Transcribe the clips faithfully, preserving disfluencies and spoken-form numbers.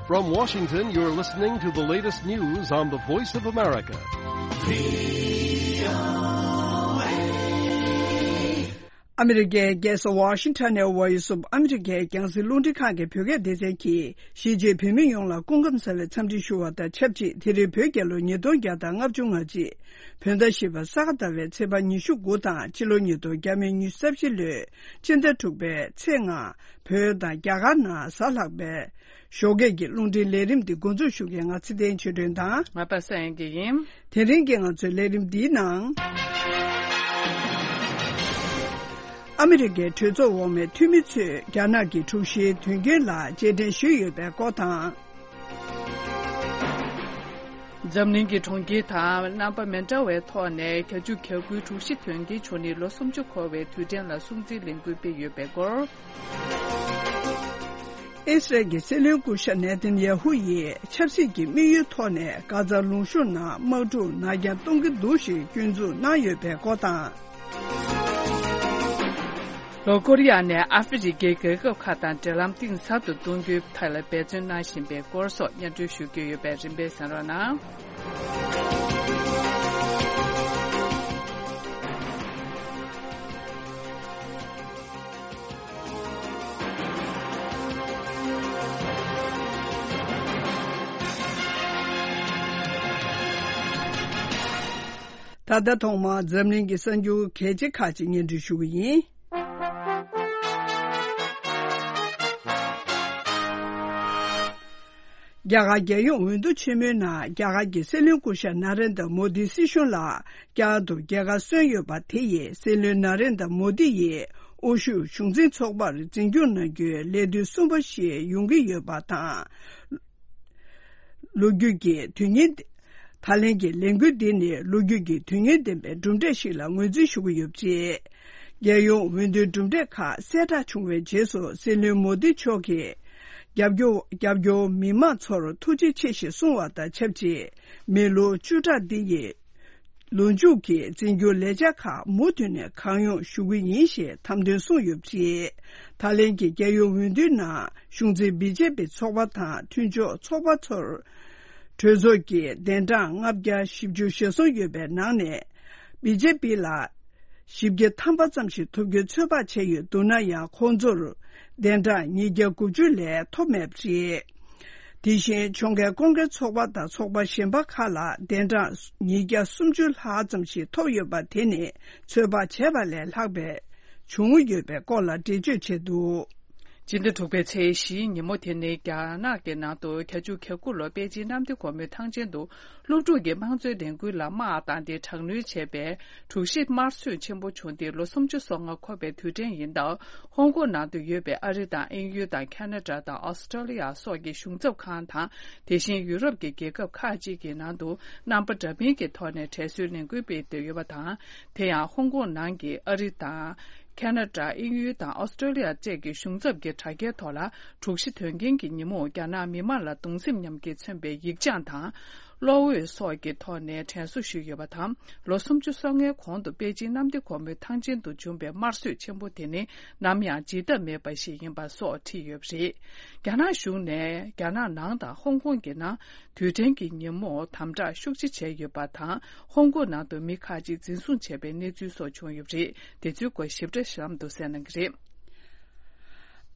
From Washington, you're listening to the latest news on the Voice of America. ཨ་མི་རི་ཀའི་རྒྱལ་ས་ཝ་ཤིང་ཊོན་ནས་Voice of America་རྒྱང་སྲིང་རླུང་འཕྲིན་ཁང་གི་བོད་སྐད་སྡེ་ཚན་གྱིས་གཞིས་བྱེས་བོད་མི་ཡོངས་ལ་སྐུ་ཁམས་བཟང་བའི་འཚམས་འདྲི་ཞུ་བ་དང་ཆབས་ཅིག་དེ་རིང་བོད་རྒྱལ་ལོ་ཉིས་སྟོང་བརྒྱ་དང་ལྔ་བཅུ་ང་གཅིག་བོད་ཟླ་བཞི་པ་ས་ག་ཟླ་བའི་ཚེས་པ་ཉི་ཤུ་དགུ་དང་ཕྱི་ལོ་ཉིས་སྟོང་ཉི་ཤུ་རྩ་བཞི་ལོའི་ཕྱི་ཟླ་དྲུག་པའི་ཚེས་ལྔ། བོད་དང་རྒྱ་གར་ནང་གཟའ་ལྷག་པའི་ཞོགས་ཀས་ཀྱི་རླུང་འཕྲིན་ལས་རིམ་འདི་འགོ་འཛུགས་ཞུ་མཁན་ང་ཚེ་བརྟན་ཆོས་སྒྲོན་དང་། ང་པ་སངས་དབྱངས་སྐྱིད་ཡིན། དེ་རིང་གི་ང་ཚོའི་ལས་རིམ་འདིའི་ནང་། ཨ་མི་རི་ཀའི་གྲོས་ཚོགས་འོག་མའི་འཐུས་མི་ཚོས་རྒྱ་ནག་གི་དྲུག་བཞིའི་དོན་རྐྱེན་ལ་རྗེས་དྲན་ཞུས་ཡོད་པའི་སྐོར་དང་། འཛམ་གླིང་གི་གྲོང་ཁྱེར་དང་རྣམ་པ་མི་འདྲ་བའི་ཐོག་ནས་གྱ་གཅུ་གྱ་དགུའི་དྲུག་བཞི་དོན་རྐྱེན་བྱུང་ནས་ལོ་སུམ་ཅུ་འཁོར་བའི་དུས་དྲན་ལ་སྲུང་བརྩིའི་ལས་འགུལ་སྤེལ་ཡོད་པའི་སྐོར། ཨི་སི་རལ་གྱི་སྲིད་བློན་སྐུ་ཞབས་ནེ་ཐན་ཡ་ཧུ་ཡིས་ཆབ་སྲིད་ཀྱི་དམིགས་ཡུལ་ཐོག་ནས་གྷ་ཛ་ལུང་གཤོང་ནང་དམག་འཁྲུག་ནར་འགྱངས་གཏོང་གི་འདུག་ཞེས་སྐྱོན་འཛུགས་གནང་ཡོད་པའི་སྐོར་དང་། ལྷོ་ཀོ་རི་ཡ་ནས་ཨ་ཧྥེ་རི་ཁའི་རྒྱལ་ཁབ་ཁག་དང་འབྲེལ་ལམ་གཏིང་ཟབ་ཏུ་གཏོང་རྒྱུའི་ཐད་ལ་འབད་བརྩོན་གནང་བཞིན་པའི་སྐོར་སོགས་སྙན་སྒྲོན་ཞུ་རྒྱུ་ཡོད་པས་རིམ་པས་གསན་རོགས་གནང་། ད་ལྟ་ཐོག་མར་འཛམ་གླིང་གི་གསར་འགྱུར་གལ་ཆེ་ཁག་ཅིག་སྙན་སྒྲོན་ཞུ་གི་ཡིན། རྒྱ་གར་རྒྱལ་ཡོངས་འོས་བསྡུ་ཆེན་མོའི་ནང་རྒྱ་གར་གྱི་སྲིད་བློན་སྐུ་ཞབས་ན་རེན་དྲ་མོ་དིའི་སྲིད་གཞུང་ལ་བསྐྱར་དུ་རྒྱལ་ཁ་སོན་ཡོད་པ་དེ་ཡིས་སྲིད་བློན་ན་རེན་དྲ་མོ་དི་ཡིས་དབུ་བཞུགས་གཞུང་འཛིན་ཚོགས་པར་འཛིན་སྐྱོང་གནང་རྒྱུའི་ལས་དུས་གསུམ་པ་ཞིག་ཡོང་གི་ཡོད་པ་དང་། ལོ་རྒྱུས་ཀྱི་དོན་སྙིང་། ད་ལན་གྱི་ལས་འགུལ་འདི་ནི་ལོ་རྒྱུས་ཀྱི་དོན་སྙིང་ལྡན་པའི་གྲུབ་འབྲས་ཤིག་ལ་ངོས་འཛིན་ཞུ་གི་ཡོད་པ་རེད། རྒྱལ་ཡོངས་འོས་བསྡུའི་གྲུབ་འབྲས་ཁག་གསལ་བསྒྲགས་བྱུང་བའི་རྗེས་སུ་སྲིད་བློན་མོ་དི་མཆོག་གིས་རྒྱབ་སྐྱོར་རྒྱབ་སྐྱོར་མི་མང་ཚོར་ཐུགས་རྗེ་ཆེ་ཞེས་གསུངས་བ་དང་ཆབས་ཅིག་མི་ལོ་བཅུ་ཕྲག་འདི་ཡི་ལོ་མཇུག་གི་འཛིན་སྐྱོང་ལས་འཆར་ཁག་མུ་མཐུད་ནས་གང་ཡོང་ཞུ་གི་ཡིན་ཞེས་དམ་དོན་གསུངས་ཡོད་པ་རེད། ད་ལན་གྱི་རྒྱལ་ཡོངས་འོས་བསྡུའི་ནང་གཞུང་འཛིན་བི་ཇེ་པི་ཚོགས་པ་དང་མཐུན་ཕྱོགས་ཚོགས་པ་ཚོར་གྲོས་ཚོགས་ཀྱི་གདན་གྲངས་ལྔ་བརྒྱ་བཞི་བཅུ་ཞེ་གསུམ་ཡོད་པའི་ནང་ནས་བི་ཇེ་པི་ལ་བཞི་བརྒྱ་ཐམ་པ་ཙམ་ཞིག་ཐོབ་རྒྱུའི་ཚོད་དཔག་བྱས་ཡོད་འདུག་ན་ཡང་ཁོང་ཚོར་གདན་གྲངས་ཉིས་བརྒྱ་དགུ་བཅུ་ལས་ཐོབ་མེད་པ་རེད། དེ་བཞིན་ཕྱོགས་འགལ་སྐོར་འགལ་ཚོགས་པ་དང་ཚོགས་པ་གཞན་པ་ཁག་ལ་གདན་གྲངས་ཉིས་བརྒྱ་སུམ་ཅུ་ལྷག་ཙམ་ཞིག་ཐོབ་ཡོད་པ་དེ་ནི་ཚོད་དཔག་བྱས་པ་ལས་ལྷག་པའི་བྱུང་ཡོད་པའི་སྐོར་ལ་འགྲེལ་བརྗོད་བྱས་འདུག་སྤྱི་ཟླ་དྲུག་པའི་ཚེས་བཞིའི་ཉིན་མོ་དེ་ནི་རྒྱ་ནག་གི་ནང་དུ་གྱ་གཅུ་གྱ་དགུ་ལོར་པེ་ཅིན་གནམ་བདེ་སྒོ་མོའི་ཐང་ཆེན་དུ་སློབ་ཕྲུག་གིས་དམངས་གཙོའི་ལས་འགུལ་ལ་དམག་བཏང་སྟེ་དྲག་གནོན་བྱས་པའི་དྲུག་བཞི་དམར་གསོད་ཆེན་པོ་བྱུང་སྟེ་ལོ་སུམ་ཅུ་སོ་ལྔ་འཁོར་བའི་དུས་དྲན་ཡིན་སྟབས། ཧོང་ཀོང་ནང་དུ་ཡོད་པའི་ཨ་རི་དང་དབྱིན་ཡུལ་དང་ཁ་ན་ཌ་དང་ཨོ་སི་ཀྲོ་ལི་ཡ་སོགས་ཀྱི་གཞུང་ཚབ་ཁང་དང་། དེ་བཞིན་ཡུ་རོབ་ཀྱི་རྒྱལ་ཁབ་ཁག་ཅིག་གི་ནང་དུ་རྣམ་པ་འདྲ་མིན་གྱི་ཐོག་ནས་དྲན་གསོའི་ལས་འགུལ་སྤེལ་འདོད་ཡོད་པ་དང་། དེ་ཡང་ཧོང་ཀོང་ནང་གི་ཨ་རི་དང་། ཁ་ན་ཌ། དབྱིན་ཡུལ་དང་ཨོ་སི་ཀྲོ་ལི་ཡ་བཅས་ཀྱི་གཞུང་ཚབ་ཀྱི་དྲ་རྒྱའི་ཐོག་ལ་དྲུག་བཞི་དོན་རྐྱེན་གྱི་ཉིན་མོར་རྒྱ་ནག་མི་མང་ལ་གདུང་སེམས་མཉམ་སྐྱེད་མཚོན་པའི་ཡིག་བྱང་དང་། གློག་འོད་སོགས་ཀྱི་ཐོག་ནས་དྲན་གསོ་ཞུས་ཡོད་པ་དང་། ལོ་སུམ་ཅུ་སོ་ལྔའི་གོང་དུ་པེ་ཅིན་གནམ་བདེ་སྒོ་མོའི་ཐང་ཆེན་དུ་བྱུང་བའི་དམར་གསོད་ཆེན་པོ་དེ་ནི་ནམ་ཡང་བརྗེད་ཐབས་མེད་པ་ཞིག་ཡིན་པ་སོགས་བྲིས་ཡོད་པ་རེད། རྒྱ་ནག་གཞུང་ནས་རྒྱ་ནག་ནང་དང་ཧོང་ཀོང་གི་ནང་དུས་དྲན་གྱི་ཉིན་མོར་དམ་དྲག་ཤུགས་ཆེ་བྱས་ཡོད་པ་དང་། ཧོང་ཀོང་ནང་དུ་མི་ཁག་ཅིག་འཛིན་བཟུང་བྱས་པའི་གནས་ཚུལ་སོགས་བྱུང་ཡོད་པ་རེད། དེ་ཚོའི་སྐོར་ཞིབ་ཕྲ་གཤམ་དུ་གསན་གནང་གི་རེད།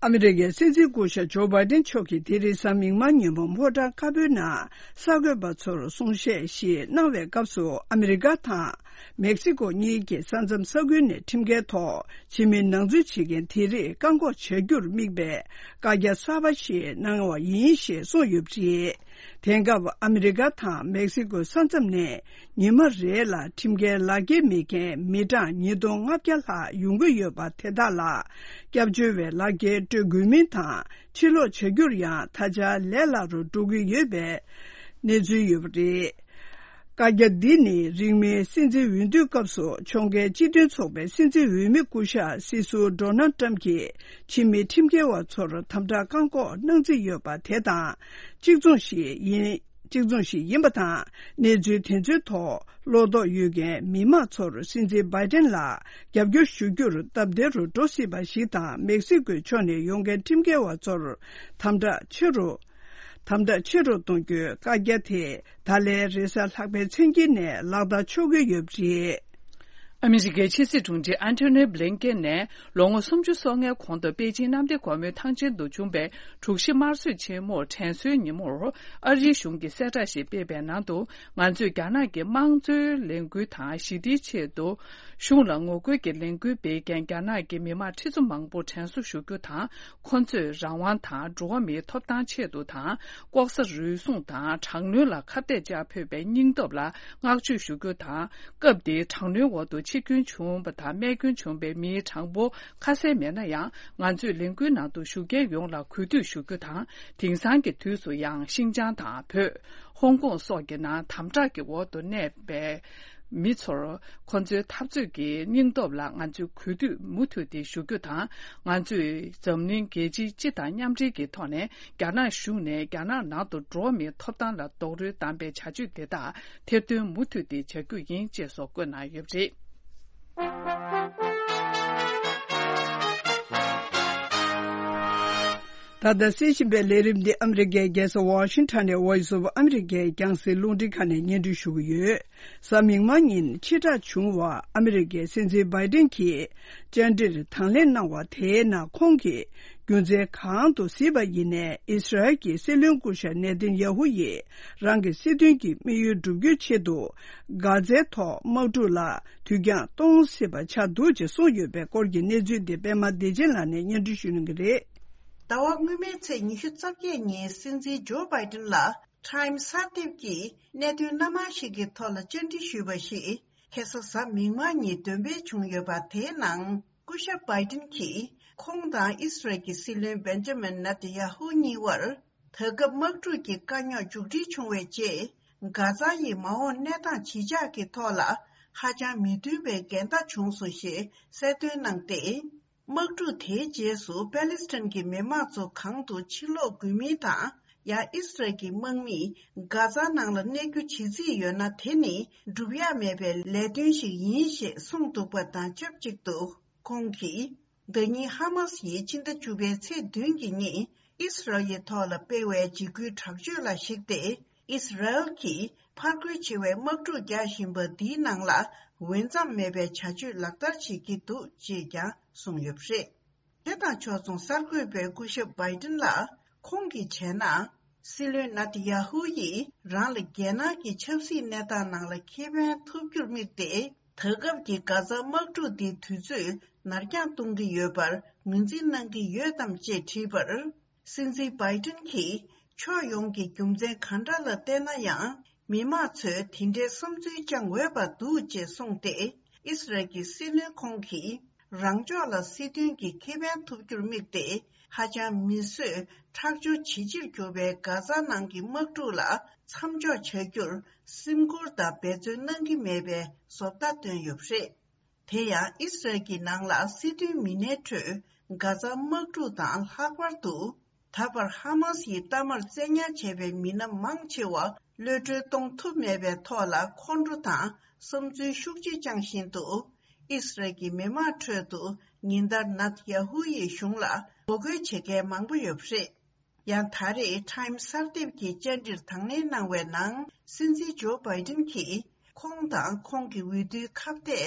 ཨ་མི་རི་ཀའི་སྲིད་འཛིན་སྐུ་ཞབས་ཇོ་བྷའི་ཏིན་མཆོག་གིས་དེ་རིང་གཟའ་མིག་དམར་ཉིན་མོ་ཕོ་བྲང་དཀར་པོའི་ནང་གསར་འགོད་པ་ཚོར་གསུང་བཤད་ཞིག་གནང་བའི་སྐབས་སུ། ཨ་མི་རི་ཀ་དང་མེག་སི་ཀོ་གཉིས་ཀྱི་ས་མཚམས་ས་ཁུལ་ནས་ཁྲིམས་འགལ་ཐོག་ཕྱི་མི་ནང་འཛུལ་བྱེད་མཁན་དེ་རིགས་བཀག་འགོག་བྱ་རྒྱུར་དམིགས་པའི་བཀའ་རྒྱ་གསར་པ་ཞིག་གནང་བ་ཡིན་ཞེས་གསུངས་ཡོད་པ་རེད། དེང་སྐབས་ཨ་མི་རི་ཀ་དང་མེག་སི་ཀོའི་ས་མཚམས་ནས་ཉི་མ་རེ་ལ་ཁྲིམས་འགལ་ལག་འཁྱེར་མེད་མཁན་མི་གྲངས་ཉིས་སྟོང་ལྔ་བརྒྱ་ལྷག་ཡོང་གི་ཡོད་པ་དེ་དག་ལ་སྐྱབས་བཅོལ་བའི་ལག་འཁྱེར་སྤྲོད་དགོས་མིན་དང་། ཕྱིར་ལོག་བྱ་རྒྱུར་ཡང་ད་ཆ་ལས་སླ་རུ་འགྲོ་གི་ཡོད་པའི་གནས་ཚུལ་ཡོད་པ་རེད། བཀའ་རྒྱ་འདི་ནི་རིང་མིན་སྲིད་འཛིན་འོས་བསྡུའི་སྐབས་སུ་ཕྱོགས་འགལ་སྤྱི་མཐུན་ཚོགས་པའི་སྲིད་འཛིན་འོས་མི་སྐུ་ཞབས་སྲིད་ཟུར་ཌོ་ནལ་ཏྲམ་གྱིས་ཕྱི་མི་ཁྲིམས་འགལ་བ་ཚོར་དམ་དྲག་བཀག་འགོག་གནང་རྩིས་ཡོད་པ་དེ་དང་གཅིག་མཚུངས་ཤིག་ཡིན། གཅིག་མཚུངས་ཤིག་ཡིན་པ་དང་། གནས་ཚུལ་དེ་ཚོའི་ཐོག་བློ་དོགས་ཡོད་མཁན་མི་མང་ཚོར་སྲིད་འཛིན་བྷའི་ཏན་ལ་རྒྱབ་སྐྱོར་ཞུ་རྒྱུར་སྟབས་བདེ་རུ་འགྲོ་སྲིད་པ་ཞིག་དང་། མེག་སི་ཀོའི་ཕྱོགས་ནས་ཡོང་མཁན་ཁྲིམས་འགལ་བ་ཚོར་དམ་དྲག་ཆེ་རུ། དམ་དྲག་ཆེ་རུ་གཏོང་རྒྱུའི་བཀའ་རྒྱ་དེ་ད་ལན་རེས་གཟའ་ལྷག་པའི་མཚན་དཀྱིལ་ནས་ལག་བསྟར་ཆོག་གི་ཡོད་པ་རེད། ཨ་མི་རི་ཀའི་ཕྱི་སྲིད་དྲུང་ཆེ་ཨན་ཐོ་ནི་བྷི་ལིན་ཀེན་ནས་ལོ་ངོ་སུམ་ཅུ་སོ་ལྔའི་གོང་དུ་པེ་ཅིན་གནམ་བདེ་སྒོ་མོའི་ཐང་ཆེན་དུ་བྱུང་པའི་གྲོས་གཞི་དམར་གསོད་ཆེན་མོར་དྲན་གསོའི་ཉིན་མོར་ཨ་རིའི་གཞུང་གིས་གསལ་བསྒྲགས་ཤིག་སྤེལ་བའི་ནང་དུ། ང་ཚོས་རྒྱ་ནག་གི་དམངས་གཙོའི་ལས་འགུལ་དང་ཞི་བདེའི་ཆེད་དུ་གཞུང་ལ་ངོ་རྒོལ་གྱི་ལས་འགུལ་སྤེལ་མཁན་རྒྱ་ནག་གི་མི་མང་ཁྲི་ཚོ་མང་པོར་དྲན་གསོ་ཞུ་རྒྱུ་དང་། ཁོ་ཚོས་རང་དབང་དང་འགྲོ་བ་མིའི་ཐོབ་ཐང་ཆེད་དུ་དང་། ལྐོག་ཟ་རུལ་སུངས་དང་དྲག་གནོན་ལ་ཁ་གཏད་བཅག་ཕོད་པའི་སྙིང་སྟོབས་ལ་བསྔགས་བརྗོད་ཞུ་རྒྱུ་དང་། སྐབས་དེའི་དྲག་གནོན་འོག་ཏུ་འཆི་སྐྱོན་བྱུང་བ་དང་རྨས་སྐྱོན་བྱུང་བའི་མིའི་གྲངས་འབོར་ཁ་གསལ་མེད་ན་ཡང་། ང་ཚོས་ལས་འགུལ་ནང་དུ་ཞུགས་མཁན་ཡོངས་ལ་གུས་འདུད་ཞུ་རྒྱུ་དང་། དེང་སང་གི་དུས་སུ་ཡང་ཤིན་ཅང་དང་བོད། ཧོང་ཀོང་སོགས་ཀྱི་ནང་དམ་དྲག་གི་འོག་ཏུ་གནས་པའི་མི་ཚོར་ཁོ་ཚོའི་འཐབ་རྩོད་ཀྱི་སྙིང་སྟོབས་ལ་ང་ཚོས་གུས་འདུད་མུ་མཐུད་དེ་ཞུ་རྒྱུ་དང་། ང་ཚོས་འཛམ་གླིང་རྒྱལ་སྤྱི་སྤྱི་དང་མཉམ་འབྲེལ་གྱི་ཐོག་ནས་རྒྱ་ནག་གཞུང་ནས་རྒྱ་ནག་ནང་དུ་འགྲོ་བ་མིའི་ཐོབ་ཐང་ལ་རྡོག་རོལ་བརྡབས་པའི་བྱ་སྤྱོད་དེ་དག་ཐེར་འདོན་མུ་མཐུད་དེ་བྱ་རྒྱུ་ཡིན་ཅེས་སོགས་བཀོད་གནང་ཡོད་པ་རེད། ད་ལྟ་གསན་བཞིན་པའི་ལས་རིམ་འདི་ཨ་མི་རི་ཀའི་རྒྱལ་ས་ཝ་ཤིང་ཊོན་ནས་Voice of America རྒྱང་སྲིང་རླུང་འཕྲིན་ཁང་ནས་སྙན་སྒྲོན་ཞུ་གི་ཡོད། གཟའ་མིག་དམར་ཉིན་ཕྱིར་བསྒྲགས་བྱུང་བ། ཨ་མི་རི་ཀའི་སྲིད་འཛིན་བྷའི་ཏིན་གྱིས་བཅར་འདྲིར་དང་ལེན་གནང་བ་དེའི་ནང་ཁོང་གིས་རྒྱུ་མཚན་གང་དུ་གཟིགས་པ་ཡིན་ནའི་ཨི་སི་རལ་གྱི་སྲིད་བློན་སྐུ་ཞབས་ནེ་ཐན་ཡ་ཧུ་ཡིས་རང་གི་སྲིད་དོན་གྱི་དམིགས་ཡུལ་བསྒྲུབ་རྒྱུའི་ཆེད་དུ་གྷ་ཛའི་ཐོག་དམག་འཁྲུག་ལ་དུས་འགྱངས་གཏོང་སྲིད་པ་ཆགས་འདུག་ཅེས་གསུངས་ཡོད་པའི་སྐོར་གྱི་གནས་ཚུལ་འདི་པད་མ་བདེ་ཆེན་ལགས་ནས་སྙན་སྒྲོན་ཞུ་གནང་གི་རེད། ཟླ་བ་སྔོན་མའི་ཚེས་ཉི་ཤུ་རྩ་བརྒྱད་ཉིན་སྲིད་འཛིན་ཇོ་བྷའི་ཏིན་ལ་Time གསར་དེབ་ཀྱིས་གནད་དོན་སྣ་མང་ཞིག་གི་ཐོག་ལ་བཅར་འདྲི་ཞུས་པ་ཞིག་ཁ་སང་གཟའ་མིག་དམར་ཉིན་འདོན་སྤེལ་བྱུང་ཡོད་པ། དེའི་ནང་སྐུ་ཞབས་བྷའི་ཏིན་གྱིས་ཁོང་དང་ཨི་སི་རལ་གྱི་སྲིད་བློན་བེན་ཇ་མིན་ནེ་ཐན་ཡ་ཧུ་གཉིས་བར། ད་སྐབས་དམག་འཁྲུག་གི་དཀའ་རྙོག་མཇུག་སྒྲིལ་བྱུང་བའི་རྗེས། གྷ་ཛ་ཡི་མ་འོངས་གནས་སྟངས་ཇི་ཆགས་ཀྱི་ཐོག་ལ་ཧ་ཅང་མི་མཐུན་པའི་འགལ་ཟླ་བྱུང་སོང་ཞེས་གསལ་སྟོན་གནང་སྟེ། དམག་འཁྲུག་དེའི་རྗེས་སུ་པེ་ལི་སི་ཐན་གྱི་མི་མང་ཚོ་གང་དུ་ཕྱིར་ལོག་དགོས་མིན་དང་། ཡང་ཨི་སི་རལ་གྱི་དམག་མིས་གྷ་ཛ་ནང་ལ་གནས་རྒྱུ་བྱེད་རྩིས་ཡོད་ན། དེ་ནི་སྒྲུབ་ཡ་མེད་པའི་ལས་དོན་ཞིག་ཡིན་ཞེས་གསུངས་འདུག་པ་དང་ཆབས་ཅིག་ཏུ། ཁོང་གིས། ཟླ་ཉིན་ཧ་མ་སི་ཡིས་ཕྱི་ཟླ་བཅུ་པའི་ཚེས་བདུན་གྱི་ཉིན་ཨི་སི་རལ་ཡི་ཐོག་ལ་སྤེལ་བའི་འཇིགས་སྐུལ་དྲག་སྤྱོད་ལ་གཞིགས་ཏེ། ཨི་སི་རལ་གྱིས་ཕར་རྒོལ་ཆེ་བའི་དམག་འཁྲུག་རྒྱག་བཞིན་པ་འདིའི་ནང་ལ་འོས་འཚམ་མེད་པའི་བྱ་སྤྱོད་ལག་བསྟར་བྱེད་ཀྱི་འདུག་ཅེས་ཀྱང་གསུངས་ཡོད་པ་རེད། དེ་དང་ཕྱོགས་མཚུངས་གསར་འགོད་པས་སྐུ་ཞབས་བྷའི་ཏིན་ལ་ཁོང་གིས་བྱས་ན། སྲིད་བློན་ནེ་ཐན་ཡ་ཧུ་ཡིས་རང་ལ་རྒྱལ་ནང་གི་ཆབ་སྲིད་གནས་སྟངས་ནང་ལ་ཁེ་ཕན་ཐོབ་རྒྱུར་དམིགས་ཏེ། ད་སྐབས་ཀྱི་གྷ་ཛ་དམག་འཁྲུག་འདི་དུས་ཚོད་ནར་འགྱངས་གཏོང་གི་ཡོད་པར་ངོས་འཛིན་གནང་གི་ཡོད་དམ་ཅེས་དྲིས་པར། སྲིད་འཛིན་བྷའི་ཏིན་གྱིས་ཕྱོགས་ཡོངས་ཀྱི་རྒྱུ་མཚན་གང་འདྲ་ལ་བལྟས་ན་ཡང་། མི་མང་ཚོས་དེ་འདྲའི་བསམ་ཚུལ་བཅངས་འོས་པ་འདུག་ཅེས་གསུངས་ཏེ། ཨི་སི་རལ་གྱི་སྲིད་བློན་ཁོང་གིས། རང་ཕྱོགས་ལ་སྲིད་དོན་གྱི་ཁེ་ཕན་ཐོབ་རྒྱུར་དམིགས་ཏེ། ཧ་ཅང་མི་བཟོད་ཁྲག་སྦྱོར་ཇེ་ཆེར་གྱུར་པའི་གྷ་ཛ་ནང་གི་དམག་འཁྲུག་ལ་མཚམས་འཇོག་བྱ་རྒྱུར་སེམས་ཁུར་དང་འབད་བརྩོན་གནང་གི་མེད་པའི་བཟོ་ལྟ་བཏོན་ཡོད་པ་རེད། དེ་ཡང་ཨི་སི་རལ་གྱི་ནང་ལ་སྲིད་དོན་མི་སྣའི་ཁྲོད་གྷ་ཛ་དམག་འཁྲུག་དང་ལྷག་པར་དུ། ད་བར་ཧ་མ་སི་ཡི་གཏའ་མར་བཙན་ཉར་བྱས་པའི་མི་སྣ་མང་ཆེ་བ་གློད་གྲོལ་གཏོང་ཐུབ་མེད་པའི་ཐོག་ལ་ཁོང་ཁྲོ་དང་བསམ་ཚུལ་ཤུགས་ཆེ་བཅངས་བཞིན་དུ། ཨི་སི་རལ་གྱི་མི་མང་ཁྲོད་དུ་ཉིན་ལྟར་ནེ་ཐན་ཡ་ཧུ་ཡི་གཞུང་ལ་ངོ་རྒོལ་བྱེད་མཁན་མང་པོ་ཡོད་པ་རེད། ཡང་ད་རེས་Time གསར་དེབ་ཀྱི་བཅར་འདྲིར་དང་ལེན་གནང་བའི་ནང་། སྲིད་འཛིན་ཇོ་བྷའི་ཏིན་གྱིས་ཁོང་དང་ཁོང་གི་འོས་བསྡུའི་ཁ་གཏད་དེ་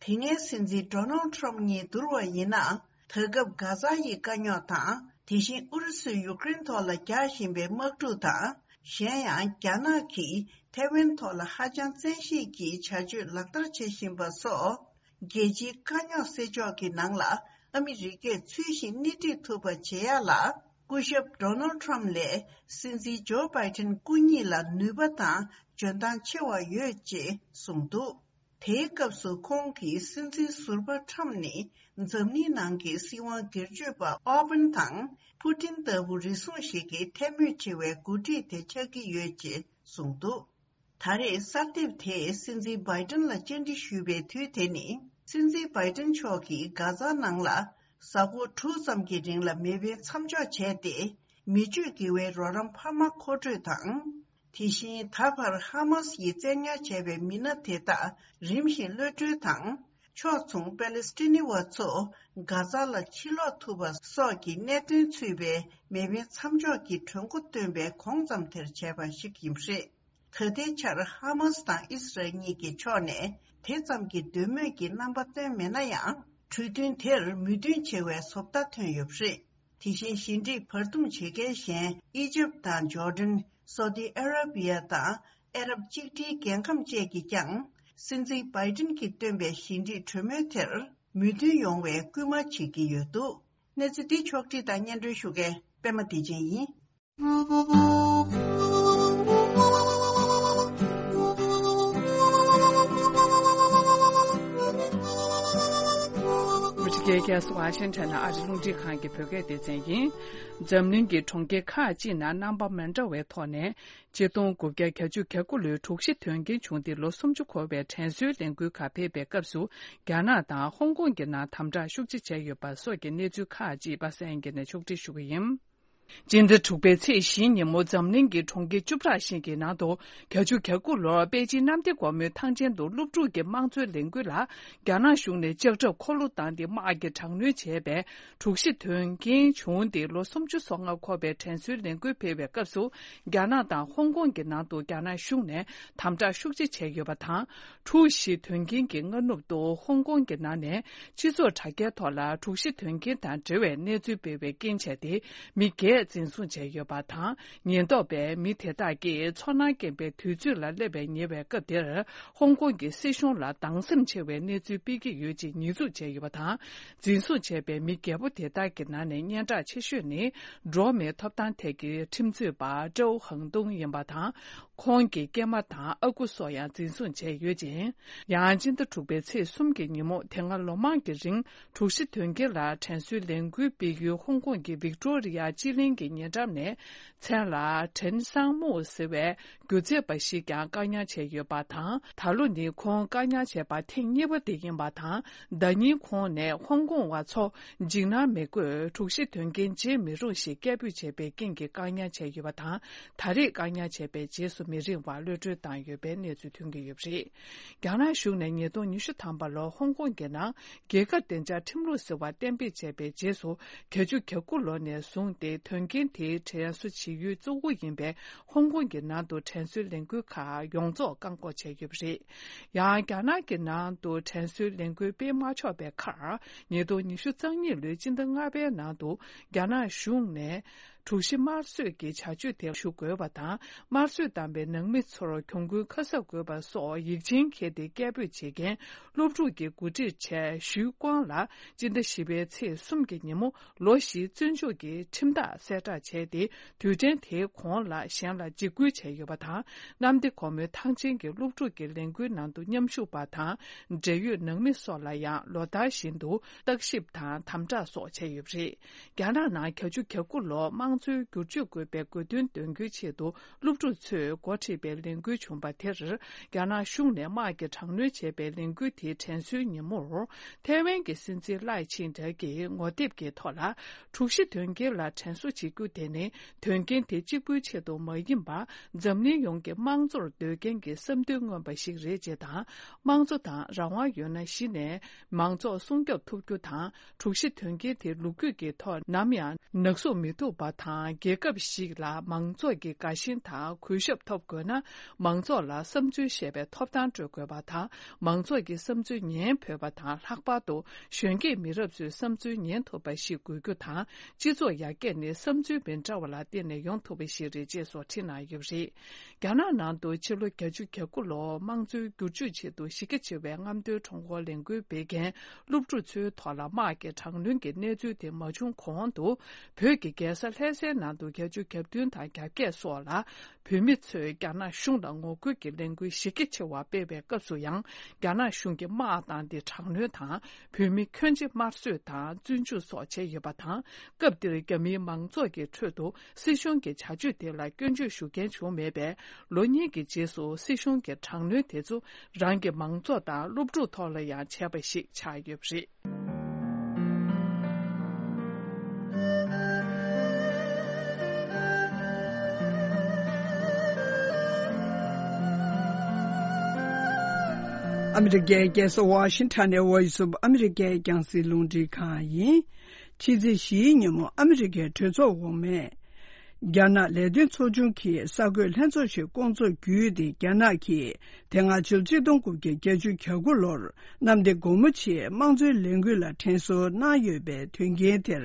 སྔའི་སྲིད་འཛིན་ཌོ་ནལ་ཊམ་གཉིས་བསྡུར་བ་ཡིན་ན། ད་སྐབས་གྷ་ཛ་ཡི་དཀའ་རྙོག་དང་། དེ་བཞིན་ཨུ་རུ་སུས་ཡུཀ་རེན་ཐོག་ལ་རྒྱག་བཞིན་པའི་དམག་འཁྲུག་དང་། གཞན་ཡང་རྒྱ་ནག་གིས་ཐའེ་ཝན་ཐོག་ལ་ཧ་ཅང་བཙན་ཤེད་ཀྱིས་བྱ་སྤྱོད་ལག་བསྟར་བྱེད་བཞིན་པ་སོགས། རྒྱལ་སྤྱིའི་དཀའ་རྙོག་སེལ་ཕྱོགས་ཀྱི་ནང་ལ་ཨ་མི་རི་ཀས་ཚུལ་བཞིན་སྣེ་ཁྲིད་ཐུབ་པ་བྱེད་ཡག་ལ། སྐུ་ཞབས་ཌོ་ནལ་ཊམ་ལས་སྲིད་འཛིན་ཇོ་བྷའི་ཏིན་སྐུ་ཉིད་ལ་ནུས་པ་དང་འཇོན་ཐང་ཆེ་བ་ཡོད་ཅེས་གསུངས་འདུག་དེའི་སྐབས་སུ་ཁོང་གིས་སྲིད་འཛིན་ཟུར་པ་ཊམ་ནི་འཛམ་གླིང་ནང་གི་སྲིད་དབང་སྒེར་གཅོད་པ་ཨོ་པན་དང་པུ་ཏིན་ལྟ་བུ་རེ་ཟུང་ཞིག་གིས་ཐལ་མོ་སྒྲིལ་བའི་འགོ་ཁྲིད་དེ་ཆགས་ཀྱི་ཡོད་ཅེས་གསུངས་འདུག་ད་རེས་གསར་དེབ་དེས་སྲིད་འཛིན་བྷའི་ཏིན་ལ་བཅར་འདྲི་ཞུས་པའི་དུས་དེ་ནི། སྲིད་འཛིན་བྷའི་ཏིན་མཆོག་གིས་གྷ་ཛ་ནང་ལ་གཟའ་འཁོར་དྲུག་ཙམ་གྱི་རིང་ལ་མེ་འཕེན་མཚམས་འཇོག་བྱས་ཏེ། མི་སྤྱོད་དགེ་བའི་རོགས་རམ་འཕར་མ་མཁོ་སྤྲོད་དང་། དེ་བཞིན་ད་བར་ཧ་མ་སི་ཡིས་བཙན་ཉར་བྱས་པའི་མི་སྣ་དེ་དག་རིམ་བཞིན་གློད་གྲོལ་དང་། ཕྱོགས་མཚུངས་པེ་ལེ་སི་ཏི་ནི་བ་ཚོ་གྷ་ཛ་ལ་ཕྱིར་ལོག་ཐུབ་པ་སོགས་ཀྱི་གནད་དོན་ཚུད་པའི་མེ་འཕེན་མཚམས་འཇོག་གི་གྲོས་འགོ་བཏོན་པའི་གོང་ཙམ་དེར་བྱས་པ་ཞིག་ཡིན་པ་རེད། ད་ལྟའི་ཆར་ཧ་མ་སི་དང་ཨི་སི་རལ་གཉིས་ཀྱི་ཕྱོགས་ནས་དེ་ཙམ་གྱི་འདོད་མོས་ཀྱི་རྣམ་པ་བཏོན་མེད་ན་ཡང་། གྲོས་མཐུན་དེར་མོས་མཐུན་བྱེད་པའི་བཟོ་ལྟ་ཐོན་ཡོད་པ་རེད། དེ་བཞིན་ཞི་འགྲིག་བར་འདུམ་བྱེད་མཁན་གཞན་ཨི་ཇིབ་དང་ཇོར་ཌན། སོ་ཏི་ཨ་ར་བི་ཡ་དང་ཨ་རབ་གཅིག་སྒྲིལ་རྒྱལ་ཁམས་བཅས་ཀྱིས་ཀྱང་། སྲིད་འཛིན་བྷའི་ཏིན་གྱིས་བཏོན་པའི་ཞི་འགྲིག་གྲོས་མོལ་དེར་མོས་མཐུན་ཡོང་བའི་སྐུལ་མ་བྱེད་ཀྱི་ཡོད་འདུག་གནས་ཚུལ་འདི་ཕྱོགས་བསྒྲིགས་དང་སྙན་སྒྲོན་ཞུ་མཁན་པད་མ་བདེ་ཆེན་ཡིན། ཨ་མི་རི་ཀའི་རྒྱལ་ས་ཝ་ཤིང་ཊོན་ནས་ཨ་རི་རླུང་འཕྲིན་ཁང་གི་བོད་སྐད་སྡེ་ཚན་ཡིན། འཛམ་གླིང་གི་གྲོང་ཁྱེར་ཁག་ཅིག་ནང་རྣམ་པ་མི་འདྲ་བའི་ཐོག་ནས། ཆིག་སྟོང་དགུ་བརྒྱ་གྱ་གཅིག་གྱ་དགུ་ལོའི་དྲུག་བཞི་དོན་རྐྱེན་བྱུང་སྟེ་ལོ་སུམ་ཅུ་འཁོར་བའི་དྲན་གསོའི་ལས་འགུལ་ཁག་ཕེབས་པའི་སྐབས་སུ། རྒྱ་ནག་དང་ཧོང་ཀོང་གི་ནང་དམ་དྲག་ཤུགས་ཆེ་བྱས་ཡོད་པ་སོགས་ཀྱི་གནས་ཚུལ་ཁག་ཅིག་པ་སངས་སྐྱིད་ནས་ཕྱོགས་སྒྲིག་ཞུ་གི་ཡིན། སྤྱི་ཟླ་དྲུག་པའི་ཚེས་བཞིའི་ཉིན་མོ་འཛམ་གླིང་གི་གྲོང་ཁྱེར་བཅུ་ཕྲག་ཞིག་གི་ནང་དུ། གྱ་གཅིག་གྱ་དགུ་ལོར་པེ་ཅིན་གནམ་བདེ་སྒོ་མོའི་ཐང་ཆེན་དུ་སློབ་ཕྲུག་གི་དམངས་གཙོའི་ལས་འགུལ་ལ། རྒྱ་ནག་གཞུང་ནས་ལྕགས་ཁྲབ་འཁོར་ལོ་བཏང་སྟེ་དམག་གི་དྲག་གནོན་བྱས་པའི། དྲུག་བཞི་དོན་རྐྱེན་བྱུང་སྟེ་ལོ་སུམ་ཅུ་སོ་ལྔ་འཁོར་བའི་དྲན་གསོའི་ལས་འགུལ་སྤེལ་བའི་སྐབས་སུ། རྒྱ་ནག་དང་ཧོང་ཀོང་གི་ནང་དུ་རྒྱ་ནག་གཞུང་ནས་དམ་དྲག་ཤུགས་ཆེ་བྱས་ཡོད་པ་དང་། དྲུག་བཞི་དོན་རྐྱེན་གྱི་སྔ་ནུབ་ཏུ་ཧོང་ཀོང་གི་ནང་ནས་སྤྱི་ཚོགས་དྲ་རྒྱའི་ཐོག་ལ་དྲུག་བཞི་དོན་རྐྱེན་དང་འབྲེལ་བའི་གནས་ཚུལ་སྤེལ་བའི་རྐྱེན་བྱས་ཏེ། མི་བརྒྱད་འཛིན་བཟུང་བྱས་ཡོད་པ་དང་། ཉེན་རྟོག་པས་མི་དེ་དག་གིས་ཚོར་སྣང་སྐྱེན་པའི་དུས་ཚོད་ལ་སླེབས་པའི་ཉེ་བའི་སྐབས་དེར། ཧོང་ཀོང་གི་སྲིད་གཞུང་ལ་སྡང་སེམས་ཆེ་བའི་གནས་ཚུལ་སྤེལ་གྱི་ཡོད་ཅེས་ཉེས་འཛུགས་བྱས་ཡོད་པ་དང་། འཛིན་བཟུང་བྱས་པའི་མི་བརྒྱད་པོ་དེ་དག་གི་ནང་ནས་སྙན་གྲགས་ཆེ་ཤོས་ནི། འགྲོ་བ་མིའི་ཐོབ་ཐང་ཐད་ཀྱི་ཁྲིམས་རྩོད་པ་ཀྲོའུ་ཧང་ཏུང་ཡིན་པ་དང་། ཁོང་གི་སྐྱེས་མ་དང་ཨ་ཁུ་སོགས་ཡང་འཛིན་བཟུང་བྱས་ཡོད་ཅིང་། ཡང་སྤྱི་ཟླ་དྲུག་པའི་ཚེས་གསུམ་གྱི་ཉིན་མོ། དེ་སྔ་ལོ་མང་གི་རིང་དྲུག་བཞི་དོན་རྐྱེན་ལ་དྲན་གསོའི་ལས་འགུལ་སྤེལ་ཡུལ་ཧོང་ཀོང་གི་ཝིག་ཏོ་རི་ཡ་སྤྱི་གླིང་གི་ཉེ་འགྲམ་ནས། མཚན་ལ་ཁྲེན་སང་མུའུ་ཟེར་བའི་སྒྱུ་རྩལ་པ་ཞིག་ཀྱང་བཀག་ཉར་བྱས་ཡོད་པ་དང་། ད་ལོ་ནི་ཁོང་བཀག་ཉར་བྱས་པ་ཐེངས་གཉིས་པ་དེ་ཡིན་པ་དང་། ཟླ་ཉིན་ཁོང་ནས་ཧོང་ཀོང་བ་ཚོ་འཇིགས་སྣང་མི་དགོས། དྲུག་བཞི་དོན་རྐྱེན་བརྗེད་མི་རུང་ཞེས་སྐད་འབོད་བྱས་པའི་རྐྱེན་གྱིས་བཀག་ཉར་བྱས་ཡོད་པ་དང་། ད་རེས་བཀག་ཉར་བྱས་པའི་རྗེས་སུ་མི་རིང་བར་གློད་གྲོལ་བཏང་ཡོད་པའི་གནས་ཚུལ་ཐོན་གྱི་ཡོད་པ་རེད། རྒྱ་ནག་གཞུང་ནས་ཉིས་སྟོང་ཉི་ཤུ་ཐམ་པ་ལོར་ཧོང་ཀོང་གི་ནང་རྒྱལ་ཁབ་བདེ་འཇགས་ཁྲིམས་ལུགས་ཟེར་བ་གཏན་འབེབས་བྱས་པའི་རྗེས་སུ། གྱ་གཅིག་གྱ་དགུ་ལོ་ནས་བཟུང་སྟེ་དོན་རྐྱེན་དེའི་དྲན་གསོ་བྱེད་ཡུལ་གཙོ་བོ་ཡིན་པའི་ཧོང་ཀོང་གི་ནང་དུ་དྲན་གསོའི་ལས་འགུལ་ཁག་ཡོངས་རྫོགས་བཀག་འགོག་བྱས་ཡོད་པ་རེད། ཡང་རྒྱ་ནག་གི་ནང་དུ་དྲན་གསོའི་ལས་འགུལ་སྤེལ་མ་ཆོག་པའི་ཁར། ཉིས་སྟོང་ཉི་ཤུ་རྩ་གཉིས་ལོའི་སྤྱི་ཟླ་ལྔ་པའི་ནང་དུ་རྒྱ་ནག་གཞུང་ནས། དྲུག་བཞི་དམར་གསོད་ཀྱི་བྱ་སྤྱོད་དེ་ཞུ་དགོས་པ་དང་། དམར་གསོད་བཏང་བའི་ནང་མི་ཚོར་གྱོང་གུན་ཁ་གསབ་དགོས་པ་སོགས་ཡིག་ཆེན་འཁྱེར་ཏེ་སྐད་འབོད་བྱེད་མཁན་སློབ་ཕྲུག་གི་འགོ་ཁྲིད་ཆེ་ཞུས་ཀོང་ལ་སྤྱི་ཟླ་བཞི་པའི་ཚེས་གསུམ་གྱི་ཉིན་མོ་ལོ་བཞིའི་བཙོན་འཇུག་གི་ཁྲིམས་ཐག་གསལ་བསྒྲགས་བྱས་ཏེ། དུས་དྲན་དེའི་གོང་ལ་གཞན་ལ་འཇིགས་སྐུལ་བྱས་ཡོད་པ་དང་། གནམ་བདེ་སྒོ་མོའི་ཐང་ཆེན་གྱི་སློབ་ཕྲུག་གི་ལས་འགུལ་ནང་དུ་མཉམ་ཞུགས་པ་དང་། འབྲེལ་ཡོད་ནང་མི་སོགས་ལ་ཡང་ལོ་ལྟར་བཞིན་དུ་བརྟག་ཞིབ་དང་དམ་དྲག་སོགས་བྱས་ཡོད་པ་རེད། རྒྱ་ནག་ནང་གྱ་གཅིག་གྱ་དགུ་ལོར་དམངས་གཙོའི་བསྒྱུར་བཅོས་དགོས་པའི་དགོས་འདུན་འདོན་རྒྱུའི་ཆེད་དུ་སློབ་ཕྲུག་ཚོས་འགོ་ཁྲིད་པའི་ལས་འགུལ་བྱུང་བ་དེར། རྒྱ་ནག་གཞུང་ནས་དམག་གིས་དྲག་གནོན་བྱས་པའི་ལས་འགུལ་དེའི་དྲན་གསོའི་ཉིན་མོར། ཐའེ་ཝན་གྱི་སྲིད་འཛིན་ལའེ་ཆིང་ཏེ་གིས་ངོ་དེབ་ཀྱི་ཐོག་ལ། དྲུག་བཞི་དོན་རྐྱེན་ལ་དྲན་གསོ་བྱེད་རྒྱུ་དེ་ནི། དོན་རྐྱེན་དེ་གཅིག་པུའི་ཆེད་དུ་མ་ཡིན་པར། འཛམ་གླིང་ཡོངས་ཀྱི་དམངས་གཙོར་འདོད་མཁན་གྱི་བསམ་འདུན་མངོན་པ་ཞིག་རེད་ཅེས་དང་། དམངས་གཙོ་དང་རང་དབང་ཡོད་ན་གཞི་ནས་མང་ཚོགས་སྲུང་སྐྱོབ་ཐུབ་རྒྱུ་དང་། དྲུག་བཞི་དོན་རྐྱེན་དེ་ལོ་རྒྱུས་ཀྱི་ཐོག་ནམ་ཡང་ནག་བསུབ་མི་ཐུབ་པ་དང་། རྒྱལ་ཁབ་ཞིག་ལ་མང་ཚོགས་ཀྱི་དགའ་ཞེན་དང་གུས་ཞབས་ཐོབ་དགོས་ན། མང་ཚོགས་ལ་བསམ་ཚུལ་བཤད་པའི་ཐོབ་ཐང་སྤྲོད་དགོས་པ་དང་། མང་ཚོགས་ཀྱི་བསམ་ཚུལ་ཉན་ཕོད་པ་དང་། ལྷག་པར་དུ་གཞོན་སྐྱེས་མི་རབས་ཚོས་བསམ་ཚུལ་ཉན་ཐུབ་པ་ཞིག་དགོས་རྒྱུ་དང་། སྤྱི་ཚོགས་ཡར་རྒྱས་ནི་བསམ་ཚུལ་མི་འདྲ་བ་ལ་བརྟེན་ནས་ཡོང་ཐུབ་པ་ཞིག་རེད་ཅེས་སོགས་བྲིས་གནང་ཡོད་པ་རེད། རྒྱ་ནག་ནང་དུ་ཕྱི་ལོ་བརྒྱད་ཅུ་གྱ་དགུ་ལོར་དམངས་གཙོའི་བསྒྱུར་བཅོས་ཆེད་དུ་གཞི་རྒྱ་ཆེ་བའི་རྔམ་སྟོན་ཁྲོམ་སྐོར་ལས་འགུལ་སྤེལ་མཁན་སློབ་ཕྲུག་ཚོའི་ཐོག་ལ་དམག་གི་དྲག་གནོན་གྱི་གནས་ཚུལ་དེ་མ་བྱུང་གོང་དུ། བོད་ཀྱི་རྒྱལ་ས་ལྷ་སའི་ནང་དུ་བརྒྱད་ཅུ་གྱ་བདུན་དང་གྱ་བརྒྱད་སོགས་ལ་བོད་མི་ཚོས་རྒྱ་ནག་གཞུང་ལ་ངོ་རྒོལ་གྱི་ལས་འགུལ་གཞི་རྒྱ་ཆེ་བ་སྤེལ་བའི་སྐབས་སུ་ཡང་། རྒྱ་ནག་གཞུང་གིས་དམག་བཏང་སྟེ་དྲག་གནོན་དང་། བོད་མི་ཁྱོན་ཆེ་དམར་གསོད་དང་བཙོན་འཇུག་སོགས་བྱས་ཡོད་པ་དང་། སྐབས་དེར་རྒྱ་མིའི་མང་ཚོགས་ཀྱི་ཁྲོད་དུ་སྲིད་གཞུང་གི་བྱ་སྤྱོད་དེ་ལ་སྐྱོན་བརྗོད་ཞུ་མཁན་བྱུང་མེད་པས། ལོ་གཉིས་ཀྱི་རྗེས་སུ་སྲིད་གཞུང་གི་དྲག་གནོན་དེ་ཚོ་རང་གི་མང་ཚོགས་དང་སློབ་ཕྲུག་ཐོག་ལ་ཡང་བྱས་པ་ཞིག་ཆགས་ཡོད་པ་རེད། ཨ་མི་རི་ཀའི་རྒྱལ་ས་ཝ་ཤིང་ཊོན་ནས་ཝོ་ཡིས་ཨོཕ་ཨ་མི་རི་ཀའི་རྒྱང་སྲིང་རླུང་འཕྲིན་ཁང་ཡིན། ཕྱི་ཚེས་བཞིའི་ཉིན་མོ་ཨ་མི་རི་ཀའི་གྲོས་ཚོགས་འོག་མས། རྒྱ་ནག་ལས་དོན་ཚོགས་ཆུང་གི་གསར་འགོད་ལྷན་ཚོགས་ཤིག་བསྐོང་ཚོགས་བརྒྱུད་དེ། རྒྱ་ནག་གིས་དེ་སྔ་ཕྱི་ལོ་ཆིག་སྟོང་དགུ་བརྒྱ་བརྒྱད་ཅུ་གྱ་དགུ་ལོར་གནམ་བདེ་སྒོ་མོ་ཆེའི་དམངས་གཙོའི་ལས་འགུལ་ལ་དྲན་གསོ་གནང་ཡོད་པའི་དོན་རྐྱེན་དེར་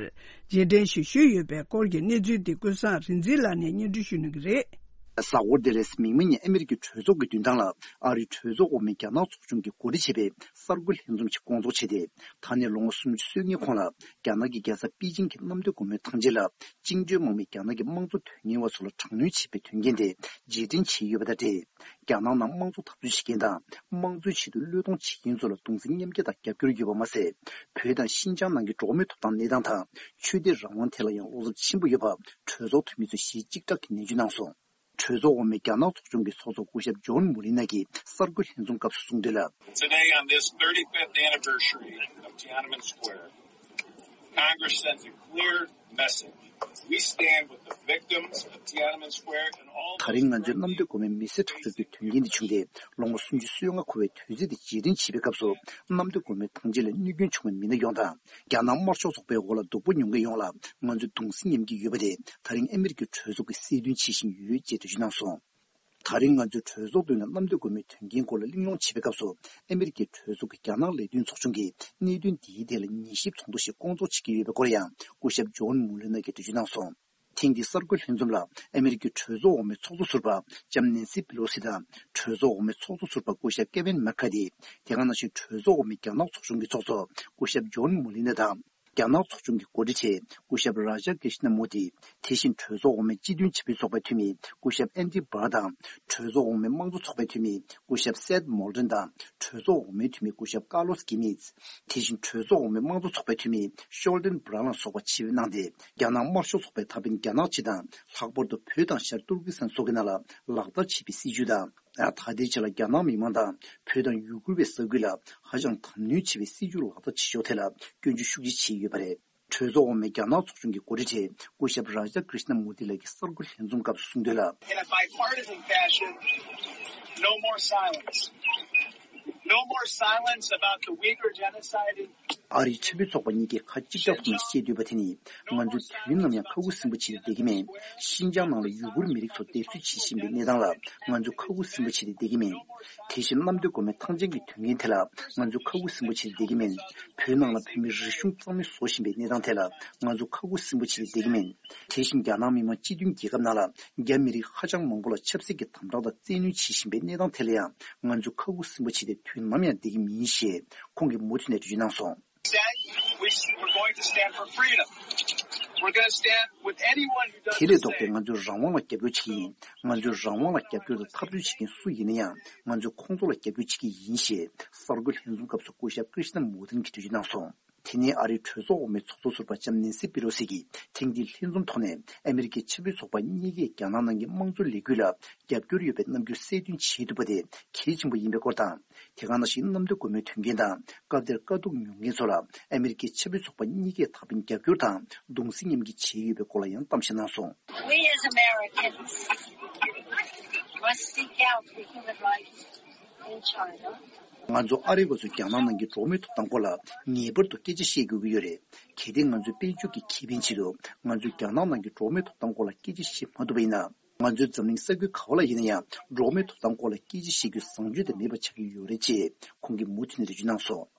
རྗེས་དྲན་ཞིག་ཞུས་ཡོད་པའི་སྐོར་གྱི་གནས་ཚུལ་འདི་ཀུན་བཟང་རིག་འཛིན་ལགས་ནས་སྙན་སྒྲོན་ཞུ་གནང་གི་རེད། གཟའ་འཁོར་འདིར་མིག་དམར་ཉིན་ཨ་མི་རི་ཀའི་གྲོས་ཚོགས་ཀྱི་མདུན་ཐང་ལ་ཨ་རིའི་གྲོས་ཚོགས་འོག་མའི་རྒྱ་ནག་ཚོགས་ཆུང་གིས་གོ་སྒྲིག་བྱས་པའི་གསར་འགོད་ལྷན་འཛོམས་ཤིག་བསྐོང་ཚོགས་བྱས་ཏེ། ད་ནས་ལོ་ངོ་སུམ་ཅུ་སོ་ལྔའི་གོང་ལ་རྒྱ་ནག་གི་རྒྱལ་ས་པེ་ཅིང་གི་གནམ་བདེ་སྒོ་མོའི་ཐང་ཆེན་ལ་བཅིངས་འགྲོལ་དམག་མིས་རྒྱ་ནག་གི་དམངས་གཙོ་དོན་གཉེར་བ་ཚོ་ལ་དྲག་གནོན་བྱས་པའི་དོན་རྐྱེན་དེ་རྗེས་དྲན་བྱས་ཡོད་པ་དང་འབྲེལ། རྒྱ་ནག་ནང་དམངས་གཙོ་འཐབ་རྩོད་བྱེད་མཁན་དང་དམངས་གཙོའི་ཆེད་དུ་བློས་གཏོང་བྱེད་མཁན་ཚོ་ལ་གདུང་སེམས་མཉམ་སྐྱེད་དང་རྒྱབ་སྐྱོར་ཡོད་པ་མ་ཟད། བོད་དང་ཤིན་ཅང་ནང་གི་འགྲོ་བ་མིའི་ཐོབ་ཐང་གནས་སྟངས་དང་ཆོས་དད་རང་དབང་ཐད་ལ་ཡང་བློ་འཚབ་ཆེན་པོ་ཡོད་པ་གྲོས་ཚོགས་འཐུས་མི་ཚོས་གཞི་གཅིག་གྲགས་ཀྱིས་ནན་བརྗོད་གནང་སོང་། གྲོས་ཚོགས་འོག་མའི་རྒྱ་ནག་ཚོགས་ཆུང་གི་ཚོགས་གཙོ་སྐུ་ཞབས་ཇོན་མུ་ལི་ནག་གིས་གསར་འགོད་ལྷན་འཛོམས་སྐབས་སུ་གསུངས་དོན་ལ། Today, on this thirty-fifth anniversary of Tiananmen Square, Congress sends a clear message. We stand with the victims of Tiananmen Square and all ད་རིང་ང་ཚོའི་གནམ་བདེ་སྒོ་མོའི་མི་གསོད་ཁྲག་སྦྱོར་གྱི་དོན་རྐྱེན་འདི་བྱུང་སྟེ་ལོ་ངོ་སུམ་ཅུ་སོ་ལྔ་འཁོར་བའི་དུས་ཚིགས་འདི་རྗེས་དྲན་བྱེད་པའི་སྐབས་སུ། གནམ་བདེ་སྒོ་མོའི་ཐང་ཆེན་ལ་གནོད་སྐྱོན་བྱུང་བའི་མི་སྣ་ཡོངས་དང་། རྒྱ་ནག་དམར་ཤོག་ཚོགས་པའི་འོག་ལ་སྡུག་པོ་མྱོང་མཁན་ཡོངས་ལ་ང་ཚོས་གདུང་སེམས་མཉམ་སྐྱེད་ཡོད་པ་དེ་ད་རིང་ཨ་མི་རི་ཀའི་གྲོས་ཚོགས་ཀྱིས་གསལ་སྟོན་བྱེད་བཞིན་ཡོད་ཅེས་འགྲེལ་བརྗོད་གནང་སོང་། ད་རིང་ང་ཚོས་གྲོས་ཚོགས་མདུན་ལ་གནམ་བདེ་སྒོ་མོའི་དོན་རྐྱེན་སྐོར་ལ་གླེང་སློང་བྱེད་པའི་སྐབས་སུ། ཨ་མི་རི་ཀའི་གྲོས་ཚོགས་ཀྱི་རྒྱ་ནག་ལས་དོན་ཚོགས་ཆུང་གིས་གནད་དོན་འདིའི་ཐད་ལ་ཉན་ཞིབ་ཚོགས་འདུ་ཞིག་བསྐོང་ཚོགས་བྱེད་ཀྱི་ཡོད་པའི་སྐོར་ཡང་སྐུ་ཞབས་ཇོན་མུ་ལེ་ནར་གྱིས་འགྲེལ་བརྗོད་གནང་སོང་། ཐེངས་འདིའི་གསར་འགོད་ལྷན་འཛོམས་ལ་ཨ་མི་རི་ཀའི་གྲོས་ཚོགས་འོག་མའི་ཚོགས་གཙོ་ཟུར་པ་ལྕམ་ནེན་སི་པི་ལོ་སི་དང་། གྲོས་ཚོགས་འོག་མའི་ཚོགས་གཙོ་ཟུར་པ་སྐུ་ཞབས་ཀེ་ཝིན་མེག་ཁ་ཐི། དེ་ག་ནང་བཞིན་གྲོས་ཚོགས་འོག་མའི་རྒྱ་ནག་ཚོགས་ཆུང་གི་ཚོགས་གཙོ་སྐུ་ཞབས་ཇོན་མུ་ལི་ནར་དང་། རྒྱ་ནག་ཚོགས་ཆུང་གི་འགོ་ཁྲིད་ཆེ་སྐུ་ཞབས་རཱ་ཇ་ཀྲི་ཤ་ན་མུར་ཏི། དེ་བཞིན་གྲོས་ཚོགས་འོག་མའི་སྤྱི་མཐུན་ཆབ་སྲིད་ཚོགས་པའི་འཐུས་མི་སྐུ་ཞབས་ཨན་ཏི་བྷར་དང་། གྲོས་ཚོགས་འོག་མའི་དམངས་གཙོ་ཚོགས་པའི་འཐུས་མི་སྐུ་ཞབས་སེད་མོལ་ཏན་དང་། གྲོས་ཚོགས་འོག་མའི་འཐུས་མི་སྐུ་ཞབས་ཀར་ལོ་སི་ཀི་མིད། དེ་བཞིན་གྲོས་ཚོགས་འོག་མའི་དམངས་གཙོ་ཚོགས་པའི་འཐུས་མི་ཤོལ་ཏན་བྷ་རན་ལ་སོགས་པ་ཆེད་ཕེབས་གནང་སྟེ། རྒྱ་ནག་དམར་ཤོག་ཚོགས་པའི་ད་ཕན་རྒྱ་ནག་སྤྱི་དང་ལྷག་པར་དུ་བོད་དང་ཤར་ཏུར་ཀི་སི་ཐན་སོགས་ཀྱི་ནང་ལ་ལག་བསྟར་བྱས་པའི་སྲིད་བྱུས་དང་། ད་ལྟའི་ཆ་ལ་རྒྱ་ནག་མི་མང་དང་བོད་དང་ཡུ་གུར་བའི་ས་ཁུལ་ལ་ཧ་ཅང་དྲག་གནོན་བྱེད་པའི་སྲིད་བྱུས་ལག་བསྟར་བྱེད་ཕྱོགས་ཐད་ལ་སྐྱོན་བརྗོད་ཤུགས་ཆེ་བྱས་ཡོད་པ་རེད། གྲོས་ཚོགས་འོག་མའི་རྒྱ་ནག་ཚོགས་ཆུང་གི་འགོ་ཁྲིད་ཆེ་སྐུ་ཞབས་རཱ་ཇ་ཀྲི་ཤ་ན་མུར་ཏི་ལགས་ཀྱིས་གསར་འགོད་ལྷན་འཛོམས་སྐབས་སུ་གསུངས་དོན་ལ། In a bipartisan fashion, no more silence. No more silence about the Uyghur genocide in ཨ་རིའི་ཆབ་སྲིད་ཚོགས་པ་གཉིས་ཀས་ཁ་གཅིག་གྲགས་ཐོག་ནས་བཤད་འདོད་པ་དེ་ནི། ང་ཚོས་དུས་ནམ་ཡང་ཁ་ཁུ་སིམ་པོ་བྱས་ཏེ་བསྡད་ཀྱི་མེད། ཤིན་ཅང་ནང་ལ་ཡུ་གུར་མི་རིགས་ཚོ་སྡེབ་གསོད་བྱེད་བཞིན་པའི་གནས་སྟངས་ལ་ང་ཚོས་ཁ་ཁུ་སིམ་པོ་བྱས་ཏེ་བསྡད་ཀྱི་མེད། དེ་བཞིན་གནམ་བདེ་སྒོ་མོའི་ཐང་ཆེན་གྱི་དོན་རྐྱེན་དེ་ལ་ང་ཚོས་ཁ་ཁུ་སིམ་པོ་བྱས་ཏེ་བསྡད་ཀྱི་མེད། བོད་ནང་ལ་བོད་མིའི་རིག་གཞུང་རྩ་མེད་བཟོ་བཞིན་པའི་གནས་སྟངས་དེ་ལ་ང་ཚོས་ཁ་ཁུ་སིམ་པོ་བྱས་ཏེ་བསྡད་ཀྱི་མེད། དེ་བཞིན་རྒྱ་ནག་མི་དམངས་སྤྱི་མཐུན་རྒྱལ་ཁབ་ནང་ལ་རྒྱ་མི་རིགས་ཧ་ཅང་མང་པོ་ལ་ཆབ་སྲིད་ཀྱི་དམ་དྲག་དང་བཙན་གནོན་བྱེད་བཞིན་པའི་གནས་སྟངས་དེ་ལ་ཡང་ང་ཚོས་ཁ་ཁུ་སིམ་པོ་བྱས་ཏེ་དུས་ནམ་ཡང་བསྡད་ཀྱི་མིན་ཞེས་ཁོང་གིས་མུ་མཐུད་ནས་འགྲེལ་བརྗོད་གནང་སོང་། Said, we, we're going to stand for freedom. We're going to stand with anyone who does དེ་ལས་the ལྡོག་སྟེ་same. ང་ཚོས་རང་དབང་ལ་རྒྱབ་སྐྱོར་བྱེད་ཀྱི་ཡིན། ང་ཚོས་རང་དབང་ལ་རྒྱབ་སྐྱོར་དང་འཐབ་རྩོད་བྱེད་མཁན་སུ་ཡིན་ན་ཡང་ང་ཚོས་ཁོང་ཚོ་ལ་རྒྱབ་སྐྱོར་བྱེད་ཀྱི་ཡིན་ཞེས་གསར་འགོད་ལྷན་འཛོམས་སྐབས་སུ་སྐུ་ཞབས་ཀྲི་ཤ་ན་མུར་ཏིན་གྱིས་འགྲེལ་བརྗོད་གནང་སོང་། དེ་ནས་ཨ་རིའི་གྲོས་ཚོགས་འོག་མའི་ཚོགས་གཙོ་ཟུར་པ་ལྕམ་ནེན་སི་པི་ལོ་སི་གིས་ཐེངས་འདིའི་ལྷན་འཛོམས་ཐོག་ནས་ཨ་མི་རི་ཀའི་ཆབ་སྲིད་ཚོགས་པ་གཉིས་ཀས་རྒྱ་ནག་ནང་གི་དམངས་གཙོའི་ལས་འགུལ་ལ་རྒྱབ་སྐྱོར་ཡོད་པའི་རྣམ་འགྱུར་གསལ་སྟོན་བྱེད་ཐུབ་པ་དེ་གལ་ཆེན་པོ་ཡིན་པའི་སྐོར་དང་། དེ་ག་ནང་བཞིན་གནམ་བདེ་སྒོ་མོའི་དོན་རྐྱེན་དང་སྐབས་དེར་དཀའ་སྡུག་མྱོང་མཁན་ཚོ་ལ་ཨ་མི་རི་ཀའི་ཆབ་སྲིད་ཚོགས་པ་གཉིས་ཀས་ད་ཕན་རྒྱབ་སྐྱོར་དང་གདུང་སེམས་མཉམ་སྐྱེད་བྱས་ཡོད་པའི་སྐོར་ལ་ཡང་གཏམ་བཤད་གནང་སོང་། We as Americans must seek out the human rights in China. ང་ཚོ་ཨ་རི་བ་ཚོས་རྒྱ་ནག་ནང་གི་འགྲོ་བ་མིའི་ཐོབ་ཐང་སྐོར་ལ་ངེས་པར་དུ་སྐད་ཆ་བཤད་དགོས་ཀྱི་ཡོད་རེད། གལ་ཏེ་ང་ཚོའི་དཔལ་འབྱོར་གྱི་ཁེ་ཕན་ཆེད་དུ་ང་ཚོས་རྒྱ་ནག་ནང་གི་འགྲོ་བ་མིའི་ཐོབ་ཐང་སྐོར་ལ་སྐད་ཆ་བཤད་མ་ཐུབ་པ་ཡིན་ན། ང་ཚོའི་འཛམ་གླིང་ས་ཁུལ་ག་བ་ལ་ཡིན་ན་ཡང་འགྲོ་བ་མིའི་ཐོབ་ཐང་སྐོར་ལ་སྐད་ཆ་བཤད་རྒྱུའི་བཟང་སྤྱོད་དེ་མེད་པ་ཆགས་ཀྱི་ཡོད་རེད་ཅེས་ཁོང་གིས་མུ་མཐུད་ནས་འགྲེལ་བརྗོད་གནང་སོང་།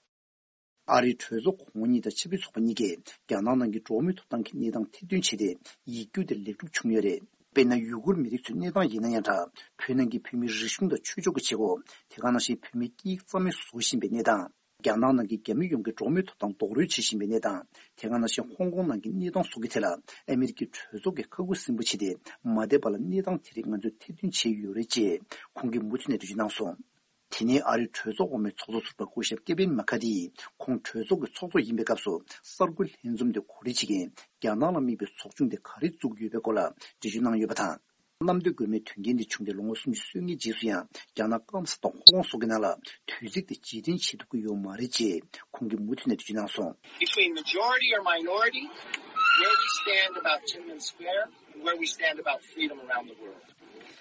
ཨ་རིའི་གྲོས་ཚོགས་གོང་འོག་གཉིས་དང་ཆབ་སྲིད་ཚོགས་པ་གཉིས་ཀས་རྒྱ་ནག་ནང་གི་འགྲོ་བ་མིའི་ཐོབ་ཐང་གི་གནས་སྟངས་ཐེར་འདོན་བྱས་ཏེ་ཡིག་རྒྱུགས་དེ་ལེགས་གྲུབ་བྱུང་ཡོད་རེད། དཔེར་ན། ཡུ་གུར་མི་རིགས་ཚོའི་གནས་སྟངས་ཡིན་ན་ཡང་འདྲ། བོད་ནང་གི་བོད་མིའི་རིག་གཞུང་དང་ཆོས་ཕྱོགས་ཀྱི་བྱེད་སྒོ། དེ་ག་ནང་བཞིན་བོད་མིའི་སྐད་ཡིག་རྩ་མེད་བཟོ་བཞིན་པའི་གནས་སྟངས། རྒྱ་ནག་ནང་གི་རྒྱ་མི་ཡོངས་ཀྱི་འགྲོ་བ་མིའི་ཐོབ་ཐང་རྡོག་རོལ་བྱེད་བཞིན་པའི་གནས་སྟངས། དེ་ག་ནང་བཞིན་ཧོང་ཀོང་ནང་གི་གནས་སྟངས་སོགས་ཀྱི་ཐད་ལ་ཨ་མི་རི་ཀའི་གྲོས་ཚོགས་ཀྱིས་ཁ་ཁུ་སིམ་པོ་བྱས་ཏེ་མ་བསྡད་པ་ལ་གནས་སྟངས་དེ་རིགས་ང་ཚོས་ཐེར་འདོན་བྱས་ཡོད་རེད་ཅེས་ཁོང་གིས་མུ་མཐུད་ནས་འགྲེལ་བརྗོད་གནང་སོང་། དེ་ནས་ཨ་རིའི་གྲོས་ཚོགས་འོག་མའི་ཚོགས་གཙོ་ཟུར་པ་སྐུ་ཞབས་ཀེ་ཝིན་མ་ཁ་ཐི་ཡིས་ཁོང་གྲོས་ཚོགས་ཀྱི་ཚོགས་གཙོ་ཡིན་པའི་སྐབས་སུ་གསར་འགོད་ལྷན་འཛོམས་དེ་གོ་སྒྲིག་བྱེད་མཁན་རྒྱ་ནག་ལ་དམིགས་པའི་ཚོགས་ཆུང་དེ་ག་རེ་བཙུགས་ཡོད་པའི་སྐོར་ལ་འགྲེལ་བརྗོད་གནང་ཡོད་པ་དང་། གནམ་བདེ་སྒོ་མོའི་དོན་རྐྱེན་དེ་བྱུང་སྟེ་ལོ་ངོ་སུམ་ཅུ་སོ་ལྔའི་རྗེས་སུ་ཡང་རྒྱ་ནག་སྐམ་ས་དང་ཧོང་ཀོང་སོགས་ཀྱི་ནང་ལ་དུས་ཚིགས་དེ་རྗེས་དྲན་བྱེད་ཐུབ་ཀྱི་ཡོད་མ་རེད་ཅེས་ཁོང་གིས་མུ་མཐུད་ནས་འགྲེལ་བརྗོད་གནང་སོང་། Between majority or minority, where we stand about Tiananmen Square and where we stand about freedom around the world.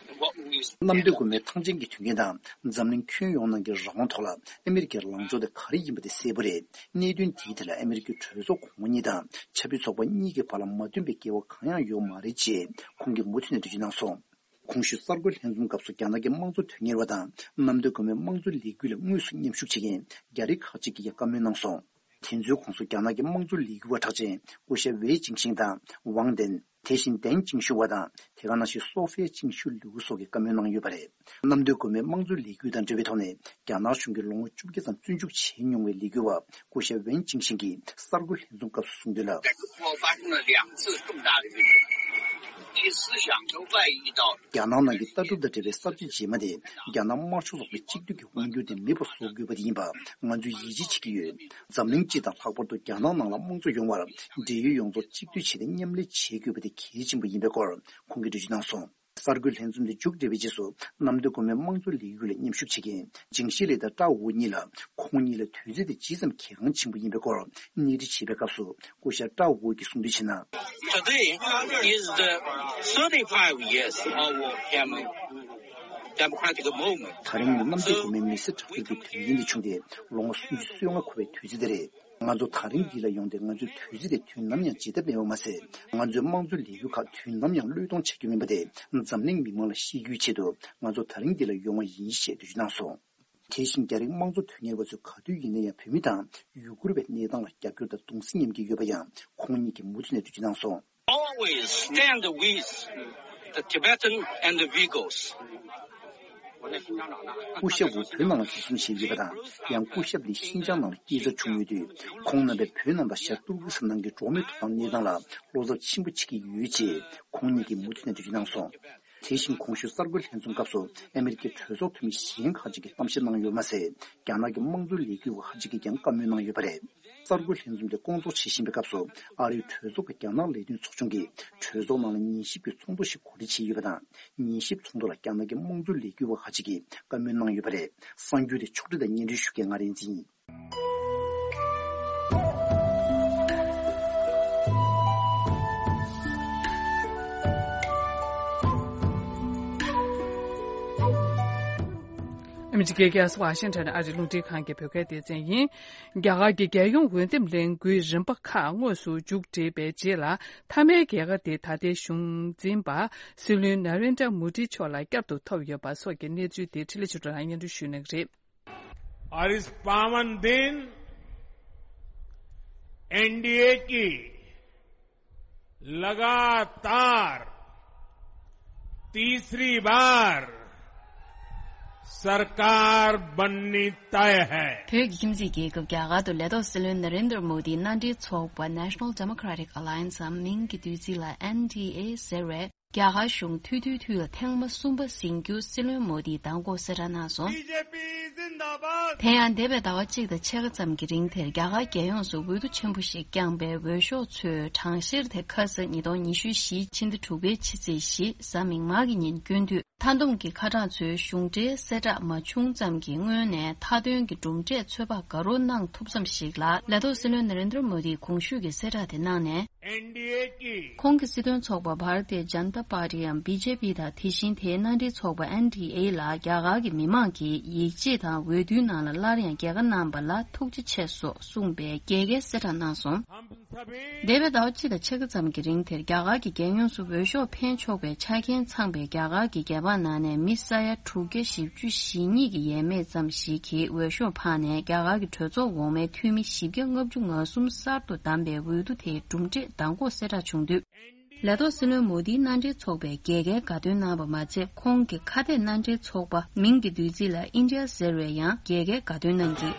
གནམ་བདེ་སྒོ་མོའི་ཐང་ཆེན་གྱི་དོན་རྐྱེན་དང་འཛམ་གླིང་ཁྱོན་ཡོངས་ནང་གི་རང་དབང་ཐོག་ལ་ཨ་མི་རི་ཀའི་ལངས་ཕྱོགས་དེ་ག་རེ་ཡིན་པ་དེ་གསལ་པོ་རེད། གནད་དོན་དེའི་ཐད་ལ་ཨ་མི་རི་ཀའི་གྲོས་ཚོགས་གོང་མ་གཉིས་དང་ཆབ་སྲིད་ཚོགས་པ་གཉིས་ཀྱི་བར་ལ་མ་མཐུན་པའི་འགལ་བ་གང་ཡང་ཡོད་མ་རེད་ཅེས་ཁོང་གིས་མུ་མཐུད་ནས་འགྲེལ་བརྗོད་གནང་སོང་། གོང་ཞུས་གསར་འགོད་ལྷན་འཛོམས་སྐབས་སུ་རྒྱ་ནག་གི་དམངས་གཙོ་དོན་གཉེར་བ་དང་གནམ་བདེ་སྒོ་མོའི་དམངས་གཙོ་ལས་འགུལ་ལ་དངོས་སུ་མཉམ་ཞུགས་བྱེད་མཁན་རྒྱ་རིགས་ཁག་ཅིག་གིས་ཀྱང་བཀའ་མོལ་གནང་སོང་། དེ་ཚོའི་ཁོངས་སུ་རྒྱ་ནག་གི་དམངས་གཙོ་ལས་འགུལ་བ་གྲགས་ཅན་སྐུ་ཞབས་ཝེ་ཅིང་ཤིང་དང་ཝང་ཏན། དེ་བཞིན་ཏེང་ཅིང་ཤུ་བ་དང་དེ་ག་ནང་བཞིན་སོ་ཧྥེ་ཅིང་ཤུ་ལུའུ་སོགས་ཀྱིས་བཀའ་མོལ་གནང་ཡོད་པ་རེད། གནམ་བདེ་སྒོ་མོའི་དམངས་གཙོ་ལས་འགུལ་དང་འབྲེལ་བའི་ཐོག་ནས་རྒྱ་ནག་གཞུང་གིས་ལོ་ངོ་བཅོ་བརྒྱད་ཙམ་བཙོན་འཇུག་བྱས་མྱོང་བའི་ལས་འགུལ་བ་སྐུ་ཞབས་ཝེན་ཅིང་ཤིང་གིས་གསར་འགོད་ལྷན་འཛོམས་སྐབས་སུ་གསུངས་དོན་ལ། རྒྱ་ནག་ནང་གི་ལྟ་གྲུབ་དང་འབྲེལ་བའི་གསར་བརྗེ་རྗེས་མ་དེ་རྒྱ་ནག་དམར་ཤོག་ཚོགས་པའི་གཅིག་སྡུད་ཀྱི་དབང་སྒྱུར་དེ་མེད་པར་བཟོ་དགོས་པ་དེ་ཡིན་པ་ང་ཚོས་ཡིད་ཆེས་བྱེད་ཀྱི་ཡོད། འཛམ་གླིང་སྤྱི་དང་ལྷག་པར་དུ་རྒྱ་ནག་ནང་ལ་དམངས་གཙོ་ཡོང་བར་འབྲེལ་ཡོད་ཡོངས་རྫོགས་གཅིག་སྡུད་བྱས་ཏེ་མཉམ་ལས་བྱེད་དགོས་པ་དེ་གལ་ཆེན་པོ་ཡིན་པའི་སྐོར་ཁོང་གིས་འགྲེལ་བརྗོད་གནང་སོང་། གསར་འགོད་ལྷན་འཛོམས་དེ་མཇུག་བསྒྲིལ་བའི་རྗེས་སུ་གནམ་བདེ་སྒོ་མོའི་དམངས་གཙོ་ལས་འགུལ་ལ་མཉམ་ཞུགས་བྱེད་མཁན་ཇིང་ཤི་ལི་དང་ཀྲའོ་ཝུའུ་གཉིས་ལ་ཁོང་གཉིས་ལ་དུས་ཚོད་དེ་ཇི་ཙམ་གལ་འགངས་ཆེན་པོ་ཡིན་པའི་སྐོར་གནས་འདྲི་བྱས་པའི་སྐབས་སུ་སྐུ་ཞབས་ཀྲའོ་ཝུའུ་གིས་གསུངས་དོན་བྱས་ན། Today is the thirty-five years of Myanmar democratic movement. ད་རིང་ནི་གནམ་བདེ་སྒོ་མོའི་མི་སེར་དྲག་སྤྱོད་ཀྱི་དོན་རྐྱེན་དེ་བྱུང་སྟེ་ལོ་ངོ་སུམ་ཅུ་སོ་ལྔ་འཁོར་བའི་དུས་ཚོད་དེ་རེད། ང་ཚོ་ད་རིང་འདི་ལ་ཡོང་སྟེ་ང་ཚོས་དུས་ཚོད་དེ་དུས་ནམ་ཡང་བརྗེད་ཐབས་མེད་པ་མ་ཟད། ང་ཚོའི་དམངས་གཙོའི་ལས་འགུལ་ཁག་དུས་ནམ་ཡང་བློས་གཏོང་བྱ་རྒྱུ་མིན་པ་དེ་འཛམ་གླིང་མི་མང་ལ་ཤེས་རྒྱུའི་ཆེད་དུ་ང་ཚོ་ད་རིང་འདི་ལ་ཡོང་བ་ཡིན་ཞེས་འགྲེལ་བརྗོད་གནང་སོང་། དེ་བཞིན་རྒྱ་རིགས་དམངས་གཙོ་དོན་གཉེར་བ་ཚོས་ག་དུས་ཡིན་ན་ཡང་བོད་མི་དང་ཡུ་གུར་བའི་གནས་སྟངས་ལ་རྒྱབ་སྐྱོར་དང་གདུང་སེམས་མཉམ་སྐྱེད་ཡོད་པ་ཡང་ཁོང་ཉིད་ཀྱིས་མུ་མཐུད་ནས་འགྲེལ་བརྗོད་གནང་སོང་། Always stand with the Tibetan and the Uyghurs. སྐུ་ཞབས་ཝུ་བོད་ནང་ལ་འཛིན་བཟུང་བྱས་ཡོད་པ་དང་། ཡང་སྐུ་ཞབས་ནི་ཤིན་ཅང་ནང་ལ་སྐྱེས་འཚར་བྱུང་ཡོད་དུས། ཁོང་རྣམ་པས་བོད་ནང་དང་ཤར་ཏུར་ཀི་སི་ཐན་ནང་གི་འགྲོ་བ་མིའི་ཐོབ་ཐང་གནས་སྟངས་ལ་བློ་འཚབ་ཆེན་པོ་བྱེད་ཀྱི་ཡོད་ཅེས་ཁོང་ཉིད་ཀྱིས་མུ་མཐུད་ནས་འགྲེལ་བརྗོད་གནང་སོང་། དེ་བཞིན་གོང་ཞུས་གསར་འགོད་ལྷན་འཛོམས་སྐབས་སུ་ཨ་མི་རི་ཀའི་གྲོས་ཚོགས་འཐུས་མི་གཞན་ཁག་ཅིག་གིས་གཏམ་བཤད་གནང་ཡོད་མ་ཟད། རྒྱ་ནག་གི་དམངས་གཙོའི་ལས་འགུལ་བ་ཁག་ཅིག་གིས་ཀྱང་བཀའ་མོལ་གནང་ཡོད་པ་རེད། གསར་འགོད་ལྷན་འཛོམས་དེ་སྐོང་ཚོགས་བྱེད་བཞིན་པའི་སྐབས་སུ། ཨ་རིའི་གྲོས་ཚོགས་ཀྱི་རྒྱ་ནག་ལས་དོན་ཚོགས་ཆུང་གིས་གྲོས་ཚོགས་ནང་ལ་ཉན་ཞིབ་ཀྱི་ཚོགས་འདུ་ཞིག་གོ་སྒྲིག་བྱས་ཡོད་པ་དང་། ཉན་ཞིབ་ཚོགས་འདུ་ལ་རྒྱ་ནག་གི་དམངས་གཙོའི་ལས་འགུལ་བ་ཁག་ཅིག་གིས་བཀའ་མོལ་གནང་ཡོད་པ་རེད། གསར་འགྱུར་དེ་ཕྱོགས་སྒྲིག་དང་སྙན་སྒྲོན་ཞུ་མཁན་ང་རིག་འཛིན་ཡིན། ཨ་མི་རི་ཀའི་རྒྱལ་ས་ཝ་ཤིང་ཊོན་ཨ་རིའི་རླུང་འཕྲིན་ཁང་གི་བོད་སྐད་སྡེ་ཚན་ཡིན། རྒྱ་གར་གྱི་རྒྱལ་ཡོངས་འོས་འདེམས་ལས་འགུལ་རིམ་པ་ཁག་དངོས་སུ་མཇུག་བསྒྲིལ་བའི་རྗེས་ལ། མཐའ་མའི་རྒྱལ་ཁ་དེ་ད་ལྟའི་གཞུང་འཛིན་པ་སྲིད་བློན་ན་རེན་དྲ་མོ་ཌི་མཆོག་ལ་བསྐྱར་དུ་ཐོབ་ཡོད་པ་སོགས་ཀྱི་གནས་ཚུལ་དེ་འཕྲིན་ལས་ཆོས་སྒྲོན་ལགས་སྙན་སྒྲོན་ཞུ་གནང་གི་རེད། और इस पावन दिन एनडीए की लगातार तीसरी बार सरकार बननी तय है। བོད་ཀྱི་ཁྱིམ་མཚེས་རྒྱལ་ཁབ་རྒྱ་གར་དུ་ལས་ཐོག་སྲིད་བློན་ན་རེན་དྲ་མོ་དིའི་མནའ་འབྲེལ་ཚོགས་པ་National Democratic Alliance འམ་མིང་གི་བསྡུས་ཚིག་ལ་ཨེན་ཌི་ཨེ་ཟེར་བས། རྒྱ་གར་གཞུང་མཐུད་བསྡུའི་དུས་ལ་ཐེངས་མ་གསུམ་པ་ཟིན་རྒྱུ་སྲིད་བློན་མོ་དིས་མདང་དགོང་གསལ་བསྒྲགས་གནང་སོང་། དེ་ཡང་འདས་པའི་ཟླ་བ་གཅིག་དང་ཕྱེད་ཀ་ཙམ་གྱི་རིང་དེར་རྒྱ་གར་རྒྱལ་ཡོངས་སུ་འོས་བསྡུ་ཆེན་པོ་ཞིག་བསྐྱངས་པའི་འོས་ཤོག་ཚོའི་གྲངས་བཤེར་དེ་ཁ་སང་ཉིས་སྟོང་ཉི་ཤུ་བཞི་ཕྱི་ཟླ་དྲུག་པའི་ཕྱི་ཚེས་བཞི་གཟའ་མིག་དམར་གྱི་ཉིན་བསྐྱོན་དུས། མཐའ་བསྡོམས་ཀྱི་ཁ་གྲངས་ཚོའི་གཞུང་འབྲེལ་གསལ་བསྒྲགས་མ་བྱུང་ཙམ་གྱི་སྔོན་ནས་མཐའ་དོན་གྱི་གྲུབ་འབྲས་ཚོད་དཔག་དགའ་རབ་གནང་ཐུབ་ཙམ་ཞིག་ལ་ལས་ཐོག་སྲིད་བློན་ན་རེན་དྲ་མོ་དིས་གོང་ཞུས་ཀྱི་གསལ་བསྒྲགས་དེ་གནང་ནས། ཁོང་གི་སྲིད་དོན་ཚོགས་པ་Bharatiya Janata Party འམ་བི་ཇེ་པི་དང་དེ་བཞིན་དེའི་མནའ་འབྲེལ་ཚོགས་པ་ཨེན་ཌི་ཨེ་ལ་རྒྱ་གར་གྱི་མི་མང་གིས་ཡིད་ཆེས་དང་འོས་བསྡུའི་ནང་ལ་སླར་ཡང་རྒྱལ་ཁ་གནང་པ་ལ་ཐུགས་རྗེ་ཆེ་སོགས་གསུངས་པའི་རྒྱལ་ཁའི་གསལ་བསྒྲགས་གནང་སོང་། འདས་པའི་ཟླ་བ་གཅིག་དང་ཕྱེད་ཀ་ཙམ་གྱི་རིང་དེར་རྒྱ་གར་གྱི་རྒྱལ་ཡོངས་སུ་འོས་ཤོག་འཕེན་ཆོག་པའི་ཆ་རྐྱེན་ཚང་པའི་རྒྱ་གར་གྱི་རྒྱལ་འབངས་ནང་ནས་མི་ས་ཡ་དྲུག་བརྒྱ་བཞི་བཅུ་ཞེ་གཉིས་ཀྱི་ཡས་མས་ཙམ་ཞིག་གིས་འོས་ཤོག་འཕངས་ནས་རྒྱ་གར་གྱི་གྲོས་ཚོགས་འོག་མའི་འཐུས་མི་བཞི་བརྒྱ་ལྔ་བཅུ་ང་གསུམ་གསར་དུ་བདམས་པའི་འོས་བསྡུ་དེའི་གྲུབ་འབྲས་མདང་དགོང་གསལ་བསྒྲགས་བྱུང་དུས། ལས་ཐོག་སྲིད་བློན་མོ་དིའི་མནའ་འབྲེལ་ཚོགས་པས་རྒྱལ་ཁའི་དགའ་སྟོན་གནང་བ་མ་ཚད། ཁོང་གི་ཁ་གཏད་མནའ་འབྲེལ་ཚོགས་པ་མིང་གི་བསྡུས་ཚིག་ལ་ཨིན་ཌི་ཡ་ཟེར་བས་ཡང་རྒྱལ་ཁའི་དགའ་སྟོན་གནང་གིས།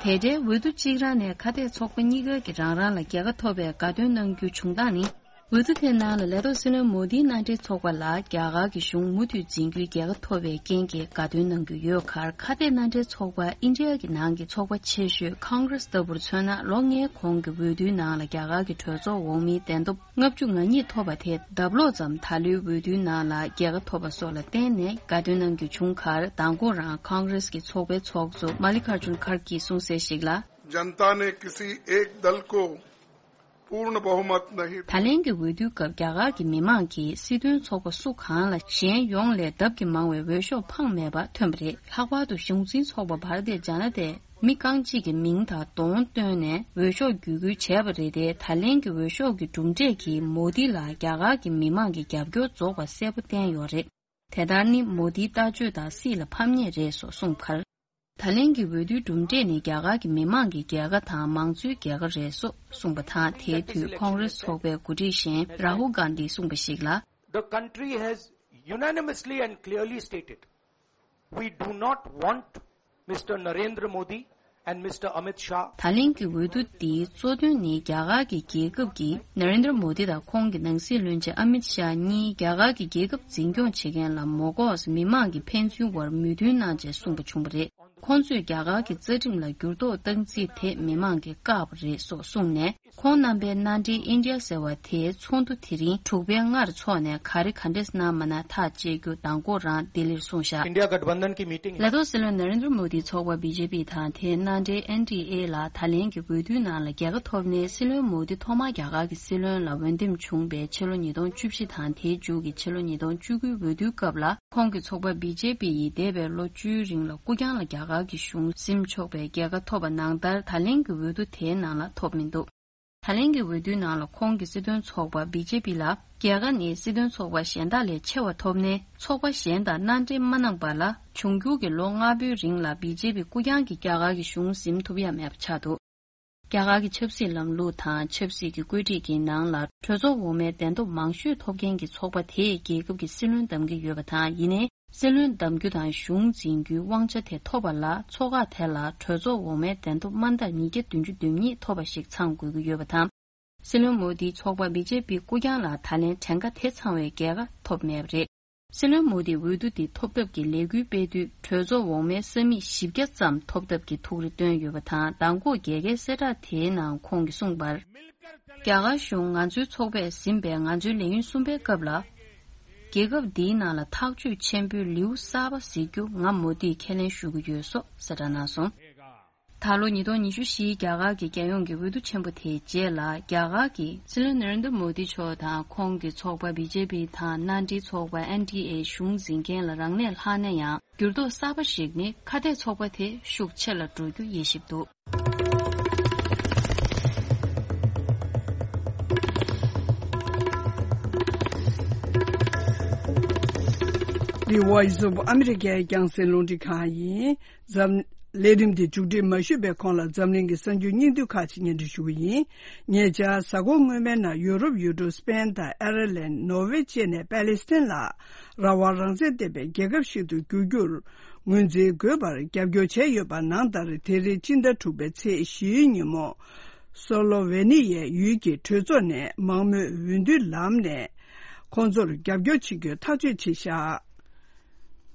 དེ་འདྲའི་འོས་བསྡུ་གཅིག་རང་ནས་ཁ་གཏད་ཚོགས་པ་གཉིས་ཀ་གིས་རང་རང་ལ་རྒྱལ་ཁ་ཐོབ་པའི་དགའ་སྟོན་གནང་རྒྱུ་བྱུང་སྟངས་ནི། འོས་བསྡུ་དེའི་ནང་ལ་ལས་ཐོག་སྲིད་བློན་མོ་དིའི་མནའ་འབྲེལ་ཚོགས་པ་ལ་རྒྱ་གར་གྱི་གཞུང་མུ་མཐུད་འཛིན་རྒྱུའི་རྒྱལ་ཁ་ཐོབ་པའི་རྐྱེན་གྱིས་དགའ་སྟོན་གནང་རྒྱུ་ཡོད་ཁར། ཁ་གཏད་མནའ་འབྲེལ་ཚོགས་པ་ཨིན་ཌི་ཡ་གི་ནང་གི་ཚོགས་པ་ཆེ་ཤོས་ཀོང་གྷི་རེས་ལྟ་བུར་མཚོན་ན། ལོ་ལྔའི་གོང་གི་འོས་བསྡུའི་ནང་ལ་རྒྱ་གར་གྱི་གྲོས་ཚོགས་འོག་མའི་གདན་ཐོབ་ལྔ་བཅུ་ང་གཉིས་ཐོབ་པ་དེ་ལྡབ་ལོག་ཙམ་ད་ལོའི་འོས་བསྡུའི་ནང་ལ་རྒྱལ་ཁ་ཐོབ་པ་སོགས་ལ་བརྟེན་ནས་དགའ་སྟོན་གནང་རྒྱུ་བྱུང་ཁར། མདང་དགོང་རང་ཀོང་གྷི་རེས་ཀྱི་ཚོགས་པའི་ཚོགས་གཙོ་མ་ལི་ཀར་ཇུན་ཁར་གྱིས་གསུངས་གསལ་ཞིག་ལ། जनता ने किसी एक दल को पूर्ण बहुमत नहीं। ད་ལན་གྱི་འོས་བསྡུའི་སྐབས་རྒྱ་གར་གྱི་མི་མང་གིས་སྲིད་དོན་ཚོགས་པ་སུ་གང་ལ་གཞན་ཡོངས་ལས་ལྡབ་ཀྱིས་མང་བའི་འོས་ཤོག་འཕངས་མེད་པ་ཐོན་པ་རེད། ལྷག་པར་དུ་གཞུང་འཛིན་ཚོགས་པ་བྷ་ར་ཏི་ཇ་ན་ཏའི་མི་རྐང་གཅིག་གི་མིང་དང་གདོང་བཏོན་ནས་འོས་ཤོག་བརྒྱུད་སྐུལ་བྱས་པ་རེད་དེ། ད་ལན་གྱི་འོས་ཤོག་གི་གྲུབ་འབྲས་ཀྱིས་མོ་དི་ལ་རྒྱ་གར་གྱི་མི་མང་གི་རྒྱབ་སྐྱོར་རྫོགས་པ་གསལ་པོ་བསྟན་ཡོད་རེད། དེ་ལྟར་ནི་མོ་དིའི་ལྟ་སྤྱོད་དང་སྲིད་ལ་ཕམ་ཉེས་རེད་སོགས་གསུངས་ཁར། ད་ལན་གྱི་འོས་བསྡུའི་གྲུབ་འབྲས་ནི་རྒྱ་གར་གྱི་མི་མང་གི་རྒྱལ་ཁ་དང་མང་གཙོའི་རྒྱལ་ཁ་རེད་སོགས་གསུངས་པ་དང་། དེའི་དུས་ཁོང་རེས་ཚོགས་པའི་འགོ་ཁྲིད་གཞན་རཱ་ཧུལ་གྷན་དྷིས་གསུངས་པ་ཞིག་ལ། The country has unanimously and clearly stated, we do not want Mister Narendra Modi and Mister Amit Shah. ད་ལན་གྱི་འོས་བསྡུ་འདིའི་གཙོ་དོན་ནི་རྒྱ་གར་གྱི་རྒྱལ་ཁབ་ཀྱིས་ན་རེན་དྲ་མོ་དི་དང་ཁོང་གི་ནང་སྲིད་བློན་ཆེན་ཨ་མིད་ཤཱ་གཉིས་རྒྱ་གར་གྱི་རྒྱལ་ཁབ་འཛིན་སྐྱོང་བྱེད་མཁན་ལ་མོ་ལྐོག་མི་མང་གི་ཕན་ཚུན་དབར་མོས་མཐུན་གནང་ཆེད་གསུངས་པ་བྱུང་བ་རེད། ཁོང་ཚོས་རྒྱ་གར་གྱི་རྩ་ཁྲིམས་ལ་འགྱུར་ལྡོག་བཏང་རྩིས་དེ་མི་མང་གིས་བཀག་པ་རེད་སོགས་གསུངས་ནས། ཁོང་རྣམ་པའི་མནའ་འབྲེལ་ཨིན་ཌི་ཡ་ཟེར་བ་དེའི་ཚོགས་འདུ་དེ་རིང་དྲུག་པའི་སྔར་འཚོགས་ནས་ག་རེ་ག་འདྲས་གནང་མ་གནང་ཐག་བཅད་རྒྱུ་མདང་དགོང་རང་ལྡི་ལིར་གསུངས་བཞག India Gathbandhan ki meeting. ལས་ཐོག་སྲིད་བློན་ན་རེན་དྲ་མོ་དིའི་ཚོགས་པ་བི་ཇེ་པི་དང་དེའི་མནའ་འབྲེལ་ཨེན་ཌི་ཨེ་ལ་ད་ལན་གྱི་འོས་བསྡུའི་ནང་ལ་རྒྱལ་ཁ་ཐོབ་ནས། སྲིད་བློན་མོ་དི་ཐོག་མར་རྒྱ་གར་གྱི་སྲིད་བློན་ལ་འོས་འདེམས་བྱུང་བའི་ཕྱི་ལོ་ཉིས་སྟོང་བཅུ་བཞི་དང་དེའི་མཇུག་གི་ཕྱི་ལོ་ཉིས་སྟོང་བཅུ་དགུའི་འོས་བསྡུའི་སྐབས་ལ། ཁོང་གི་ཚོགས་པ་བི་ཇེ་པི་ཡིས་འདས་པའི་ལོ་བཅུའི་རིང་ལ་སྐུ་རྐྱང་ལ་རྒྱ་གར་གྱི་གཞུང་འཛིན་ཆོག་པའི་རྒྱལ་ཁ་ཐོབ་པ་ནང་ལྟར། ད་ལན་གྱི་འོས་བསྡུ་དེའི་ནང་ལ་ཐོབ་མི་འདུག་ད་ལན་གྱི་འོས་བསྡུའི་ནང་ལ་ཁོང་གི་སྲིད་དོན་ཚོགས་པ་བི་ཇེ་པི་ལ་རྒྱལ་ཁ་ནི་སྲིད་དོན་ཚོགས་པ་གཞན་དག་ལས་ཆེ་བ་ཐོབ་ནས། ཚོགས་པ་གཞན་དང་མནའ་འབྲེལ་མ་གནང་བ་ལ། འབྱུང་འགྱུར་གྱི་ལོ་ལྔ་པོའི་རིང་ལ་བི་ཇེ་པི་སྐུ་རྐྱང་གིས་རྒྱ་གར་གྱི་གཞུང་འཛིན་ཐུབ་ཡ་མེད་པ་ཆགས་འདུག་རྒྱ་གར་གྱི་ཆབ་སྲིད་ལམ་ལུགས་དང་ཆབ་སྲིད་ཀྱི་བཀོད་སྒྲིག་གི་ནང་ལ། གྲོས་ཚོགས་འོག་མའི་གདན་ཐོབ་མང་ཤོས་ཐོབ་མཁན་གྱི་ཚོགས་པ་དེས་རྒྱལ་ཁབ་ཀྱི་སྲིད་བློན་བདམས་ཀྱི་ཡོད་པ་དང་། ཡིན་ནའི། སྲིད་བློན་བདམས་རྒྱུ་དང་གཞུང་འཛིན་རྒྱུའི་དབང་ཆ་དེ་ཐོབ་པ་ལ། ཚོགས་ཁག་དེ་ལ་གྲོས་ཚོགས་འོག་མའི་གདན་ཐོབ་དམའ་མཐར་ཉིས་བརྒྱ་བདུན་ཅུ་དོན་གཉིས་ཐོབ་པ་ཞིག་ཚང་དགོས་ཀྱི་ཡོད་པ་དང་། སྲིད་བློན་མོ་དིའི་ཚོགས་པ་བི་ཇེ་པི་སྐུ་རྐྱང་ལ་ད་ལན་གྲངས་ཀ་དེ་ཚང་བའི་རྒྱལ་ཁ་ཐོབ་མེད་པ་རེད། སྲིད་བློན་མོ་དིས་འོས་བསྡུ་འདི་ཐོབ་ཐབས་ཀྱི་ལས་འགུལ་སྤེལ་དུས། གྲོས་ཚོགས་འོག་མའི་ས་མིག་བཞི་བརྒྱ་ཙམ་ཐོབ་ཐབས་ཀྱི་ཐུགས་རེ་བཏོན་ཡོད་པ་དང་། མདང་དགོང་རྒྱལ་ཁའི་གསལ་བསྒྲགས་དེའི་ནང་ཁོང་གིས་གསུངས་པར། རྒྱ་གར་གཞུང་ང་ཚོའི་ཚོགས་པས་ཟིན་པའི་ང་ཚོའི་ལས་ཡུན་གསུམ་པའི་སྐབས་ལ། རྒྱལ་ཁབ་འདིའི་ནང་ལ་ཐག་གཅོད་ཆེན་པོའི་ལེའུ་གསར་པ་གཟིགས་རྒྱུ་ང་མོ་དིས་ཁས་ལེན་ཞུ་གི་ཡོད་སོགས་གསལ་བསྒྲགས་གནང་སོང་། ད་ལོ་ཉིས་སྟོང་ཉི་ཤུ་བཞིའི་རྒྱ་གར་གྱི་རྒྱལ་ཡོངས་ཀྱི་འོས་བསྡུ་ཆེན་པོ་དེའི་རྗེས་ལ། རྒྱ་གར་གྱི་སྲིད་བློན་ན་རེན་དྲ་མོ་དི་མཆོག་དང་ཁོང་གི་ཚོགས་པ་བི་ཇེ་པི་དང་མནའ་འབྲེལ་ཚོགས་པ་ཨེན་ཌི་ཨེ་གཞུང་འཛིན་མཁན་ལ་རང་གནས་ལྷག་ན་ཡང་། འགྱུར་ལྡོག་གསར་པ་ཞིག་ནི། ཁ་གཏད་ཚོགས་པ་དེ་ཤུགས་ཆེ་ལ་འགྲོ་རྒྱུ་དབྱེ་ཞིབ་འདུག The Voice of America རྒྱང་སྲིང་རླུང་འཕྲིན་ཁང་ཡིན། འཛམ། ལས་རིམ་འདི་མཇུག་སྒྲིལ་མ་ཞུས་པའི་གོང་ལ། འཛམ་གླིང་གི་གསར་འགྱུར་སྙིང་བསྡུས་ཁག་ཅིག་སྙན་སྒྲོན་ཞུ་གི་ཡིན། ཉེ་ཆར། གཟའ་འཁོར་སྔོན་མའི་ནང་ཡུ་རོབ་ཡུལ་གྲུ་སི་པེན་དང་ཨེར་ལན། ནོར་ཝེ་བཅས་ནས་པ་ལེ་སི་ཐན་ལ་རང་དབང་རང་བཙན་ལྡན་པའི་རྒྱལ་ཁབ་ཞིག་ཏུ་འགྱུར་རྒྱུར་ངོས་འཛིན་དགོས་པར་རྒྱབ་སྐྱོར་བྱས་ཡོད་པ་ནང་ལྟར། དེ་རིང་སྤྱི་ཟླ་དྲུག་པའི་ཚེས་བཞིའི་ཉིན་མོ། སོ་ལོ་ཝེ་ནི་ཡའི་ཡུལ་གྱི་གྲོས་ཚོགས་ནས་མང་མོས་འོས་བསྡུ་ལམ་ནས་ཁོང་ཚོར་རྒྱབ་སྐྱོར་བྱེད་རྒྱུའི་ཐག་གཅོད་བྱས་བཞག་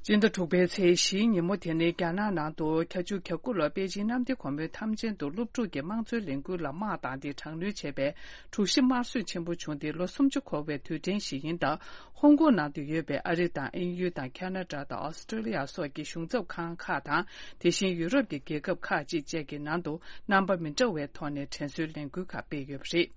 སྤྱི་ཟླ་དྲུག་པའི་ཚེས་བཞིའི་ཉིན་མོ་དེ་ནི། རྒྱ་ནག་ནང་དུ་བརྒྱད་ཅུ་གྱ་དགུ་ལོར་པེ་ཅིང་གནམ་བདེ་སྒོ་མོའི་ཐམས་ཅད་དུ་སློབ་ཕྲུག་གི་དམངས་གཙོའི་ལས་འགུལ་ལ་དམག་བཏང་སྟེ་དྲག་གནོན་བྱས་པའི་དྲུག་བཞི་དམར་གསོད་ཆེན་པོ་བྱུང་སྟེ་ལོ་སུམ་ཅུ་འཁོར་བའི་དུས་དྲན་ཞིག་ཡིན་སྟབས། ཧོང་ཀོང་ནང་དུ་ཡོད་པའི་ཨ་རི་དང་དབྱིན་ཡུལ་དང་ཁ་ན་ཌ་དང་ཨོ་སི་ཀྲོ་ལི་ཡ་སོགས་ཀྱི་གཞུང་ཚབ་ཁང་ཁག་དང་། དེ་བཞིན་ཡུ་རོབ་ཀྱི་རྒྱལ་ཁབ་ཁག་ཅིག་བཅས་ཀྱི་ནང་དུ་རྣམ་པ་མི་འདྲ་བའི་ཐོག་ནས་དྲན་གསོའི་ལས་འགུལ་ཁག་སྤེལ་ཡོད་པ་རེད།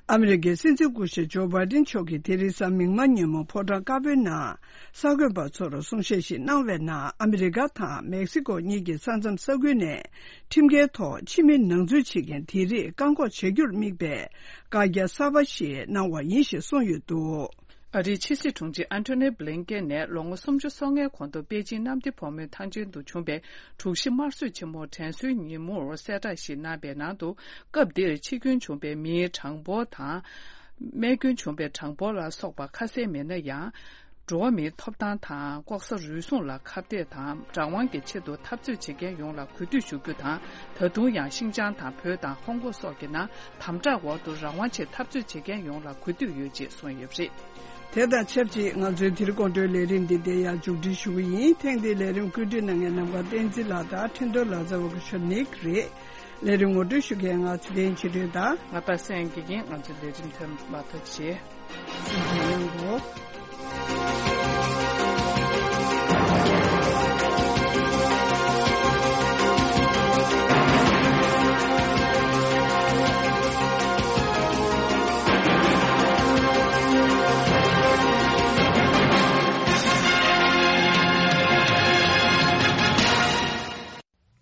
ཨ་མི་རི་ཀའི་སྲིད་འཛིན་སྐུ་ཞབས་ཇོ་བྷའི་ཌེན་མཆོག་གིས་དེ་རིང་གཟའ་མིག་དམར་ཉིན་མོ་ཕོ་བྲང་དཀར་པོའི་ནང་གསར་འགོད་པ་ཚོར་གསུང་བཤད་ཞིག་གནང་བའི་ནང་། ཨ་མི་རི་ཀ་དང་མེག་སི་ཀོ་གཉིས་ཀྱི་ས་མཚམས་ས་ཁུལ་ནས་ཁྲིམས་འགལ་ཐོག་ཕྱི་མི་ནང་འཛུལ་བྱེད་མཁན་དེ་རིགས་བཀག་འགོག་བྱ་རྒྱུར་དམིགས་པའི་བཀའ་རྒྱ་གསར་པ་ཞིག་གནང་བ་ཡིན་ཞེས་གསུངས་ཡོད་འདུག་ཨ་རིའི་ཕྱི་སྲིད་དྲུང་ཆེ་ཨན་ཐོ་ནི་བྷི་ལིན་ཀེན་ནས་ལོ་ངོ་སུམ་ཅུ་སོ་ལྔའི་གོང་དུ་པེ་ཅིང་གནམ་བདེ་སྒོ་མོའི་ཐང་ཆེན་དུ་བྱུང་བའི་དྲུག་བཞི་དམར་གསོད་ཆེན་མོ་དྲན་གསོའི་ཉིན་མོར་གསལ་བསྒྲགས་ཤིག་གནང་བའི་ནང་དུ། སྐབས་འདིར་འཆི་སྐྱོན་བྱུང་བའི་མིའི་གྲངས་འབོར་དང་། རྨས་སྐྱོན་བྱུང་བའི་གྲངས་འབོར་ལ་སོགས་པ་ཁ་གསལ་མེད་ན་ཡང་། འགྲོ་བ་མིའི་ཐོབ་ཐང་དང་ལྐོག་ཟ་རུལ་སུངས་ལ་ཁ་གཏད་དང་། རང་དབང་གི་ཆེད་དུ་འཐབ་རྩོད་བྱེད་མཁན་ཡོངས་ལ་གུས་འདུད་ཞུ་རྒྱུ་དང་། ད་དུང་ཡང་ཤིན་ཅང་དང་བོད་དང་ཧོང་ཀོང་སོགས་ཀྱི་ནང་དམ་དྲག་འོག་ཏུ་རང་དབང་ཆེད་འཐབ་རྩོད་བྱེད་མཁན་ཡོངས་ལ་གུས་འདུད་ཡོད་ཅེས་གསུངས་ཡོད་པ་རེད། དེ་དང་ཆབས་ཅིག་ང་ཚོའི་དེ་རིང་དགོང་དྲོའི་ལས་རིམ་འདི་འདིར་ཡང་མཇུག་སྒྲིལ་ཞུ་གི་ཡིན། ཐེངས་འདིའི་ལས་རིམ་བཀོད་སྒྲིག་གནང་མཁན་ནམ་མཁའ་བསྟན་འཛིན་ལགས་དང་ཁྲེན་ཏོ་ལགས་རྩ་བ་ཀུ་ཤོ་ནིག་རེད། ལས་རིམ་ངོ་སྤྲོད་ཞུ་མཁན་ང་ཚེ་བརྟན་ཆོས་སྒྲོན་དང་། ང་པ་སངས་དགེ་རྒན། ང་ཚོའི་ལས་རིམ་ཐོན་མ་ཐག་བྱེད། གསན་གཟིགས་གནང་རོགས།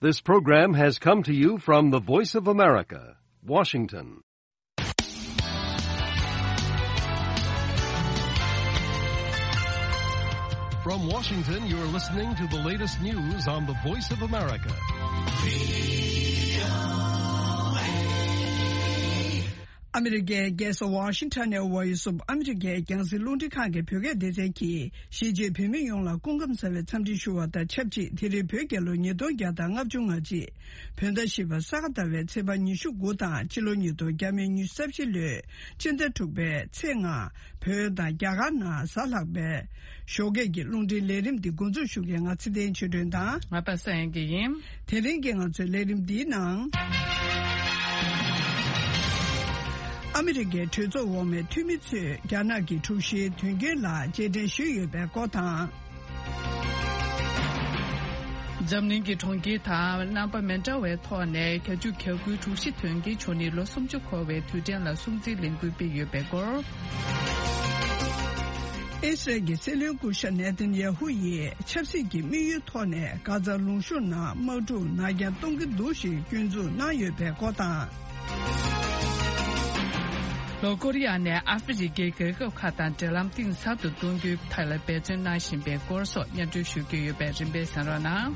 This program has come to you from the Voice of America, Washington. From Washington, you're listening to the latest news on the Voice of America. ཨ་མི་རི་ཀའི་རྒྱལ་ས་ཝ་ཤིང་ཊོན་ནས་Voice of America རྒྱང་སྲིང་རླུང་འཕྲིན་ཁང་གི་བོད་སྐད་སྡེ་ཚན་གྱིས། གཞིས་བྱེས་བོད་མི་ཡོངས་ལ་སྐུ་ཁམས་བཟང་བའི་འཚམས་འདྲི་ཞུ་བ་དང་ཆབས་ཅིག་དེ་རིང་བོད་རྒྱལ་ལོ་ཉིས་སྟོང་བརྒྱ་དང་ལྔ་བཅུ་ང་གཅིག་བོད་ཟླ་བཞི་པ་ས་ག་ཟླ་བའི་ཚེས་པ་ཉི་ཤུ་དགུ་དང་ཕྱི་ལོ་ཉིས་སྟོང་ཉི་ཤུ་རྩ་བཞི་ལོའི་སྤྱི་ཟླ་དྲུག་པའི་ཚེས་ལྔ། བོད་དང་རྒྱ་གར་ནང་གཟའ་ལྷག་པའི་ཞོགས་ཀས་ཀྱི་རླུང་འཕྲིན་ལས་རིམ་འདི་འགོ་འཛུགས་ཞུ་མཁན་ང་ཚེ་བརྟན་ཆོས་སྒྲོན་དང་། ང་པ་སངས་དབྱངས་སྐྱིད་ཡིན། དེ་རིང་གི་ང་ཚོའི་ལས་རིམ་འདིའི་ནང་། ཨ་མི་རི་ཀའི་གྲོས་ཚོགས་འོག་མའི་འཐུས་མི་ཚོས་རྒྱ་ནག་གི་དྲུག་བཞིའི་དོན་རྐྱེན་ལ་རྗེས་དྲན་ཞུས་ཡོད་པའི་སྐོར་དང་། འཛམ་གླིང་གི་གྲོང་ཁྱེར་དང་རྣམ་པ་མི་འདྲ་བའི་ཐོག་ནས་བྱ་སྤྱོད་གྱ་དགུའི་དྲུག་བཞི་དོན་རྐྱེན་བྱུང་ནས་ལོ་སུམ་ཅུ་འཁོར་བའི་དུས་དྲན་ལ་སྲུང་བརྩིའི་ལས་འགུལ་སྤེལ་ཡོད་པའི་སྐོར། ཨི་སི་རལ་གྱི་སྲིད་བློན་སྐུ་ཞབས་ནེ་ཐན་ཡ་ཧུ་ཡིས་ཆབ་སྲིད་ཀྱི་དམིགས་ཡུལ་ཐོག་ནས་གྷ་ཛ་ལུང་གཤོང་ནང་དམག་འཁྲུག་ནར་འགྱངས་གཏོང་གི་འདུག་ཞེས་སྐྱོན་འཛུགས་གནང་ཡོད་པའི་སྐོར་དང་། ལྷོ་ཀོ་རི་ཡ་ནས་ཨ་ཧྥེ་རི་ཁའི་རྒྱལ་ཁབ་ཁག་དང་འབྲེལ་ལམ་གཏིང་ཟབ་ཏུ་གཏོང་རྒྱུའི་ཐད་ལ་འབད་བརྩོན་གནང་བཞིན་པའི་སྐོར་སོགས་སྙན་སྒྲོན་ཞུ་རྒྱུ་ཡོད་པས་རིམ་པས་གསན་རོགས་གནང་།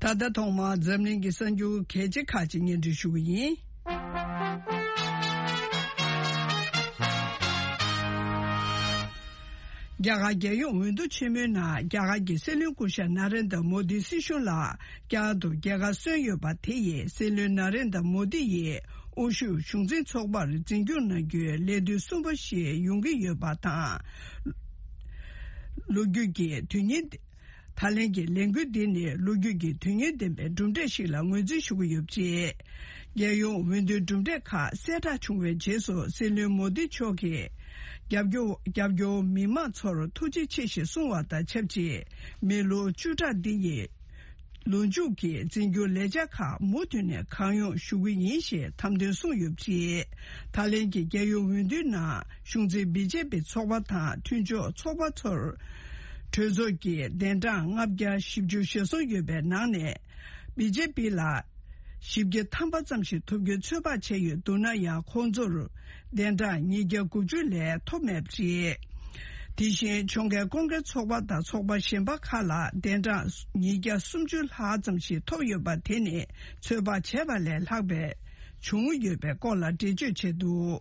ད་ལྟ་ཐོག་མར་འཛམ་གླིང་གི་གསར་འགྱུར་གལ་ཆེ་ཁག་ཅིག་སྙན་སྒྲོན་ཞུ་གི་ཡིན། རྒྱ་གར་རྒྱལ་ཡོངས་འོས་བསྡུ་ཆེན་མོའི་ནང་རྒྱ་གར་གྱི་སྲིད་བློན་སྐུ་ཞབས་ན་རེན་དྲ་མོ་དི་སྲིད་གཞུང་ལ་བསྐྱར་དུ་རྒྱལ་ཁ་སོན་ཡོད་པ་དེ་ཡིས་སྲིད་བློན་ན་རེན་དྲ་མོ་དི་ཡིས་དབུ་བཞུགས་གཞུང་འཛིན་ཚོགས་པར་འཛིན་སྐྱོང་གནང་རྒྱུའི་ལས་དུས་གསུམ་པ་ཞིག་ཡོང་གི་ཡོད་པ་དང་། ལོ་རྒྱུས་ཀྱི་དོན་སྙིང་། ད་ལན་གྱི་ལས་འགུལ་འདི་ནི་ལོ་རྒྱུས་ཀྱི་དོན་སྙིང་ལྡན་པའི་གྲུབ་འབྲས་ཤིག་ལ་ངོས་འཛིན་ཞུ་གི་ཡོད་པ་རེད། རྒྱལ་ཡོངས་འོས་བསྡུའི་གྲུབ་འབྲས་ཁག་གསལ་བསྒྲགས་བྱུང་བའི་རྗེས་སུ་སྲིད་བློན་མོ་དི་མཆོག་གིས་རྒྱབ་སྐྱོར་རྒྱབ་སྐྱོར་མི་མང་ཚོར་ཐུགས་རྗེ་ཆེ་ཞེས་གསུངས་བ་དང་ཆབས་ཅིག་མི་ལོ་བཅུ་ཕྲག་འདི་ཡི་ལོ་མཇུག་གི་འཛིན་སྐྱོང་ལས་འཆར་ཁག་མུ་མཐུད་ནས་གང་ཡོང་ཞུ་གི་ཡིན་ཞེས་དམ་དོན་གསུངས་ཡོད་པ་རེད། ད་ལན་གྱི་རྒྱལ་ཡོངས་འོས་བསྡུའི་ནང་གཞུང་འཛིན་བི་ཇེ་པི་ཚོགས་པ་དང་མཐུན་ཕྱོགས་ཚོགས་པ་ཚོར་གྲོས་ཚོགས་ཀྱི་གདན་གྲངས་ལྔ་བརྒྱ་བཞི་བཅུ་ཞེ་གསུམ་ཡོད་པའི་ནང་ནས་བི་ཇེ་པི་ལ་བཞི་བརྒྱ་ཐམ་པ་ཙམ་ཞིག་ཐོབ་རྒྱུའི་ཚོད་དཔག་བྱས་ཡོད་འདུག་ན་ཡང་ཁོང་ཚོར་གདན་གྲངས་ཉིས་བརྒྱ་དགུ་བཅུ་ལས་ཐོབ་མེད་པ་རེད། དེ་བཞིན་ཕྱོགས་འགལ་ཀོང་ཀྲེས་ཚོགས་པ་དང་ཚོགས་པ་གཞན་པ་ཁག་ལ་གདན་གྲངས་ཉིས་བརྒྱ་སུམ་ཅུ་ལྷག་ཙམ་ཞིག་ཐོབ་ཡོད་པ་དེ་ནི་ཚོད་དཔག་བྱས་པ་ལས་ལྷག་པའི་བྱུང་ཡོད་པའི་སྐོར་ལ་འགྲེལ་བརྗོད་བྱས་འདུག་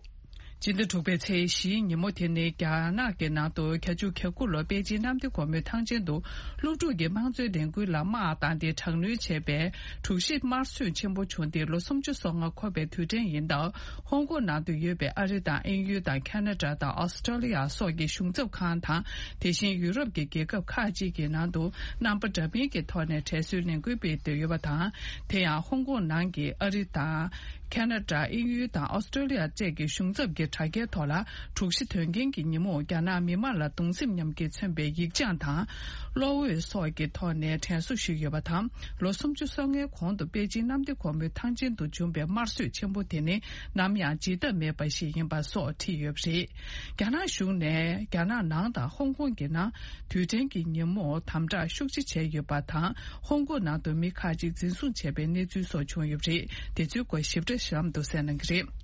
སྤྱི་ཟླ་དྲུག་པའི་ཚེས་བཞིའི་ཉིན་མོ་དེ་ནི་རྒྱ་ནག་གི་ནང་དུ་བརྒྱད་ཅུ་གྱ་དགུ་ལོ་པེ་ཅིན་གནམ་བདེ་སྒོ་མོའི་ཐང་ཆེན་དུ་སློབ་ཕྲུག་གི་དམངས་གཙོའི་ལས་འགུལ་ལ་དམག་བཏང་སྟེ་དྲག་གནོན་བྱས་པའི་དྲུག་བཞི་དམར་གསོད་ཆེན་པོ་བྱུང་སྟེ་ལོ་སུམ་ཅུ་སོ་ལྔ་འཁོར་བའི་དུས་དྲན་ཡིན་སྟབས། ཧོང་ཀོང་ནང་དུ་ཡོད་པའི་ཨ་རི་དང་དབྱིན་ཡུལ་དང་ཁ་ན་ཌ་དང་ཨོ་སི་ཀྲོ་ལི་ཡ་སོགས་ཀྱི་གཞུང་ཚབ་ཁང་དང་། དེ་བཞིན་ཡུ་རོབ་ཀྱི་རྒྱལ་ཁབ་ཁག་ཅིག་གི་ནང་དུ་རྣམ་པ་འདྲ་མིན་གྱི་ཐོག་ནས་དྲན་གསོའི་ལས་འགུལ་སྤེལ་འདོད་ཡོད་པ་དང་། དེ་ཡང་ཧོང་ཀོང་ནང་གི་ཨ་རི་དང་། ཁ་ན་ཌ། དབྱིན་ཡུལ་དང་ཨོ་སི་ཀྲོ་ལི་ཡ་བཅས་ཀྱི་གཞུང་ཚབ་ཀྱི་དྲ་རྒྱའི་ཐོག་ལ་དྲུག་བཞི་དོན་རྐྱེན་གྱི་ཉིན་མོར་རྒྱ་ནག་མི་དམངས་ལ་གདུང་སེམས་མཉམ་སྐྱེད་མཚོན་པའི་ཡིག་བྱང་དང་། གློག་འོད་སོགས་ཀྱི་ཐོག་ནས་དྲན་གསོ་ཞུས་ཡོད་པ་དང་། ལོ་སུམ་ཅུ་སོ་ལྔའི་གོང་དུ་པེ་ཅིན་གནམ་བདེ་སྒོ་མོའི་ཐང་ཆེན་དུ་བྱུང་བའི་དམར་གསོད་ཆེན་པོ་དེ་ནི་ནམ་ཡང་བརྗེད་ཐབས་མེད་པ་ཞིག་ཡིན་པ་སོགས་བྲིས་ཡོད་པ་རེད། རྒྱ་ནག་གཞུང་ནས་རྒྱ་ནག་ནང་དང་ཧོང་ཀོང་གི་ནང་དུས་དྲན་གྱི་ཉིན་མོར་དམ་དྲག་ཤུགས་ཆེ་བྱས་ཡོད་པ་དང་། ཧོང་ཀོང་ནང་དུ་མི་ཁག་ཅིག་འཛིན་བཟུང་བྱས་པའི་གནས་ཚུལ་སོགས་བྱུང་ཡོད་པ་རེད། དེ་ཚོའི་སྐོར་ཞིབ་ཕྲ་གཤམ་དུ་གསན་གནང་གི་རེད།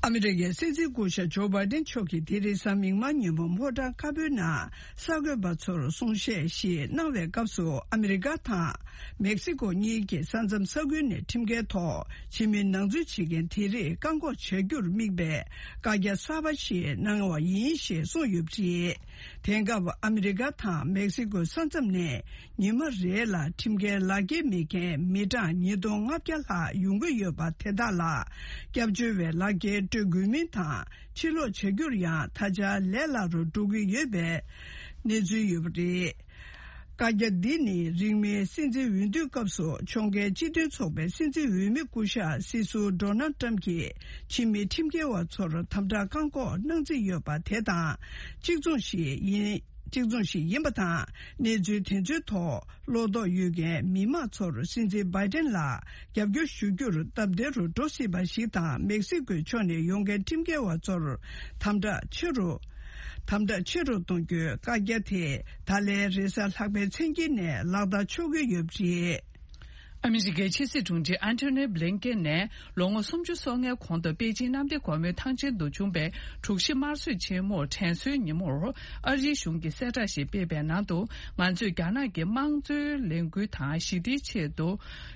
ཨ་མི་རི་ཀའི་སྲིད་འཛིན་སྐུ་ཞབས་ཇོ་བྷའི་ཏན་མཆོག་གིས་དེ་རིང་གཟའ་མིག་དམར་ཉིན་མོ་ཕོ་བྲང་དཀར་པོའི་ནང་གསར་འགོད་པ་ཚོར་གསུང་བཤད་ཞིག་གནང་བའི་སྐབས་སུ། ཨ་མི་རི་ཀ་དང་མེག་སི་ཀོ་གཉིས་ཀྱི་ས་མཚམས་ས་ཁུལ་ནས་ཁྲིམས་འགལ་ཐོག་ཕྱི་མི་ནང་འཛུལ་བྱེད་མཁན་དེ་རིགས་བཀག་འགོག་བྱ་རྒྱུར་དམིགས་པའི་བཀའ་རྒྱ་གསར་པ་ཞིག་གནང་བ་ཡིན་ཞེས་གསུངས་ཡོད་པ་རེད། དེང་སྐབས་ཨ་མི་རི་ཀ་དང་མེག་སི་ཀོའི་ས་མཚམས་ནས་ཉི་མ་རེ་ལ་ཁྲིམས་འགལ་ལག་འཁྱེར་མེད་མཁན་མི་གྲངས་ཉིས་སྟོང་ལྔ་བརྒྱ་ལྷག་ཡོང་གི་ཡོད་པ་དེ་དག་ལ་སྐྱབས་བཅོལ་བའི་ལག་འཁྱེར་སྤྲོད་དགོས་མིན་དང་། ཕྱིར་ལོག་བྱ་རྒྱུར་ཡང་ད་ཆ་ལས་སླ་རུ་འགྲོ་གི་ཡོད་པའི་གནས་ཚུལ་ཡོད་པ་རེད། བཀའ་རྒྱ་འདི་ནི་རིང་མིན་སྲིད་འཛིན་འོས་བསྡུའི་སྐབས་སུ་ཕྱོགས་འགལ་སྤྱི་མཐུན་ཚོགས་པའི་སྲིད་འཛིན་འོས་མི་སྐུ་ཞབས་སྲིད་ཟུར་ཌོ་ནལ་ཊམ་གྱིས་ཕྱི་མི་ཁྲིམས་འགལ་བ་ཚོར་དམ་དྲག་བཀག་འགོག་གནང་རྩིས་ཡོད་པ་དེ་དང་གཅིག་མཚུངས་ཤིག་ཡིན། གཅིག་མཚུངས་ཤིག་ཡིན་པ་དང་། གནས་ཚུལ་དེ་ཚོའི་ཐོག་བློ་དོགས་ཡོད་མཁན་མི་མང་ཚོར་སྲིད་འཛིན་བྷའི་ཏན་ལ་རྒྱབ་སྐྱོར་ཞུ་རྒྱུར་སྟབས་བདེ་རུ་འགྲོ་སྲིད་པ་ཞིག་དང་། མེག་སི་ཀོའི་ཕྱོགས་ནས་ཡོང་མཁན་ཁྲིམས་འགལ་བ་ཚོར་དམ་དྲག་ཆེ་རུ། དམ་དྲག་ཆེ་རུ་གཏོང་རྒྱུའི་བཀའ་རྒྱ་དེ་ད་ལན་རེས་གཟའ་ལྷག་པའི་མཚན་དཀྱིལ་ནས་ལག་བསྟར་ཆོག་གི་ཡོད་པ་རེད། ཨ་མི་རི་ཀའི་ཕྱི་སྲིད་དྲུང་ཆེ་ཨན་ཐོ་ནི་བྷི་ལིན་ཀེན་ནས་ལོ་ངོ་སུམ་ཅུ་སོ་ལྔའི་གོང་དུ་པེ་ཅིན་གནམ་བདེ་སྒོ་མོའི་ཐང་ཆེན་དུ་བྱུང་པའི་དྲུག་བཞི་དམར་གསོད་ཆེན་མོར་དྲན་གསོའི་ཉིན་མོར། ཨ་རིའི་གཞུང་གིས་གསལ་བསྒྲགས་ཤིག་སྤེལ་བའི་ནང་དུ། ང་ཚོས་རྒྱ་ནག་གི་དམངས་གཙོའི་ལས་འགུལ་དང་ཞི་བདེའི་ཆེད་དུ་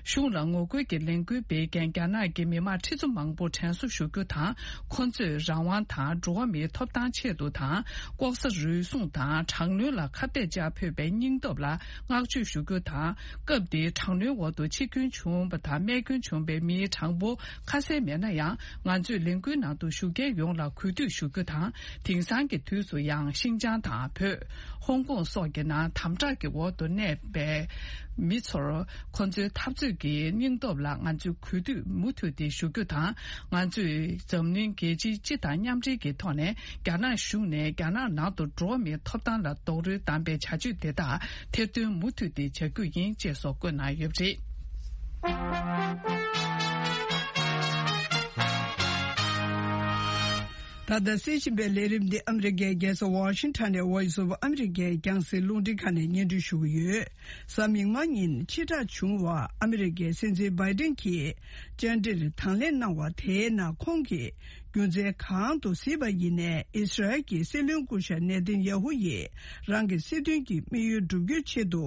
གཞུང་ལ་ངོ་རྒོལ་གྱི་ལས་འགུལ་སྤེལ་མཁན་རྒྱ་ནག་གི་མི་མང་ཁྲི་ཚོ་མང་པོར་དྲན་གསོ་ཞུ་རྒྱུ་དང་། ཁོ་ཚོས་རང་དབང་དང་འགྲོ་བ་མིའི་ཐོབ་ཐང་ཆེད་དུ་དང་། ལྐོག་ཟ་རུལ་སུངས་དང་དྲག་གནོན་ལ་ཁ་གཏད་བཅག་ཕོད་པའི་སྙིང་སྟོབས་ལ་བསྔགས་བརྗོད་ཞུ་རྒྱུ་དང་། སྐབས་དེའི་དྲག་གནོན་འོག་ཏུ་འཆི་སྐྱོན་བྱུང་བ་དང་རྨས་སྐྱོན་བྱུང་བའི་མིའི་གྲངས་འབོར་ཁ་གསལ་མེད་ན་ཡང་། ང་ཚོས་ལས་འགུལ་ནང་དུ་ཞུགས་མཁན་ཡོངས་ལ་གུས་འདུད་ཞུ་རྒྱུ་དང་། དེང་སང་གི་དུས་སུ་ཡང་ཤིན་ཅང་དང་བོད། ཧོང་ཀོང་སོགས་ཀྱི་ནང་དམ་དྲག་གི་འོག་ཏུ་གནས་པའི་མི་ཚོར་ཁོ་ཚོའི་འཐབ་རྩོད་ཀྱི་སྙིང་སྟོབས་ལ་ང་ཚོས་གུས་འདུད་མུ་མཐུད་དེ་ཞུ་རྒྱུ་དང་། ང་ཚོས་འཛམ་གླིང་རྒྱལ་སྤྱིའི་སྤྱི་དང་མཉམ་འབྲེལ་གྱི་ཐོག་ནས་རྒྱ་ནག་གཞུང་ནས་རྒྱ་ནག་ནང་དུ་འགྲོ་བ་མིའི་ཐོབ་ཐང་ལ་རྡོག་རོལ་བསྡམས་པའི་བྱ་སྤྱོད་དེ་དག་ཐེར་འདོན་མུ་མཐུད་དེ་བྱ་རྒྱུ་ཡིན་ཅེས་སོགས་བཀོད་གནང་ཡོད་པ་རེད། ད་ལྟ་གསན་བཞིན་པའི་ལས་རིམ་འདི་ཨ་མི་རི་ཀའི་རྒྱལ་ས་ཝ་ཤིང་ཊོན་ནས་Voice of America རྒྱང་སྲིང་རླུང་འཕྲིན་ཁང་ནས་སྙན་སྒྲོན་ཞུ་གི་ཡོད། གཟའ་མིག་དམར་ཉིན་ཕྱིར་བསྒྲགས་བྱུང་བ། ཨ་མི་རི་ཀའི་སྲིད་འཛིན་བྷའི་ཏན་གྱིས་བཅར་འདྲིར་དང་ལེན་གནང་བ་དེའི་ནང་ཁོང་གིས། རྒྱུ་མཚན་གང་དུ་གཟིགས་པ་ཡིན་ནའི། ཨིས་ར་ཨེལ་གྱི་སྲིད་བློན་སྐུ་ཞབས་ནེ་ཐན་ཡ་ཧུ་ཡིས་རང་གི་སྲིད་དོན་གྱི་དམིགས་ཡུལ་བསྒྲུབ་རྒྱུའི་ཆེད་དུ།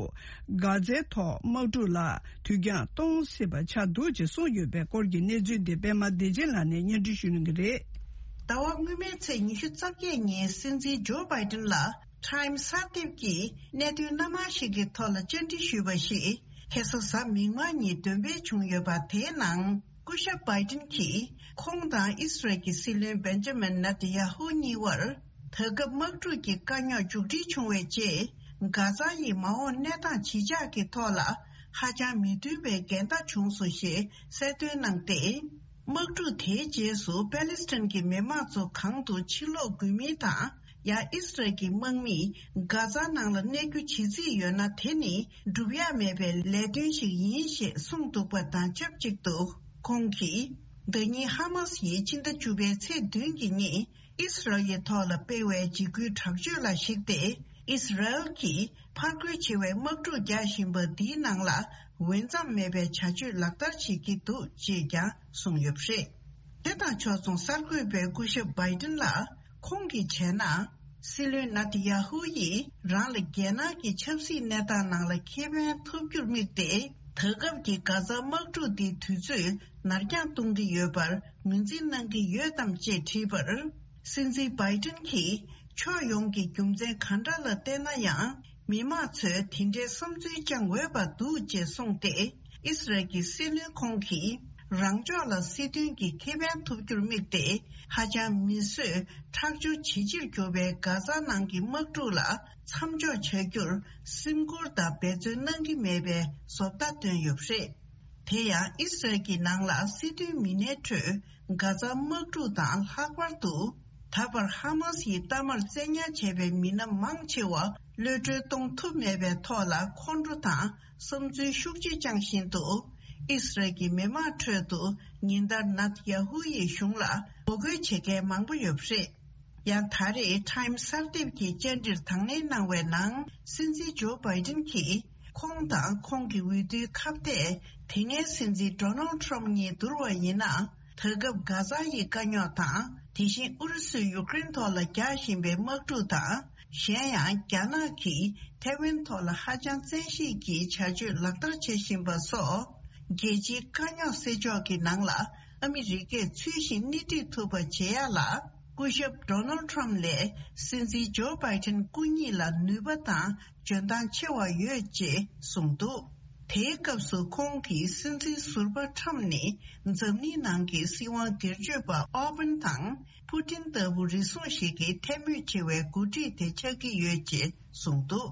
གྷ་ཛའི་ཐོག་དམག་འཁྲུག་ལ་དུས་འགྱངས་གཏོང་སྲིད་པ་ཆགས་འདུག་ཅེས་གསུངས་ཡོད་པའི་སྐོར་གྱི་གནས་ཚུལ་འདི་པད་མ་བདེ་ཆེན་ལགས་ནས་སྙན་སྒྲོན་ཞུ་གནང་གི་རེད། ཟླ་བ་སྔོན་མའི་ཚེས་ཉི་ཤུ་རྩ་བརྒྱད་ཉིན་སྲིད་འཛིན་ཇོ་བྷའི་ཏན་ལ་ཊའིམ་གསར་འདེབས་ཀྱིས་གནད་དོན་སྣ་མང་ཞིག་གི་ཐོག་ལ་བཅར་འདྲི་ཞུས་པ་ཞིག་ཁ་སང་གཟའ་མིག་དམར་ཉིན་འདོན་སྤེལ་བྱུང་ཡོད་པ། དེའི་ནང་སྐུ་ཞབས་བྷའི་ཏན་གྱིས་ཁོང་དང་ཨིས་རལ་གྱི་སྲིད་བློན་བེན་ཇ་མིན་ནེ་ཐན་ཡ་ཧུ་གཉིས་བར་ད་སྐབས་དམག་འཁྲུག་གི་དཀའ་རྙོག་མཇུག་སྒྲིལ་བྱུང་བའི་རྗེས། གྷ་ཛ་ཡི་མ་འོངས་གནས་སྟངས་ཇི་ཆགས་ཀྱི་ཐོག་ལ་ཧ་ཅང་མི་མཐུན་པའི་འགལ་ཟླ་བྱུང་སོང་ཞེས་གསལ་སྟོན་གནང་སྟེ། དམག་འཁྲུག་དེའི་རྗེས་སུ་པེ་ལི་སི་ཐན་གྱི་མི་མང་ཚོ་གང་དུ་ཕྱིར་ལོག་དགོས་མིན་དང་། ཡང་ཨིས་རལ་གྱི་དམག་མིས་གྷ་ཛ་ནང་ལ་གནས་རྒྱུ་བྱེད་རྩིས་ཡོད་ན། དེ་ནི་སྒྲུབ་ཡག་མེད་པའི་ལས་དོན་ཞིག་ཡིན་ཞེས་གསུངས་འདུག་པ་དང་ཆབས་ཅིག་ཏུ། ཁོང་གིས་ཟླ་ཉིན་ཧ་མ་སི་ཡིས་ཕྱི་ཟླ་བཅུ་པའི་ཚེས་བདུན་གྱི་ཉིན་ཨིས་རལ་ཡི་ཐོག་ལ་སྤེལ་བའི་འཇིགས་སྐུལ་དྲག་སྤྱོད་ལ་གཞིགས་ཏེ། ཨིས་རལ་གྱིས་ཕར་རྒོལ་ཆེ་བའི་དམག་འཁྲུག་རྒྱག་བཞིན་པ་འདིའི་ནང་ལ་འོས་འཚམ་མེད་པའི་བྱ་སྤྱོད་ལག་བསྟར་བྱེད་ཀྱི་འདུག་ཅེས་ཀྱང་གསུངས་ཡོད་པ་རེད། དེ་དང་ཕྱོགས་མཚུངས་གསར་འགོད་པས་སྐུ་ཞབས་བྷའི་ཏན་ལ་ཁོང་གིས་བྱས་ན། སྲིད་བློན་ནེ་ཐན་ཡ་ཧུ་ཡིས་རང་ལ་རྒྱལ་ནང་གི་ཆབ་སྲིད་གནས་སྟངས་ནང་ལ་ཁེ་ཕན་ཐོབ་རྒྱུར་དམིགས་ཏེ། ད་སྐབས་ཀྱི་གྷ་ཛ་དམག་འཁྲུག་འདི་དུས་ཚོད་ནར་འགྱངས་གཏོང་གི་ཡོད་པར་ངོས་འཛིན་གནང་གི་ཡོད་དམ་ཅེས་དྲིས་པར། སྲིད་འཛིན་བྷའི་ཏན་གྱིས་ཕྱོགས་ཡོངས་ཀྱི་རྒྱུ་མཚན་གང་འདྲ་ལ་བལྟས་ན་ཡང་། མི་མང་ཚོས་དེ་འདྲའི་བསམ་ཚུལ་བཅངས་འོས་པ་འདུག་ཅེས་གསུངས་ཏེ། ཨིས་རལ་གྱི་སྲིད་བློན་ཁོང་གིས་རང་ཕྱོགས་ལ་སྲིད་དོན་གྱི་ཁེ་ཕན་ཐོབ་རྒྱུར་དམིགས་ཏེ། ཧ་ཅང་མི་བཟོད་ཁྲག་སྦྱོར་ཇེ་ཆེར་གྱུར་པའི་གྷ་ཛ་ནང་གི་དམག་འཁྲུག་ལ་མཚམས་འཇོག་བྱ་རྒྱུར་སེམས་ཁུར་དང་འབད་བརྩོན་གནང་གི་མེད་པའི་བཟོ་ལྟ་བཏོན་ཡོད་པ་རེད། དེ་ཡང་ཨིས་རལ་གྱི་ནང་ལ་སྲིད་དོན་མི་སྣའི་ཁྲོད་གྷ་ཛ་དམག་འཁྲུག་དང་ལྷག་པར་དུ། ད་བར་ཧ་མ་སི་ཡི་གཏའ་མར་བཙན་ཉར་བྱས་པའི་མི་སྣ་མང་ཆེ་བ་གློད་གྲོལ་གཏོང་ཐུབ་མེད་པའི་ཐོག་ལ་ཁོང་ཁྲོ་དང་བསམ་ཚུལ་ཤུགས་ཆེ་བཅངས་བཞིན་དུ། ཨིས་རལ་གྱི་མི་མང་ཁྲོད་དུ་ཉིན་ལྟར་ནཱ་ཐན་ཡ་ཧུ་ཡི་གཞུང་ལ་ངོ་རྒོལ་བྱེད་མཁན་མང་པོ་ཡོད་པ་རེད། ཡང་ད་རེས་ཊའིམ་གསར་འདེབས་ཀྱི་བཅར་འདྲིར་དང་ལེན་གནང་བའི་ནང་། སྲིད་འཛིན་ཇོ་བྷའི་ཏིན་གྱིས་ཁོང་དང་ཁོང་གི་འོས་བསྡུའི་ཁ་གཏད་དེ་སྔའི་སྲིད་འཛིན་ཌོ་ནལ་ཊམ་གཉིས་བསྡུར་བ་ཡིན་ན། ད་སྐབས་གྷ་ཛ་ཡི་དཀའ་རྙོག་དང་། དེ་བཞིན་ཨུ་རུ་སུས་ཡུཀ་རེན་ཐོག་ལ་རྒྱག་བཞིན་པའི་དམག་འཁྲུག་དང་། གཞན་ཡང་རྒྱ་ནག་གིས་ཐའེ་ཝན་ཐོག་ལ་ཧ་ཅང་བཙན་ཤེད་ཀྱིས་བྱ་སྤྱོད་ལག་བསྟར་བྱེད་བཞིན་པ་སོགས། རྒྱལ་སྤྱིའི་དཀའ་རྙོག་སེལ་ཕྱོགས་ཀྱི་ནང་ལ་ཨ་མི་རི་ཀས་ཚུལ་བཞིན་སྣེ་ཁྲིད་ཐུབ་པ་བྱེད་ཡག་ལ། སྐུ་ཞབས་ཌོ་ནལ་ཊམ་ལས་སྲིད་འཛིན་ཇོ་བྷའི་ཏིན་སྐུ་ཉིད་ལ་ནུས་པ་དང་འཇོན་ཐང་ཆེ་བ་ཡོད་ཅེས་གསུངས་འདུག་དེའི་སྐབས་སུ་ཁོང་གིས་སྲིད་འཛིན་ཟུར་པ་ཊམ་ནི་འཛམ་གླིང་ནང་གི་སྲིད་དབང་སྒེར་གཅོད་པ་ཨོ་བན་དང་ཕུ་ཏིན་ལྟ་བུ་རེ་ཟུང་ཞིག་གི་ཐལ་མོ་ཆེ་བའི་འགོ་ཁྲིད་དེ་ཆགས་ཀྱི་ཡོད་ཅེས་གསུངས་འདུག་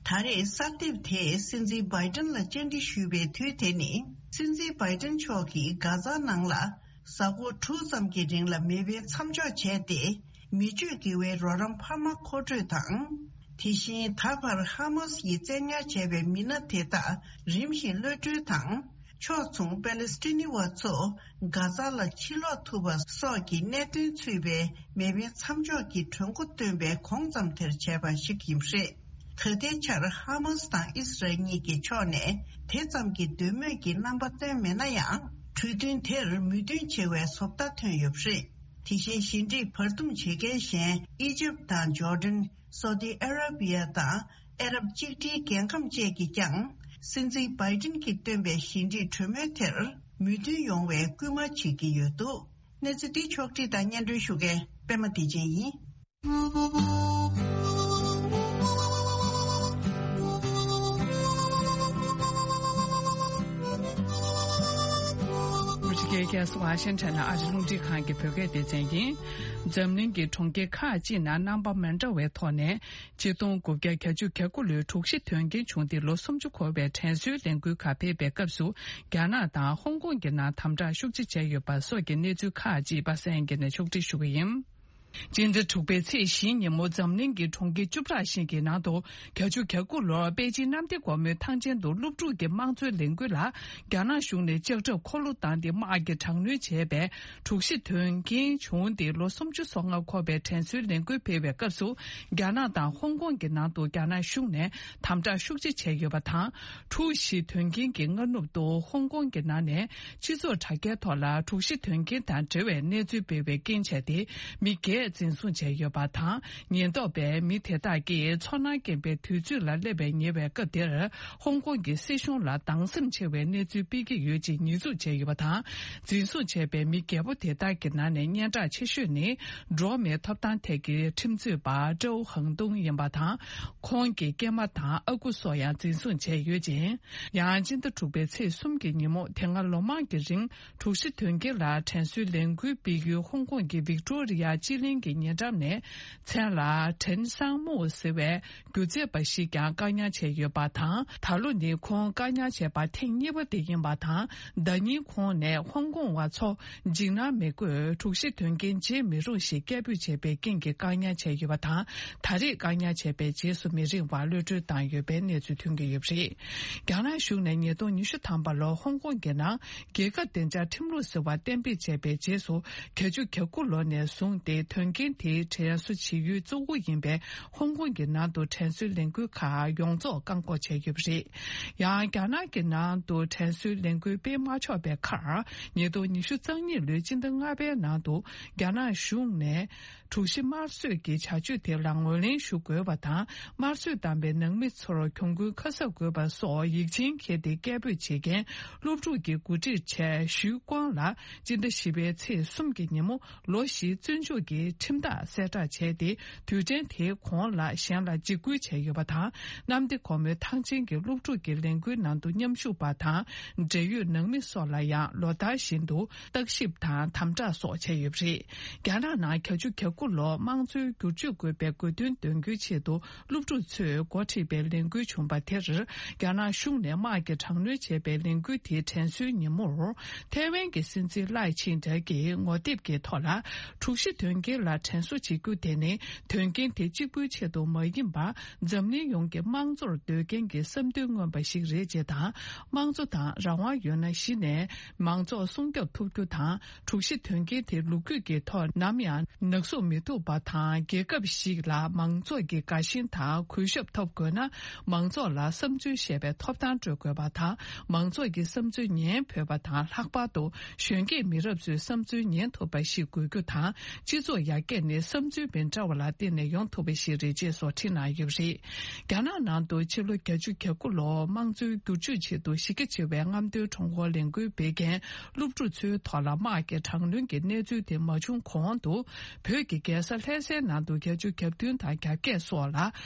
ད་རེས་གསར་འདེབས་དེས་སྲིད་འཛིན་བྷའི་ཏིན་ལ་བཅར་འདྲི་ཞུས་པའི་དུས་དེ་ནི། སྲིད་འཛིན་བྷའི་ཏིན་མཆོག་གིས་གྷ་ཛ་ནང་ལ་གཟའ་འཁོར་དྲུག་ཙམ་གྱི་རིང་ལ་མེ་འཕེན་མཚམས་འཇོག་བྱས་ཏེ། མི་སྤྱོད་དགེ་བའི་རོགས་རམ་འཕར་མ་མཁོ་སྤྲོད་དང་། དེ་བཞིན་ད་བར་ཧ་མ་སི་ཡིས་བཙན་ཉར་བྱས་པའི་མི་སྣ་དེ་དག་རིམ་བཞིན་གློད་གྲོལ་དང་། ཕྱོགས་མཚུངས་པེ་ལེ་སི་ཐི་ནི་བ་ཚོ་གྷ་ཛ་ལ་ཕྱིར་ལོག་ཐུབ་པ་སོགས་ཀྱི་གནད་དོན་ཚུད་པའི་མེ་འཕེན་མཚམས་འཇོག་གི་གྲོས་འགོ་བཏོན་པའི་གོང་ཙམ་དེར་བྱས་པ་ཞིག་ཡིན་པ་རེད། ད་ལྟའི་ཆར་ཧ་མ་སི་དང་ཨི་སི་རལ་གཉིས་ཀྱི་ཕྱོགས་ནས་དེ་ཙམ་གྱི་འདོད་མོས་ཀྱི་རྣམ་པ་སྟོན་མེད་ན་ཡང་། གྲོས་མཐུན་དེར་མོས་མཐུན་བྱེད་པའི་བཟོ་ལྟ་ཐོན་ཡོད་པ་རེད། དེ་བཞིན་ཞི་འགྲིག་བར་འདུམ་བྱེད་མཁན་གཞན་ཨི་ཇིབ་དང་ཇོར་ཌན། སོ་ཏི་ཨ་ར་བི་ཡ་དང་ཨ་རབ་གཅིག་སྒྲིལ་རྒྱལ་ཁམས་བཅས་ཀྱིས་ཀྱང་སྲིད་འཛིན་བྷའི་ཏིན་གྱིས་བཏོན་པའི་ཞི་འགྲིག་གྲོས་མོལ་དེར་མོས་མཐུན་ཡོང་བའི་སྐུལ་མ་བྱེད་ཀྱི་ཡོད་འདུག་གནས་ཚུལ་འདི་ཕྱོགས་སྒྲིག་དང་སྙན་སྒྲོན་ཞུ་མཁན་པད་མ་བདེ་ཆེན་ཡིན། ཨ་མི་རི་ཀའི་རྒྱལ་ས་ཝ་ཤིང་ཊོན་ནས་ཨ་རི་རླུང་འཕྲིན་ཁང་གི་བོད་སྐད་སྡེ་ཚན་ཡིན། འཛམ་གླིང་གི་གྲོང་ཁྱེར་ཁག་ཅིག་ནང་རྣམ་པ་མི་འདྲ་བའི་ཐོག་ནས། ཆིག་སྟོང་དགུ་བརྒྱ་གྱ་གཅིག་གྱ་དགུ་ལོའི་དྲུག་བཞི་དོན་རྐྱེན་བྱུང་སྟེ་ལོ་སུམ་ཅུ་འཁོར་བའི་དྲན་གསོའི་ལས་འགུལ་ཁག་ཕེབས་པའི་སྐབས་སུ། རྒྱ་ནག་དང་ཧོང་ཀོང་གི་ནང་དམ་དྲག་ཤུགས་ཆེ་བྱས་ཡོད་པ་སོགས་ཀྱི་གནས་ཚུལ་ཁག་ཅིག་པ་སངས་ཡིན་ནས་ཕྱོགས་སྒྲིག་ཞུ་གི་ཡིན། སྤྱི་ཟླ་དྲུག་པའི་ཚེས་བཞིའི་ཉིན་མོ་འཛམ་གླིང་གི་གྲོང་ཁྱེར་བཅུ་ཕྲག་ཤིག་གི་ནང་དུ་གྱ་གཅིག་གྱ་དགུ་ལོར་པེ་ཅིན་གནམ་བདེ་སྒོ་མོའི་ཐང་ཆེན་དུ་སློབ་ཕྲུག་གི་དམངས་གཙོའི་ལས་འགུལ་ལ་རྒྱ་ནག་གཞུང་ནས་ལྕགས་ཁྲབ་འཁོར་ལོ་བཏང་སྟེ་དམག་གིས་དྲག་གནོན་བྱས་པའི། དྲུག་བཞི་དོན་རྐྱེན་བྱུང་སྟེ་ལོ་སུམ་ཅུ་སོ་ལྔ་འཁོར་བའི་དྲན་གསོའི་ལས་འགུལ་སྤེལ་བའི་སྐབས་སུ། རྒྱ་ནག་དང་ཧོང་ཀོང་གི་ནང་དུ་རྒྱ་ནག་གཞུང་ནས་དམ་དྲག་ཤུགས་ཆེ་བྱས་ཡོད་པ་དང་། དྲུག་བཞི་དོན་རྐྱེན་གྱི་སྔ་ནུབ་ཏུ་ཧོང་ཀོང་གི་ནང་ནས་སྤྱི་ཚོགས་དྲ་རྒྱའི་ཐོག་ལ་དྲུག་བཞི་དོན་རྐྱེན་དང་འབྲེལ་བའི་གནས་ཚུལ་སྤེལ་བའི་རྐྱེན་བྱས་ཏེ། མི་བརྒྱད་འཛིན་བཟུང་བྱས་ཡོད་པ་དང་། ཉེན་རྟོག་པས་མི་དེ་དག་གིས་ཚོར་སྣང་སྐྱེན་པའི་དུས་ཚོད་ལ་སླེབས་པའི་ཉེ་བའི་སྐབས་དེར། ཧོང་ཀོང་གི་སྲིད་གཞུང་ལ་སྡང་སེམས་ཆེ་བའི་གནས་ཚུལ་སྤེལ་གྱི་ཡོད་ཅེས་ཉེས་འཛུགས་བྱས་ཡོད་པ་དང་། འཛིན་བཟུང་བྱས་པའི་མི་བརྒྱད་པོ་དེ་དག་གི་ནང་ནས་སྙན་གྲགས་ཆེ་ཤོས་ནི། འགྲོ་བ་མིའི་ཐོབ་ཐང་ཐད་ཀྱི་ཁྲིམས་རྩོད་པ་ཀྲོའུ་ཧང་ཏུང་ཡིན་པ་དང་། ཁོང་གི་སྐྱེས་མ་དང་ཨ་ཁུ་སོགས་ཡང་འཛིན་བཟུང་བྱས་ཡོད་ཅིང་། ཡང་སྤྱི་ཟླ་དྲུག་པའི་ཚེས་གསུམ་གྱི་ཉིན་མོ་དེ་སྔ་ལོ་མང་གི་རིང་དྲུག་བཞི་དོན་རྐྱེན་ལ་དྲན་གསོའི་ལས་འགུལ་སྤེལ་ཡུལ་ཧོང་ཀོང་གི་ཝིག་ཏོ་རི་ཡ་སྤྱི་གླིང་གི་ཉེ་འགྲམ་ནས། མཚན་ལ་ཁྲེན་སང་མུའུ་ཟེར་བའི་སྒྱུ་རྩལ་པ་ཞིག་ཀྱང་བཀག་ཉར་བྱས་ཡོད་པ་དང་། ད་ལོ་ནི་ཁོང་བཀག་ཉར་བྱས་པ་ཐེངས་གཉིས་པ་དེ་ཡིན་པ་དང་། ཟླ་ཉིན་ཁོང་ནས་ཧོང་ཀོང་བ་ཚོ་འཇིགས་སྣང་མི་དགོས། དྲུག་བཞི་དོན་རྐྱེན་བརྗེད་མི་རུང་ཞེས་སྐད་འབོད་བྱས་པའི་རྐྱེན་གྱིས་བཀག་ཉར་བྱས་ཡོད་པ་དང་། ད་རེས་བཀག་ཉར་བྱས་པའི་རྗེས་སུ་མི་རིང་བར་གློད་གྲོལ་བཏང་ཡོད་པའི་གནས་ཚུལ་ཐོན་གྱི་ཡོད་པ་རེད། རྒྱ་ནག་གཞུང་ནས་ཉིས་སྟོང་ཉི་ཤུ་ཐམ་པ་ལོར་ཧོང་ཀོང་གི་ནང་རྒྱལ་ཁབ་བདེ་འཇགས་ཁྲིམས་ལུགས་ཟེར་བ་གཏན་འབེབས་བྱས་པའི་རྗེས་སུ། གྱ་གཅིག་གྱ་དགུ་ལོ་ནས་བཟུང་སྟེ་དོན་རྐྱེན་དེའི་དྲན་གསོ་བྱེད་ཡུལ་གཙོ་བོ་ཡིན་པའི་ཧོང་ཀོང་གི་ནང་དུ་དྲན་གསོའི་ལས་འགུལ་ཁག་ཡོངས་རྫོགས་བཀག་འགོག་བྱས་ཡོད་པ་རེད། ཡང་རྒྱ་ནག་གི་ནང་དུ་དྲན་གསོའི་ལས་འགུལ་སྤེལ་མ་ཆོག་པའི་ཁར། ཉིས་སྟོང་ཉི་ཤུ་རྩ་གཉིས་ལོའི་སྤྱི་ཟླ་ལྔ་པའི་ནང་དུ་རྒྱ་ནག་གཞུང་ནས། དྲུག་བཞི་དམར་གསོད་ཀྱི་བྱ་སྤྱོད་དེ་ལ་ངོས་ལེན་ཞུ་དགོས་པ་དང་། དམར་གསོད་བཏང་པའི་ནང་མི་ཚོར་གྱོང་གུན་ཁ་གསབ་དགོས་པ་སོགས་ཡིག་ཆེན་ཁྱེར་ཏེ་སྐད་འབོད་བྱེད་མཁན་སློབ་ཕྲུག་གི་འགོ་ཁྲིད་ཆེ་ཞུས་ཀོང་ལ་སྤྱི་ཟླ་བཞི་པའི་ཚེས་གསུམ་གྱི་ཉིན་མོ་ལོ་བཞིའི་བཙོན་འཇུག་གི་ཁྲིམས་ཐག་གསལ་བསྒྲགས་བྱས་ཏེ། དུས་དྲན་དེའི་གོང་ལ་གཞན་ལ་འཇིགས་སྐུལ་བྱས་ཡོད་པ་དང་། གནམ་བདེ་སྒོ་མོའི་ཐང་ཆེན་གྱི་སློབ་ཕྲུག་གི་ལས་འགུལ་ནང་དུ་མཉམ་ཞུགས་པ་དང་། འབྲེལ་ཡོད་ནང་མི་སོགས་ལ་ཡང་ལོ་ལྟར་བཞིན་དུ་བརྟག་ཞིབ་དང་དམ་དྲག་སོགས་བྱས་ཡོད་པ་རེད། རྒྱ་ནག་ནང་གྱ་གཅིག་གྱ་དགུ་ལོར་དམངས་གཙོའི་བསྒྱུར་བཅོས་དགོས་པའི་དགོས་འདུན་འདོན་རྒྱུའི་ཆེད་དུ་སློབ་ཕྲུག་ཚོས་འགོ་ཁྲིད་པའི་ལས་འགུལ་བྱུང་བ་དེར། རྒྱ་ནག་གཞུང་ནས་དམག་གིས་དྲག་གནོན་བྱས་པའི་ལས་འགུལ་དེའི་དྲན་གསོའི་ཉིན་མོར། ཐའེ་ཝན་གྱི་སྲིད་འཛིན་ལའེ་ཆིང་ཏེ་གིས་ངོ་དེབ་ཀྱི་ཐོག་ལ། དྲུག་བཞི་དོན་རྐྱེན་ལ་དྲན་གསོ་བྱེད་རྒྱུ་དེ་ནི། དོན་རྐྱེན་དེ་གཅིག་པུའི་ཆེད་དུ་མ་ཡིན་པར། འཛམ་གླིང་ཡོངས་ཀྱི་དམངས་གཙོར་འདོད་མཁན་གྱི་བསམ་འདུན་མངོན་པ་ཞིག་རེད་ཅེས་དང་། དམངས་གཙོ་དང་རང་དབང་ཡོད་ན་གཞི་ནས་མང་ཚོགས་སྲུང་སྐྱོབ་ཐུབ་རྒྱུ་དང་། དྲུག་བཞི་དོན་རྐྱེན་དེ་ལོ་རྒྱུས་ཀྱི་ཐོག་ནམ་ཡང་ནག་བསུབ་མི་ཐུབ་པ་དང་། རྒྱལ་ཁབ་ཞིག་ལ་མང་ཚོགས་ཀྱི་དགའ་ཞེན་དང་གུས་ཞབས་ཐོབ་དགོས་ན། མང་ཚོགས་ལ་བསམ་ཚུལ་བཤད་པའི་ཐོབ་ཐང་སྤྲོད་དགོས་པ་དང་། མང་ཚོགས་ཀྱི་བསམ་ཚུལ་ཉན་ཕོད་པ་དང་། ལྷག་པར་དུ་གཞོན་སྐྱེས་མི་རབས་ཚོའི་བསམ་ཚུལ་ཉན་ཐུབ་པ་ཞིག་དགོས་རྒྱུ་དང་། སྤྱི་ཚོགས་ཡར་རྒྱས་ནི་བསམ་ཚུལ་མི་འདྲ་བ་ལ་བརྟེན་ནས་ཡོང་ཐུབ་པ་ཞིག་རེད་ཅེས་སོགས་བྲིས་གནང་ཡོད་པ་རེད། རྒྱ་ནག་ནང་དུ་ཕྱི་ལོ་བརྒྱད་ཅུ་གྱ་དགུ་ལོར་དམངས་གཙོའི་བསྒྱུར་བཅོས་ཆེད་དུ་གཞི་རྒྱ་ཆེ་བའི་རྔམ་སྟོན་ཁྲོམ་སྐོར་ལས་འགུལ་སྤེལ་མཁན་སློབ་ཕྲུག་ཚོའི་ཐོག་ལ་དམག་གི་དྲག་གནོན་གྱི་གནས་ཚུལ་དེ་མ་བྱུང་གོང་དུ། བོད་ཀྱི་རྒྱལ་ས་ལྷ་སའི་ནང་དུ་བརྒྱད་ཅུ་གྱ་བདུན་དང་གྱ་བརྒྱད་སོགས་ལ་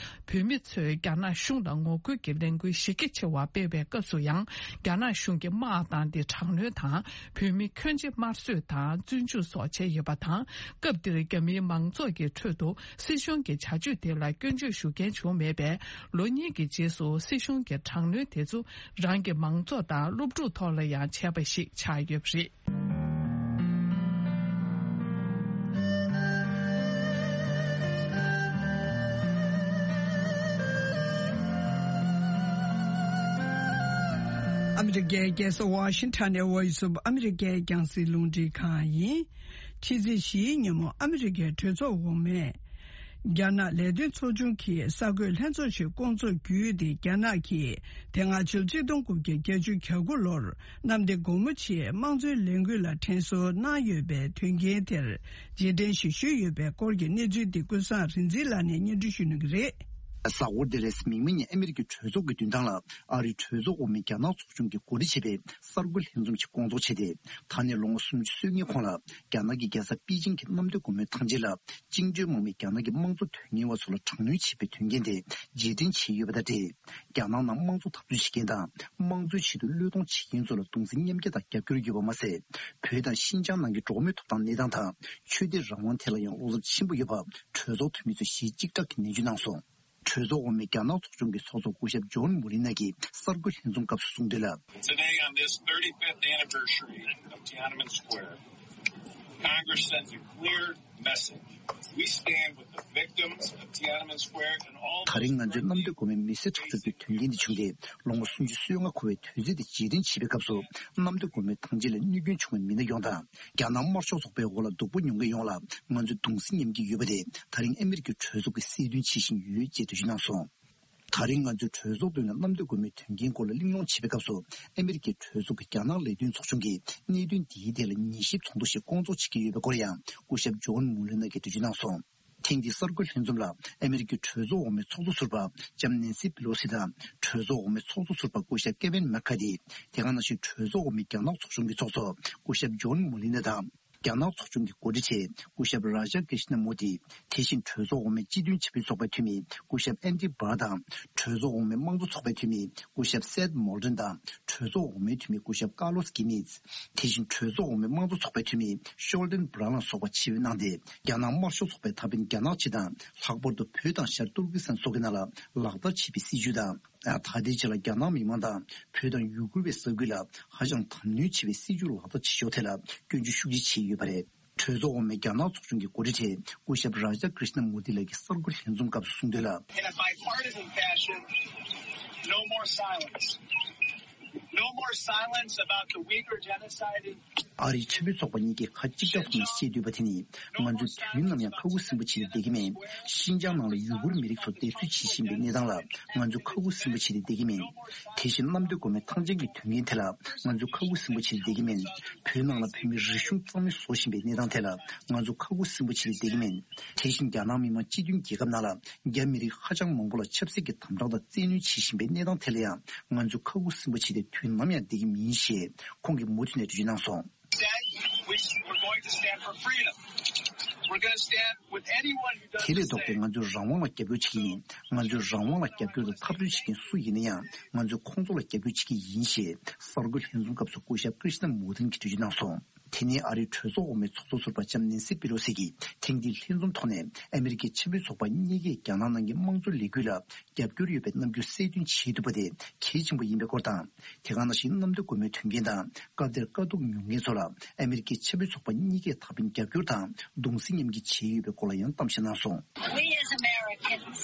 བོད་མི་ཚོས་རྒྱ་ནག་གཞུང་ལ་ངོ་རྒོལ་གྱི་ལས་འགུལ་གཞི་རྒྱ་ཆེ་བ་སྤེལ་བའི་སྐབས་སུ་ཡང་། རྒྱ་ནག་གཞུང་གིས་དམག་བཏང་སྟེ་དྲག་གནོན་དང་། བོད་མི་ཁྱོན་ཆེ་དམར་གསོད་དང་བཙོན་འཇུག་སོགས་བྱས་ཡོད་པ་དང་། སྐབས་འདིར་རྒྱ་མིའི་མང་ཚོགས་ཀྱི་ཁྲོད་དུ་སྲིད་གཞུང་གི་བྱ་སྤྱོད་དེ་ལ་སྐྱོན་བརྗོད་ཞུ་མཁན་བྱུང་མེད་པས། ལོ་གཉིས་ཀྱི་རྗེས་སུ་སྲིད་གཞུང་གི་དྲག་གནོན་དེ་ཚོ་རང་གི་མང་ཚོགས་དང་སློབ་ཕྲུག་ཐོག་ལ་ཡང་བྱས་པ་ཞིག་ཆགས་ཡོད་པ་རེད། ཨ་མི་རི་ཀའི་རྒྱལ་ས་ཝ་ཤིང་ཊོན་ནས་Voice of America་རྒྱང་སྲིང་རླུང་འཕྲིན་ཁང་ཡིན། ཕྱི་ཚེས་བཞིའི་ཉིན་མོ་ཨ་མི་རི་ཀའི་གྲོས་ཚོགས་འོག་མས། རྒྱ་ནག་ལས་དོན་ཚོགས་ཆུང་གི་གསར་འགོད་ལྷན་ཚོགས་ཤིག་བསྐོང་ཚོགས་བརྒྱུད་དེ། རྒྱ་ནག་གིས་དེ་སྔ་ཕྱི་ལོ་གཅིག་སྟོང་དགུ་བརྒྱ་བརྒྱད་ཅུ་གྱ་དགུ་ལོར་གནམ་བདེ་སྒོ་མོ་ཆེའི་དམངས་གཙོའི་ལས་འགུལ་ལ་དྲན་གསོ་གནང་ཡོད་པའི་དོན་རྐྱེན་དེར་རྗེས་དྲན་ཞིག་ཞུས་ཡོད་པའི་སྐོར་གྱི་གནས་ཚུལ་འདི་ཀུན་བཟང་རིག་འཛིན་ལགས་ནས་སྙན་སྒྲོན་ཞུ་གནང་གི་རེད། གཟའ་འཁོར་འདིར་མིག་སྔ་ནས་ཨ་མི་རི་ཀའི་གྲོས་ཚོགས་ཀྱི་མདུན་ཐང་ལ་ཨ་རིའི་གྲོས་ཚོགས་འོག་མའི་རྒྱ་ནག་ཚོགས་ཆུང་གིས་གོ་སྒྲིག་བྱས་པའི་གསར་འགོད་ལྷན་འཛོམས་ཤིག་བསྐོང་ཚོགས་བྱས་ཏེ། ད་ནས་ལོ་ངོ་སུམ་ཅུ་སོ་ལྔའི་གོང་ལ་རྒྱ་ནག་གི་རྒྱལ་ས་པེ་ཅིང་གི་གནམ་བདེ་སྒོ་མོའི་ཐང་ཆེན་ལ་བཅིངས་འགྲོལ་དམག་མིས་རྒྱ་ནག་གི་དམངས་གཙོ་དོན་གཉེར་བ་ཚོ་ལ་དྲག་གནོན་བྱས་པའི་དོན་རྐྱེན་དེ་རྗེས་དྲན་བྱས་ཡོད་པ་དང་འབྲེལ། རྒྱ་ནག་ནང་དམངས་གཙོ་འཐབ་རྩོད་བྱེད་མཁན་དང་དམངས་གཙོའི་ཆེད་དུ་བློས་གཏོང་བྱེད་མཁན་ཚོ་ལ་གདུང་སེམས་མཉམ་སྐྱེད་དང་རྒྱབ་སྐྱོར་ཡོད་པ་མ་ཟད། བོད་དང་ཤིན་ཅང་ནང་གི་འགྲོ་བ་མིའི་ཐོབ་ཐང་གནས་སྟངས་དང་ཆོས་དད་རང་དབང་ཐད་ལ་ཡང་བློ་འཚབ་ཆེན་པོ་ཡོད་པ་གྲོས་ཚོགས་འཐུས་མི་ཚོས་གཞི་གཅིག་གྲགས་ཀྱིས་ནན་བརྗོད་གནང་སོང་། གྲོས་ཚོགས་འོག་མའི་རྒྱ་ནག་ཚོགས་ཆུང་གི་ཚོགས་གཙོ་སྐུ་ཞབས་ཇོན་མུ་ལི་ནག་གིས་གསར་འགོད་ལྷན་འཛོམས་སྐབས་སུ་གསུངས་དོན་ལ། Today, on this thirty-fifth anniversary of Tiananmen Square, Congress sends a clear message. We stand with the victims of Tiananmen Square and all ད་རིང་ང་ཚོའི་གནམ་བདེ་སྒོ་མོའི་མེ་གསོད་ཁྲག་སྦྱོར་གྱི་དོན་རྐྱེན་འདི་བྱུང་སྟེ་ལོ་ངོ་སུམ་ཅུ་སོ་ལྔ་འཁོར་བའི་དུས་ཚིགས་དེ་རྗེས་དྲན་བྱེད་པའི་སྐབས་སུ། གནམ་བདེ་སྒོ་མོའི་ཐང་ཆེན་ལ་གནོད་སྐྱོན་བྱུང་བའི་མི་སྣ་ཡོངས་དང་། རྒྱ་ནག་དམར་ཤོག་ཚོགས་པའི་འོག་ལ་སྡུག་པོ་མྱོང་མཁན་ཡོངས་ལ་ང་ཚོས་གདུང་སེམས་མཉམ་སྐྱེད་ཡོད་པ་དེ་ད་རིང་ཨ་མི་རི་ཀའི་གྲོས་ཚོགས་ཀྱིས་གསལ་སྟོན་བྱེད་བཞིན་ཡོད་ཅེས་འགྲེལ་བརྗོད་གནང་སོང་། ད་རིང་ང་ཚོའི་གྲོས་ཚོགས་མདུན་ལ་གནམ་བདེ་སྒོ་མོའི་དོན་རྐྱེན་སྐོར་ལ་གླེང་སློང་བྱེད་པའི་སྐབས་སུ། ཨ་མི་རི་ཀའི་གྲོས་ཚོགས་ཀྱི་རྒྱ་ནག་ལས་དོན་ཚོགས་ཆུང་གིས་གནད་དོན་འདིའི་ཐད་ལ་ཉན་ཞིབ་ཚོགས་འདུ་ཞིག་བསྐོང་ཚོགས་བྱེད་ཀྱི་ཡོད་པའི་སྐོར་ཡང་སྐུ་ཞབས་ཇོན་མུ་ལེ་ནག་གིས་འགྲེལ་བརྗོད་གནང་སོང་། ཐེངས་འདིའི་གསར་འགོད་ལྷན་འཛོམས་ལ་ཨ་མི་རི་ཀའི་གྲོས་ཚོགས་འོག་མའི་ཚོགས་གཙོ་ཟུར་པ་ལྕམ་ནེན་སི་པི་ལོ་སི་དང་། གྲོས་ཚོགས་འོག་མའི་ཚོགས་གཙོ་ཟུར་པ་སྐུ་ཞབས་ཀེ་ཝིན་མེག་ཁ་ཐི། དེ་ག་ནང་བཞིན་གྲོས་ཚོགས་འོག་མའི་རྒྱ་ནག་ཚོགས་ཆུང་གི་ཚོགས་གཙོ་སྐུ་ཞབས་ཇོན་མུ་ལི་ནག་དང་། རྒྱ་ནག་ཚོགས་ཆུང་གི་འགོ་ཁྲིད་ཆེ་སྐུ་ཞབས་རཱ་ཇ་ཀྲི་ཤ་ན་མུ་ཏི། དེ་བཞིན་གྲོས་ཚོགས་འོག་མའི་སྤྱི་མཐུན་ཆབ་སྲིད་ཚོགས་པའི་འཐུས་མི་སྐུ་ཞབས་ཨན་ཏི་བྷར་དང་། གྲོས་ཚོགས་འོག་མའི་དམངས་གཙོ་ཚོགས་པའི་འཐུས་མི་སྐུ་ཞབས་སེད་མོལ་ཏོན་དང་། གྲོས་ཚོགས་འོག་མའི་འཐུས་མི་སྐུ་ཞབས་ཀར་ལོ་སི་ཀི་མིད། དེ་བཞིན་གྲོས་ཚོགས་འོག་མའི་དམངས་གཙོ་ཚོགས་པའི་འཐུས་མི་ཤོལ་ཏན་བྷ་རན་ལ་སོགས་པ་ཆིབས་གནང་སྟེ། རྒྱ་ནག་དམར་ཤོག་ཚོགས་པའི་ད་ཕན་རྒྱ་ནག་སྤྱི་དང་ལྷག་པར་དུ་བོད་དང་ཤར་ཏུར་ཀི་སི་ཐན་སོགས་ཀྱི་ནང་ལ་ལག་བསྟར་བྱས་པའི་སྲིད་བྱུས་དང་། ད་ལྟའི་ཆར་ལ་རྒྱ་ནག་མི་མང་དང་བོད་དང་ཡུ་གུར་བའི་ས་ཁུལ་ལ་ཧ་ཅང་དམ་ནུས་ཆེ་བའི་སྲིད་བྱུས་ལག་བསྟར་བྱེད་ཕྱོགས་ཐད་ལ་སྐྱོན་བརྗོད་ཤུགས་ཆེ་བྱས་ཡོད་པ་རེད། གྲོས་ཚོགས་འོག་མའི་རྒྱ་ནག་ཚོགས་ཆུང་གི་འགོ་ཁྲིད་ཆེ་སྐུ་ཞབས་རཱ་ཇ་ཀྲི་ཤ་ན་མུ་ཏི་ལགས་ཀྱིས་གསར་འགོད་ལྷན་འཛོམས་སྐབས་སུ་གསུངས་དོན་ལ། In a bipartisan fashion, no more silence. No more silence about the Uyghur genocide in ཨ་རིའི་ཆབ་སྲིད་ཚོགས་པ་གཉིས་ཀས་ཁ་གཅིག་གྲགས་ཐོག་ནས་བཤད་འདོད་པ་དེ་ནི། ང་ཚོས་དུས་ནམ་ཡང་ཁ་ཁུ་སིམ་པོ་བྱས་ཏེ་བསྡད་ཀྱི་མེད། ཤིན་ཅང་ནང་ལ་ཡུ་གུར་མི་རིགས་ཚོ་སྡེབ་གསོད་བྱེད་བཞིན་པའི་གནས་སྟངས་ལ་ང་ཚོས་ཁ་ཁུ་སིམ་པོ་བྱས་ཏེ་བསྡད་ཀྱི་མེད། དེ་བཞིན་གནམ་བདེ་སྒོ་མོའི་ཐང་ཆེན་གྱི་དོན་རྐྱེན་ཐད་ལ་ང་ཚོས་ཁ་ཁུ་སིམ་པོ་བྱས་ཏེ་བསྡད་ཀྱི་མེད། བོད་ནང་ལ་བོད་མིའི་རིག་གཞུང་གཙང་མའི་བཟོ་བཞིན་པའི་གནས་སྟངས་ཐད་ལ་ང་ཚོ་ཁ་ཁུ་སིམ་པོ་བྱས་ཏེ་བསྡད་ཀྱི་མེད། དེ་བཞིན་རྒྱ་ནག་མི་དམངས་སྤྱི་མཐུན་རྒྱལ་ཁབ་ནང་ལ་རྒྱ་མི་རིགས་ཧ་ཅང་མང་པོ་ལ་ཆབ་སྲིད་ཀྱི་དམ་དྲག་དང་བཙན་གནོན་བྱེད་བཞིན་པའི་གནས་སྟངས་ཐད་ལ་ཡང་ང་ཚོས་ཁ་ཁུ་སིམ་པོ་བྱས་ཏེ་དུས་ནམ་ཡང་བསྡད་ཀྱི་མིན་ཞེས་ཁོང་གིས་མུ་མཐུད་ནས་འགྲེལ་བརྗོད་གནང་སོང་། Instead, we, we're going to stand for freedom. We're going to stand with anyone who དེ་ལས་ལྡོག་སྟེ་ང་ཚོས་རང་དབང་ལ་རྒྱབ་སྐྱོར་བྱེད་ཀྱི་ཡིན། ང་ཚོས་རང་དབང་ལ་རྒྱབ་སྐྱོར་དང་འཐབ་རྩོད་བྱེད་མཁན་སུ་ཡིན་ན་ཡང་ང་ཚོས་ཁོང་ཚོ་ལ་རྒྱབ་སྐྱོར་བྱེད་ཀྱི་ཡིན་ཞེས་གསར་འགོད་ལྷན་འཛོམས་སྐབས་སུ་སྐུ་ཞབས་ཀྲི་ཤ་ན་མུ་ཏིན་གྱིས་འགྲེལ་བརྗོད་གནང་སོང་། དེ་ནས་ཨ་རིའི་གྲོས་ཚོགས་འོག་མའི་ཚོགས་གཙོ་ཟུར་པ་ལྕམ་ནེན་སི་པི་ལོ་སི་གིས་ཐེངས་འདིའི་ལྷན་འཛོམས་ཐོག་ནས་ཨ་མི་རི་ཀའི་ཆབ་སྲིད་ཚོགས་པ་གཉིས་ཀས་རྒྱ་ནག་ནང་གི་དམངས་གཙོའི་ལས་འགུལ་ལ་རྒྱབ་སྐྱོར་ཡོད་པའི་རྣམ་འགྱུར་གསལ་སྟོན་བྱེད་ཐུབ་པ་དེ་གལ་ཆེན་པོ་ཡིན་པའི་སྐོར་དང་། དེ་ག་ནང་བཞིན་གནམ་བདེ་སྒོ་མོའི་དོན་རྐྱེན་དང་སྐབས་དེར་དཀའ་སྡུག་མྱོང་མཁན་ཚོ་ལ་ཨ་མི་རི་ཀའི་ཆབ་སྲིད་ཚོགས་པ་གཉིས་ཀས་ད་ཕན་རྒྱབ་སྐྱོར་དང་གདུང་སེམས་མཉམ་སྐྱེད་བྱས་ཡོད་པའི་སྐོར་ལ་ཡང་གཏམ་བཤད་གནང་སོང་། We as Americans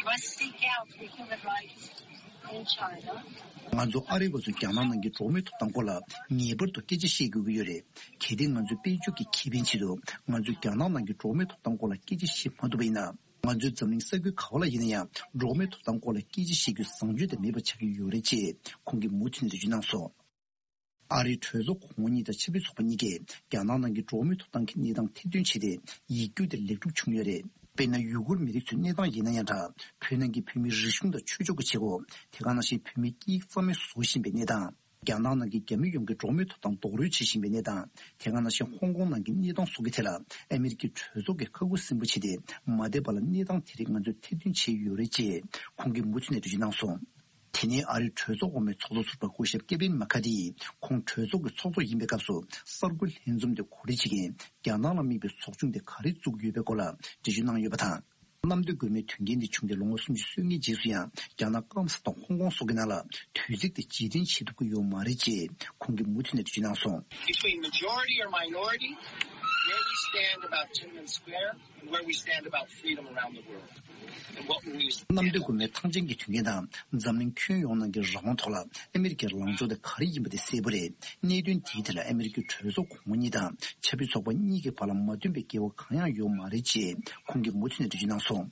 must speak out for human rights in China. ང་ཚོ་ཨ་རི་བ་ཚོས་རྒྱ་ནག་ནང་གི་འགྲོ་བ་མིའི་ཐོབ་ཐང་སྐོར་ལ་ངེས་པར་དུ་སྐད་ཆ་བཤད་དགོས་ཀྱི་ཡོད་རེད། གལ་ཏེ་ང་ཚོའི་དཔལ་འབྱོར་གྱི་ཁེ་ཕན་ཆེད་དུ་ང་ཚོས་རྒྱ་ནག་ནང་གི་འགྲོ་བ་མིའི་ཐོབ་ཐང་སྐོར་ལ་སྐད་ཆ་བཤད་མ་ཐུབ་པ་ཡིན་ན། ང་ཚོའི་འཛམ་གླིང་ས་ཁུལ་ག་བ་ལ་ཡིན་ན་ཡང་འགྲོ་བ་མིའི་ཐོབ་ཐང་སྐོར་ལ་སྐད་ཆ་བཤད་རྒྱུ་བཟང་སྤྱོད་དང་མེད་པ་ཆགས་ཀྱི་ཡོད་རེད་ཅེས་ཁོང་གིས་མུ་མཐུད་ནས་འགྲེལ་བརྗོད་གནང་སོང་། ཨ་རིའི་གྲོས་ཚོགས་གོང་འོག་གཉིས་དང་ཆབ་སྲིད་ཚོགས་པ་གཉིས་ཀས་རྒྱ་ནག་ནང་གི་འགྲོ་བ་མིའི་ཐོབ་ཐང་གི་གནས་སྟངས་ཐེར་འདོན་བྱས་ཏེ་ཡིག་སྒྱུར་དེ་ལེགས་གྲུབ་བྱུང་ཡོད་རེད། དཔེར་ན་ཡུ་གུར་མི་རིགས་ཚོའི་གནས་སྟངས་ཡིན་ན་ཡང་འདྲ། བོད་ནང་གི་བོད་མིའི་རིག་གཞུང་དང་ཆོས་ཕྱོགས་ཀྱི་བྱེད་སྒོ། དེ་ག་ནང་བཞིན་བོད་མིའི་སྐད་ཡིག་རྩ་མེད་བཟོ་བཞིན་པའི་གནས་སྟངས། རྒྱ་ནག་ནང་གི་རྒྱ་མི་ཡོངས་ཀྱི་འགྲོ་བ་མིའི་ཐོབ་ཐང་རྡོག་རོལ་བྱེད་བཞིན་པའི་གནས་སྟངས། དེ་ག་ནང་བཞིན་ཧོང་ཀོང་ནང་གི་གནས་སྟངས་སོགས་ཀྱི་ཐད་ལ་ཨ་མི་རི་ཀའི་གྲོས་ཚོགས་ཀྱིས་ཁ་ཁུ་སིམ་པོ་བྱས་ཏེ་མ་བསྡད་པ་ལ་གནས་སྟངས་དེ་རིགས་ང་ཚོས་ཐེར་འདོན་བྱས་ཡོད་རེད་ཅེས་ཁོང་གིས་མུ་མཐུད་ནས་འགྲེལ་བརྗོད་གནང་སོང་། དེ་ནས་ཨ་རིའི་གྲོས་ཚོགས་འོག་མའི་ཚོགས་གཙོ་ཟུར་པ་སྐུ་ཞབས་ཀེ་ཝིན་མ་ཁ་ཏི་ཡིས་ཁོང་གྲོས་ཚོགས་ཀྱི་ཚོགས་གཙོ་ཡིན་པའི་སྐབས་སུ་གསར་འགོད་ལྷན་འཛོམས་དེ་གོ་སྒྲིག་བྱེད་མཁན་རྒྱ་ནག་ལ་དམིགས་པའི་ཚོགས་ཆུང་དེ་ག་རེ་བཙུགས་ཡོད་པའི་སྐོར་ལ་འགྲེལ་བརྗོད་གནང་ཡོད་པ་དང་། གནམ་བདེ་སྒོ་མོའི་དོན་རྐྱེན་འདི་བྱུང་སྟེ་ལོ་ངོ་སུམ་ཅུ་སོ་ལྔའི་རྗེས་སུ་ཡང་རྒྱ་ནག་སྐམ་ས་དང་ཧོང་ཀོང་སོགས་ཀྱི་ནང་ལ་དུས་ཚིགས་དེ་རྗེས་དྲན་བྱེད་ཐུབ་ཀྱི་ཡོད་མ་རེད་ཅེས་ཁོང་གིས་མུ་མཐུད་ནས་འགྲེལ་བརྗོད་གནང་སོང་། Between majority or minority, Where we stand about Tiananmen Square and where we stand about freedom around the world. And what we གནམ་བདེ་སྒོ་མོའི་ཐང་ཆེན་གྱི་དོན་རྐྱེན་དང་འཛམ་གླིང་ཁྱོན་ཡོངས་ནང་གི་རང་དབང་ཐོག་ལ་ཨ་མི་རི་ཀའི་ལངས་ཕྱོགས་དེ་ག་རེ་ཡིན་པ་དེ་གསལ་པོ་རེད། གནད་དོན་དེའི་ཐད་ལ་ཨ་མི་རི་ཀའི་གྲོས་ཚོགས་གོང་མ་གཉིས་དང་ཆབ་སྲིད་ཚོགས་པ་གཉིས་ཀྱི་བར་ལ་མ་མཐུན་པའི་འགལ་བ་གང་ཡང་ཡོད་མ་རེད་ཅེས་ཁོང་གིས་མུ་མཐུད་ནས་འགྲེལ་བརྗོད་གནང་སོང་།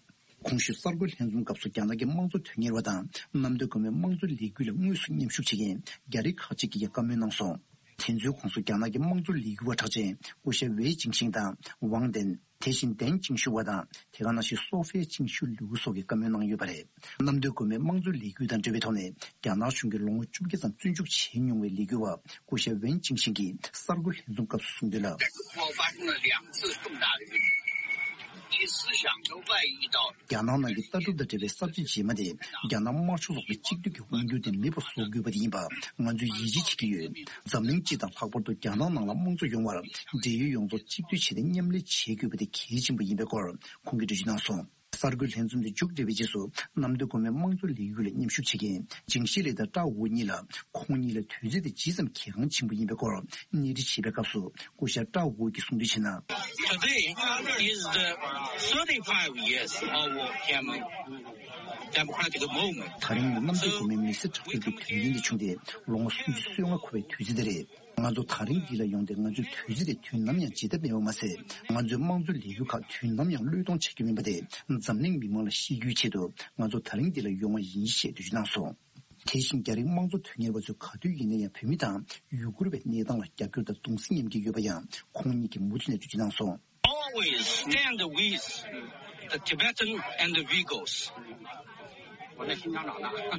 གོང་ཞུས་གསར་འགོད་ལྷན་འཛོམས་སྐབས་སུ་རྒྱ་ནག་གི་དམངས་གཙོ་དོན་གཉེར་བ་དང་གནམ་བདེ་སྒོ་མོའི་དམངས་གཙོ་ལས་འགུལ་ལ་དངོས་སུ་མཉམ་ཞུགས་བྱེད་མཁན་རྒྱ་རིགས་ཁག་ཅིག་གིས་ཀྱང་བཀའ་མོལ་གནང་སོང་། དེ་ཚོའི་ཁོངས་སུ་རྒྱ་ནག་གི་དམངས་གཙོ་ལས་འགུལ་བ་གྲགས་ཅན་སྐུ་ཞབས་ཝེ་ཅིང་ཤིང་དང་ཝང་ཏན། དེ་བཞིན་ཏན་ཅིང་ཤུ་བ་དང་དེ་ག་ནང་བཞིན་སོ་ཧྥེ་ཅིང་ཤུ་ལུའུ་སོགས་ཀྱིས་བཀའ་མོལ་གནང་ཡོད་པ་རེད། གནམ་བདེ་སྒོ་མོའི་དམངས་གཙོ་ལས་འགུལ་དང་འབྲེལ་བའི་ཐོག་ནས་རྒྱ་ནག་གཞུང་གིས་ལོ་ངོ་བཅོ་བརྒྱད་ཙམ་བཙོན་འཇུག་བྱས་མྱོང་བའི་ལས་འགུལ་བ་སྐུ་ཞབས་ཝེན་ཅིང་ཤིང་གིས་གསར་འགོད་ལྷན་འཛོམས་སྐབས་སུ་གསུངས་དོན་ལ། 我发生了两次重大的运动，第四场都外遇到 རྒྱ་ནག་ནང་གི་ལྟ་གྲུབ་དང་འབྲེལ་བའི་གསར་བརྗེ་རྗེས་མ་དེ་རྒྱ་ནག་དམར་ཤོག་ཚོགས་པའི་གཅིག་སྡུད་ཀྱི་དབང་སྒྱུར་དེ་མེད་པར་བཟོ་དགོས་པ་དེ་ཡིན་པ་ང་ཚོས་ཡིད་ཆེས་བྱེད་ཀྱི་ཡོད། འཛམ་གླིང་སྤྱི་དང་ལྷག་པར་དུ་རྒྱ་ནག་ནང་ལ་དམངས་གཙོ་ཡོང་བར་འབྲེལ་ཡོད་ཡོངས་རྫོགས་གཅིག་སྡུད་བྱས་ཏེ་མཉམ་ལས་བྱེད་དགོས་པ་དེ་གལ་ཆེན་པོ་ཡིན་པའི་སྐོར་ཁོང་གིས་འགྲེལ་བརྗོད་གནང་སོང་། གསར་འགོད་ལྷན་འཛོམས་དེ་མཇུག་བསྒྲིལ་བའི་རྗེས་སུ་གནམ་བདེ་སྒོ་མོའི་དམངས་གཙོ་ལས་འགུལ་ལ་མཉམ་ཞུགས་བྱེད་མཁན་ཅིང་ཤི་ལི་དང་ཀྲའོ་ཝུའུ་གཉིས་ལ་ཁོང་གཉིས་ལ་དུས་ཚོད་དེ་ཇི་ཙམ་གལ་འགངས་ཆེན་པོ་ཡིན་པའི་སྐོར་གནས་འདྲི་བྱེད་པའི་སྐབས་སུ་སྐུ་ཞབས་ཀྲའོ་ཝུའུ་གིས་གསུངས་དོན་བྱས་ན། Today is the thirty-five years of Myanmar democratic movement. ད་རིང་ནི་གནམ་བདེ་སྒོ་མོའི་མི་སེར་ཁྲག་སྦྱོར་གྱི་དོན་རྐྱེན་དེ་བྱུང་སྟེ་ལོ་ངོ་སུམ་ཅུ་སོ་ལྔ་འཁོར་བའི་དུས་ཚོད་དེ་རེད། ང་ཚོ་ད་རིང་འདི་ལ་ཡོང་སྟེ་ང་ཚོའི་དུས་ཚོད་དེ་དུས་ནམ་ཡང་བརྗེད་ཐབས་མེད་པ་མ་ཟད། ང་ཚོའི་དམངས་གཙོའི་ལས་འགུལ་ཁག་དུས་ནམ་ཡང་བློས་གཏོང་བྱ་རྒྱུ་མིན་པ་དེ་འཛམ་གླིང་མི་མང་ལ་ཤེས་རྒྱུའི་ཆེད་དུ་ང་ཚོ་ད་རིང་འདི་ལ་ཡོང་བ་ཡིན་ཞེས་འགྲེལ་བརྗོད་གནང་སོང་། དེ་བཞིན་རྒྱ་རིགས་དམངས་གཙོ་དོན་གཉེར་བ་ཚོས་ག་དུས་ཡིན་ན་ཡང་བོད་མི་དང་ཡུ་གུར་བའི་གནས་སྟངས་ལ་རྒྱབ་སྐྱོར་དང་གདུང་སེམས་མཉམ་སྐྱེད་ཡོད་པ་ཡང་ཁོང་ཉིད་ཀྱིས་མུ་མཐུད་ནས་འགྲེལ་བརྗོད་གནང་སོང་། Always stand with the Tibetan and the Uyghurs. སྐུ་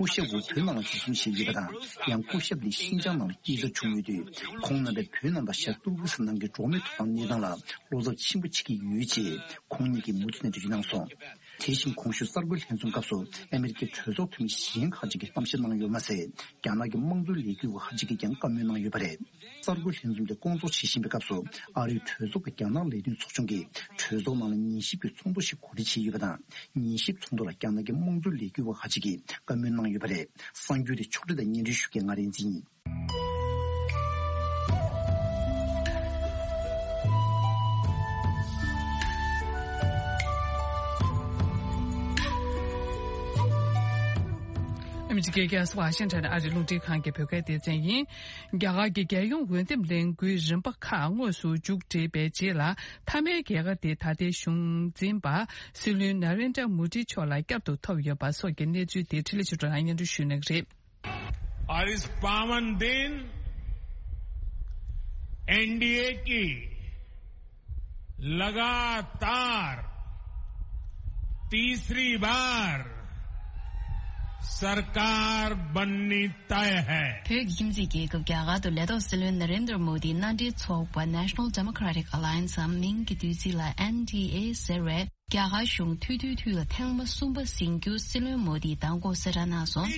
ཞབས་ཝུའུ་བོད་ནང་ལ་འཛིན་བཟུང་བྱས་ཡོད་པ་དང་ཡང་སྐུ་ཞབས་ལི་ཤིན་ཅང་ནང་ལ་སྐྱེས་འཚར་བྱུང་ཡོད་དུས་ཁོང་རྣམ་པས་བོད་ནང་དང་ཤར་ཏུར་ཀི་སི་ཐན་ནང་གི་འགྲོ་བ་མིའི་ཐོབ་ཐང་གནས་སྟངས་ལ་བློ་འཚབ་ཆེན་པོ་བྱེད་ཀྱི་ཡོད་ཅེས་ཁོང་ཉིད་ཀྱིས་མུ་མཐུད་ནས་འགྲེལ་བརྗོད་གནང་སོང་། དེ་བཞིན་གོང་ཞུས་གསར་འགོད་ལྷན་འཛོམས་སྐབས་སུ་ཨ་མེ་རི་ཀའི་གྲོས་ཚོགས་འཐུས་མི་གཞན་ཁག་ཅིག་གིས་གཏམ་བཤད་གནང་ཡོད་མ་ཟད། རྒྱ་ནག་གི་དམངས་གཙོའི་ལས་འགུལ་བ་ཁག་ཅིག་གིས་ཀྱང་བཀའ་མོལ་གནང་ཡོད་པ་རེད། གསར་འགོད་ལྷན་འཛོམས་དེ་སྐོང་ཚོགས་བྱེད་བཞིན་པའི་སྐབས་སུ་ཨ་རིའི་གྲོས་ཚོགས་ཀྱི་རྒྱ་ནག་ལས་དོན་ཚོགས་ཆུང་གིས་གྲོས་ཚོགས་ནང་ལ་ཉན་ཞིབ་ཀྱི་ཚོགས་འདུ་ཞིག་གོ་སྒྲིག་བྱས་ཡོད་པ་དང་། ཉན་ཞིབ་ཚོགས་འདུ་ལ་རྒྱ་ནག་གི་དམངས་གཙོའི་ལས་འགུལ་བ་ཁག་ཅིག་གིས་བཀའ་མོལ་གནང་ཡོད་པ་རེད། གསར་འགྱུར་དེ་ཕྱོགས་སྒྲིག་དང་སྙན་སྒྲོན་ཞུ་མཁན་ང་རིག་འཛིན་ཡིན། ཨ་མི་རི་ཀའི་རྒྱལ་ས་ཝ་ཤིང་ཊོན་ཨ་རིའི་རླུང་འཕྲིན་ཁང་གི་བོད་སྐད་སྡེ་ཚན་ཡིན། རྒྱ་གར་གྱི་རྒྱལ་ཡོངས་འོས་འདེམས་ལས་འགུལ་རིམ་པ་ཁག་དངོས་སུ་མཇུག་བསྒྲིལ་བའི་རྗེས་ལ། མཐའ་མའི་རྒྱལ་ཁ་དེ་ད་ལྟའི་གཞུང་འཛིན་པ་སྲིད་བློན་ན་རེན་དྲ་མོ་དི་མཆོག་ལ་བསྐྱར་དུ་ཐོབ་ཡོད་པ་སོགས་ཀྱི་གནས་ཚུལ་དེ་འཕྲིན་ལས་ཆོས་སྒྲོན་ལགས་སྙན་སྒྲོན་ཞུ་གནང་གི་རེད། और इस पावन दिन एनडीए की लगातार तीसरी बार सरकार बननी तय है। བོད་ཀྱི་ཁྱིམ་མཚེས་རྒྱལ་ཁབ་རྒྱ་གར་དུ་ལས་ཐོག་སྲིད་བློན་ན་རེན་དྲ་མོ་དིའི་མནའ་འབྲེལ་ཚོགས་པ་National Democratic Alliance འམ་མིང་གི་བསྡུས་ཚིག་ལ་ཨེན་ཌི་ཨེ་ཟེར་བས། རྒྱ་གར་གཞུང་ཐུ་ཐུ་ཐུ་ལ་ཐེངས་མ་གསུམ་པ་ཟིན་རྒྱུ་སྲིད་བློན་མོ་དིས་མདང་དགོང་གསལ་བསྒྲགས་གནང་སོང་།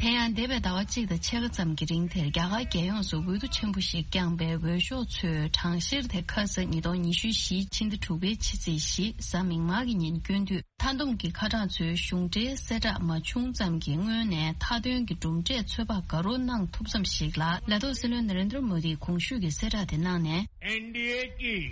དེ་ཡང་འདས་པའི་ཟླ་བ་གཅིག་དང་ཕྱེད་ཀ་ཙམ་གྱི་རིང་དེར་རྒྱ་གར་རྒྱལ་ཡོངས་སུ་འོས་བསྡུ་ཆེན་པོ་ཞིག་བསྐྱངས་པའི་འོས་ཤོག་ཚོས་གྲངས་བཤེར་དེ་ཁ་ས་ཉིས་སྟོང་ཉི་ཤུ་བཞི་ཕྱི་ཟླ་དྲུག་པའི་ཕྱི་ཚེས་བཞི་གཟའ་མིག་དམར་གྱི་ཉིན་བསྐྱོན་དུས། མཐའ་བསྡོམས་ཀྱི་ཁ་གྲངས་ཚོའི་གཞུང་འབྲེལ་གསལ་བསྒྲགས་མ་བྱུང་ཙམ་གྱི་སྔོན་ནས་མཐའ་དོན་གྱི་གྲུབ་འབྲས་ཚོད་དཔག་དགའ་རབ་གནང་ཐུབ་ཙམ་ཞིག་ལ། ལས་ཐོག་སྲིད་བློན་ན་རེན་དྲ་མོ་དིས་གོང་ཞུས་ཀྱི་གསལ་བསྒྲགས་དེ་གནང་ནས།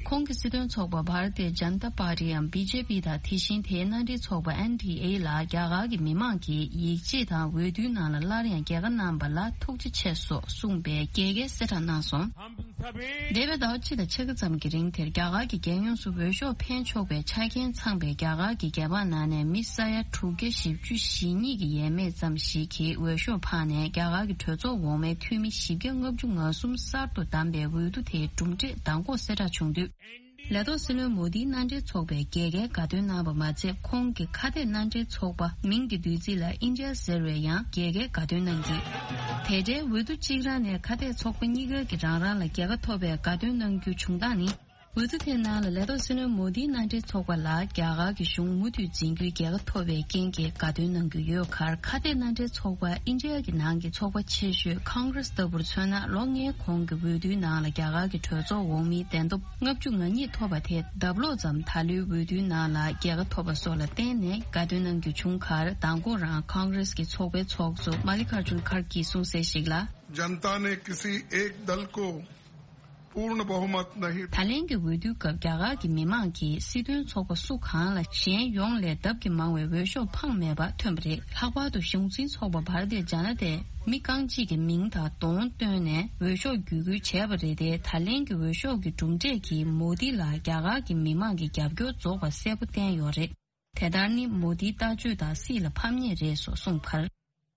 ཁོང་གི་སྲིད་དོན་ཚོགས་པ་Bharatiya Janata Party འམ་བི་ཇེ་པི་དང་དེ་བཞིན་དེའི་མནའ་འབྲེལ་ཚོགས་པ་ཨེན་ཌི་ཨེ་ལ་རྒྱ་གར་གྱི་མི་མང་གིས་ཡིད་ཆེས་དང་འོས་བསྡུའི་ནང་ལ་སླར་ཡང་རྒྱལ་ཁ་གནང་པ་ལ་ཐུགས་རྗེ་ཆེ་སོགས་གསུངས་པའི་རྒྱལ་ཁའི་གསལ་བསྒྲགས་གནང་སོང་། འདས་པའི་ཟླ་བ་གཅིག་དང་ཕྱེད་ཀ་ཙམ་གྱི་རིང་དེར་རྒྱ་གར་གྱི་རྒྱལ་ཡོངས་སུ་འོས་ཤོག་འཕེན་ཆོག་པའི་ཆ་རྐྱེན་ཚང་བའི་རྒྱ་གར་གྱི་རྒྱལ་འབངས་ནང་ནས་མི་ས་ཡ་དྲུག་བརྒྱ་བཞི་བཅུ་ཞེ་གཉིས་ཀྱི་ཡས་མས་ཙམ་ཞིག་གིས་འོས་ཤོག་འཕངས་ནས་རྒྱ་གར་གྱི་གྲོས་ཚོགས་འོག་མའི་འཐུས་མི་བཞི་བརྒྱ་ལྔ་བཅུ་ང་གསུམ་གསར་དུ་བདམས་པའི་འོས་བསྡུ་དེའི་གྲུབ་འབྲས་མདང་དགོང་གསལ་བསྒྲགས་བྱུང་དུས། ལས་ཐོག་སྲིད་བློན་མོ་དིའི་མནའ་འབྲེལ་ཚོགས་པས་རྒྱལ་ཁའི་དགའ་སྟོན་གནང་བ་མ་ཚད། ཁོང་གི་ཁ་གཏད་མནའ་འབྲེལ་ཚོགས་པ་མིང་གི་བསྡུས་ཚིག་ལ་ཨིན་ཌི་ཡ་ཟེར་བས་ཡང་རྒྱལ་ཁའི་དགའ་སྟོན་གནང་གིས། དེ་འབྲེལ་འོས་བསྡུ་གཅིག་རང་ནས་ཁ་གཏད་ཚོགས་པ་གཉིས་ཀ་གིས་རང་རང་ལ་རྒྱལ་ཁ་ཐོབ་པའི་དགའ་སྟོན་གནང་རྒྱུ་བྱུང་སྟངས་ནི། འོས་བསྡུ་དེའི་ནང་ལ་ལས་ཐོག་སྲིད་བློན་མོ་དིའི་མནའ་འབྲེལ་ཚོགས་པ་ལ་རྒྱ་གར་གྱི་གཞུང་མུ་མཐུད་འཛིན་རྒྱུའི་རྒྱལ་ཁ་ཐོབ་པའི་རྐྱེན་གྱིས་དགའ་སྟོན་གནང་རྒྱུ་ཡོད་ཁར། ཁ་གཏད་མནའ་འབྲེལ་ཚོགས་པ་ཨིན་ཌི་ཡ་གི་ནང་གི་ཚོགས་པ་ཆེ་ཤོས་ཁོང་གྷི་རེས་ལྟ་བུར་མཚོན་ན། ལོ་ལྔའི་གོང་གི་འོས་བསྡུའི་ནང་ལ་རྒྱ་གར་གྱི་གྲོས་ཚོགས་འོག་མིའི་གདན་ཐོབ་ལྔ་བཅུ་ང་གཉིས་ཐོབ་པ་དེ་ལྡབ་ལོག་ཙམ་ད་ལོའི་འོས་བསྡུའི་ནང་ལ་རྒྱལ་ཁ་ཐོབ་པ་སོགས་ལ་བརྟེན་ནས་དགའ་སྟོན་གནང་རྒྱུ་བྱུང་ཁར། མདང་དགོང་རང་ཁོང་གྷི་རེས་ཀྱི་ཚོགས་པའི་ཚོགས་གཙོ་མ་ལི་ཁ་ར་ཇུན་ཁར་གྱིས་གསུངས་གསལ་ཞིག་ལ། जनता ने किसी एक दल को पूर्ण बहुमत नहीं। ད་ལན་གྱི་འོས་བསྡུའི་སྐབས་རྒྱ་གར་གྱི་མི་མང་གིས་སྲིད་དོན་ཚོགས་པ་སུ་གང་ལ་གཞན་ཡོངས་ལས་ལྡབ་ཀྱིས་མང་བའི་འོས་ཤོག་འཕངས་མེད་པ་ཐོན་པ་རེད། ལྷག་པར་དུ་གཞུང་འཛིན་ཚོགས་པ་བྷ་ར་ཏི་ཇ་ན་ཏའི་མི་རྐང་གཅིག་གི་མིང་དང་གདོང་བཏོན་ནས་འོས་ཤོག་བརྒྱུད་སྐུལ་བྱས་པ་རེད་དེ། ད་ལན་གྱི་འོས་ཤོག་གི་གྲུབ་འབྲས་ཀྱིས་མོ་དི་ལ་རྒྱ་གར་གྱི་མི་མང་གི་རྒྱབ་སྐྱོར་རྫོགས་པ་གསལ་པོ་བསྟན་ཡོད་རེད། དེ་ལྟར་ནི་མོ་དིའི་ལྟ་སྤྱོད་དང་སྲིད་ལ་ཕམ་ཉེས་རེད་སོགས་གསུངས་པར།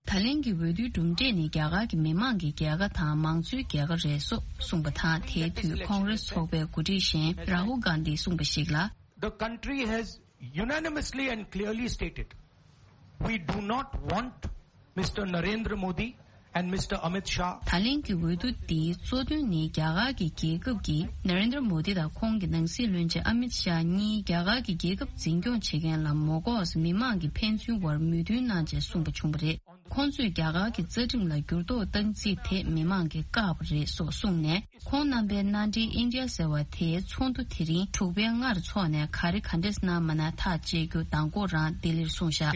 ད་ལན་གྱི་འོས་བསྡུའི་གྲུབ་འབྲས་ནི་རྒྱ་གར་གྱི་མི་མང་གི་རྒྱལ་ཁ་དང་མང་གཙོའི་རྒྱལ་ཁ་རེད་སོགས་གསུངས་པ་དང་། དེའི་དུས་ཁོང་རེས་ཚོགས་པའི་འགོ་ཁྲིད་གཞན་རཱ་ཧུལ་གྷན་དྷིས་གསུངས་པ་ཞིག་ལ། The country has unanimously and clearly stated, we do not want Mister Narendra Modi and Mister Amit Shah. ད་ལན་གྱི་འོས་བསྡུ་འདིའི་གཙོ་དོན་ནི་རྒྱ་གར་གྱི་རྒྱལ་ཁབ་ཀྱིས་ནཱ་རེན་དྲ་མོ་དི་དང་ཁོང་གི་ནང་སྲིད་བློན་ཆེན་ཨ་མིད་ཤཱ་གཉིས་རྒྱ་གར་གྱི་རྒྱལ་ཁབ་འཛིན་སྐྱོང་བྱེད་མཁན་ལ་མོ་ལྐོག་མི་མང་གི་ཕན་ཚུན་དབར་མོས་མཐུན་གནང་ཆེད་གསུངས་པ་བྱུང་བ་རེད། ཁོང་ཚོས་རྒྱ་གར་གྱི་རྩ་ཁྲིམས་ལ་འགྱུར་ལྡོག་བཏང་རྩིས་དེ་མི་མང་གིས་བཀག་པ་རེད་སོགས་གསུངས་ནས། ཁོང་རྣམ་པའི་མནའ་འབྲེལ་ཨིན་ཌི་ཡ་ཟེར་བ་དེའི་ཚོགས་འདུ་དེ་རིང་དྲུག་པའི་སྔར་འཚོགས་ནས་ག་རེ་ག་འདྲས་གནང་མ་གནང་ཐག་བཅད་རྒྱུ་མདང་དགོང་རང་ལྡི་ལིར་གསུངས་བཞག་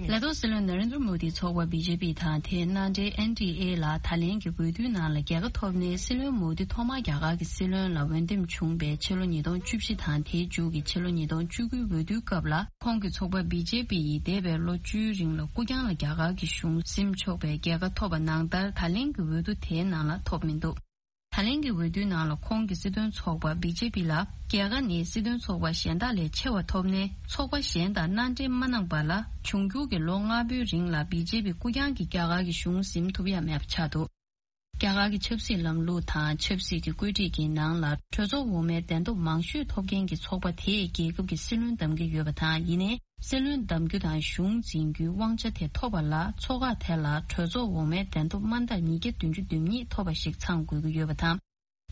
ལས་ཐོག་སྲིད་བློན་ནཱ་རེན་དྲ་མོ་དིའི་ཚོགས་པ་བི་ཇེ་པི་དང་དེའི་མནའ་འབྲེལ་ཨེན་ཌི་ཨེ་ལ་ད་ལན་གྱི་འོས་བསྡུའི་ནང་ལ་རྒྱལ་ཁ་ཐོབ་ནས། སྲིད་བློན་མོ་དི་ཐོག་མར་རྒྱ་གར་གྱི་སྲིད་བློན་ལ་འོས་འདེམས་བྱུང་བའི་ཕྱི་ལོ་ཉིས་སྟོང་བཅུ་བཞི་དང་དེའི་མཇུག་གི་ཕྱི་ལོ་ཉིས་སྟོང་བཅུ་དགུའི་འོས་བསྡུའི་སྐབས་ལ། ཁོང་གི་ཚོགས་པ་བི་ཇེ་པི་ཡིས་འདས་པའི་ལོ་བཅུའི་རིང་ལ་སྐུ་རྐྱང་ལ་རྒྱ་གར་གྱི་གཞུང་ཟིན་ཆོག་པའི་རྒྱལ་ཁ་ཐོབ་པ་ནང་ལྟར་ད་ལན་གྱི་འོས་བསྡུ་དེའི་ནང་ལ་ཐོབ་མི་འདུག་ད་ལན་གྱི་འོས་བསྡུའི་ནང་ལ་ཁོང་གི་སྲིད་དོན་ཚོགས་པ་བི་ཇེ་པི་ལ་རྒྱལ་ཁ་ནི་སྲིད་དོན་ཚོགས་པ་གཞན་དག་ལས་ཆེ་བ་ཐོབ་ནས། ཚོགས་པ་གཞན་དང་མནའ་འབྲེལ་མ་གནང་བ་ལ་འབྱུང་འགྱུར་གྱི་ལོ་ལྔ་པོའི་རིང་ལ་བི་ཇེ་པི་སྐུ་རྐྱང་གིས་རྒྱ་གར་གྱི་གཞུང་ཟིན་ཐུབ་ཡ་མེད་པ་ཆགས་འདུག་རྒྱ་གར་གྱི་ཆབ་སྲིད་ལམ་ལུགས་དང་ཆབ་སྲིད་ཀྱི་བཀོད་སྒྲིག་གི་ནང་ལ། གྲོས་ཚོགས་འོག་མའི་གདན་ཐོབ་མང་ཤོས་ཐོབ་མཁན་གྱི་ཚོགས་པ་དེས་རྒྱལ་ཁབ་ཀྱི་སྲིད་བློན་གདམ་གྱི་ཡོད་པ་དང་། ཡིན་ནའི། སྲིད་བློན་གདམ་རྒྱུ་དང་གཞུང་འཛིན་རྒྱུའི་དབང་ཆ་དེ་ཐོབ་པ་ལ། ཚོགས་ཁག་དེ་ལ་གྲོས་ཚོགས་འོག་མའི་གདན་ཐོབ་མ་མཐར་ཉིས་བརྒྱ་བདུན་ཅུ་དོན་གཉིས་ཐོབ་པ་ཞིག་ཚང་དགོས་ཀྱི་ཡོད་པ་དང་།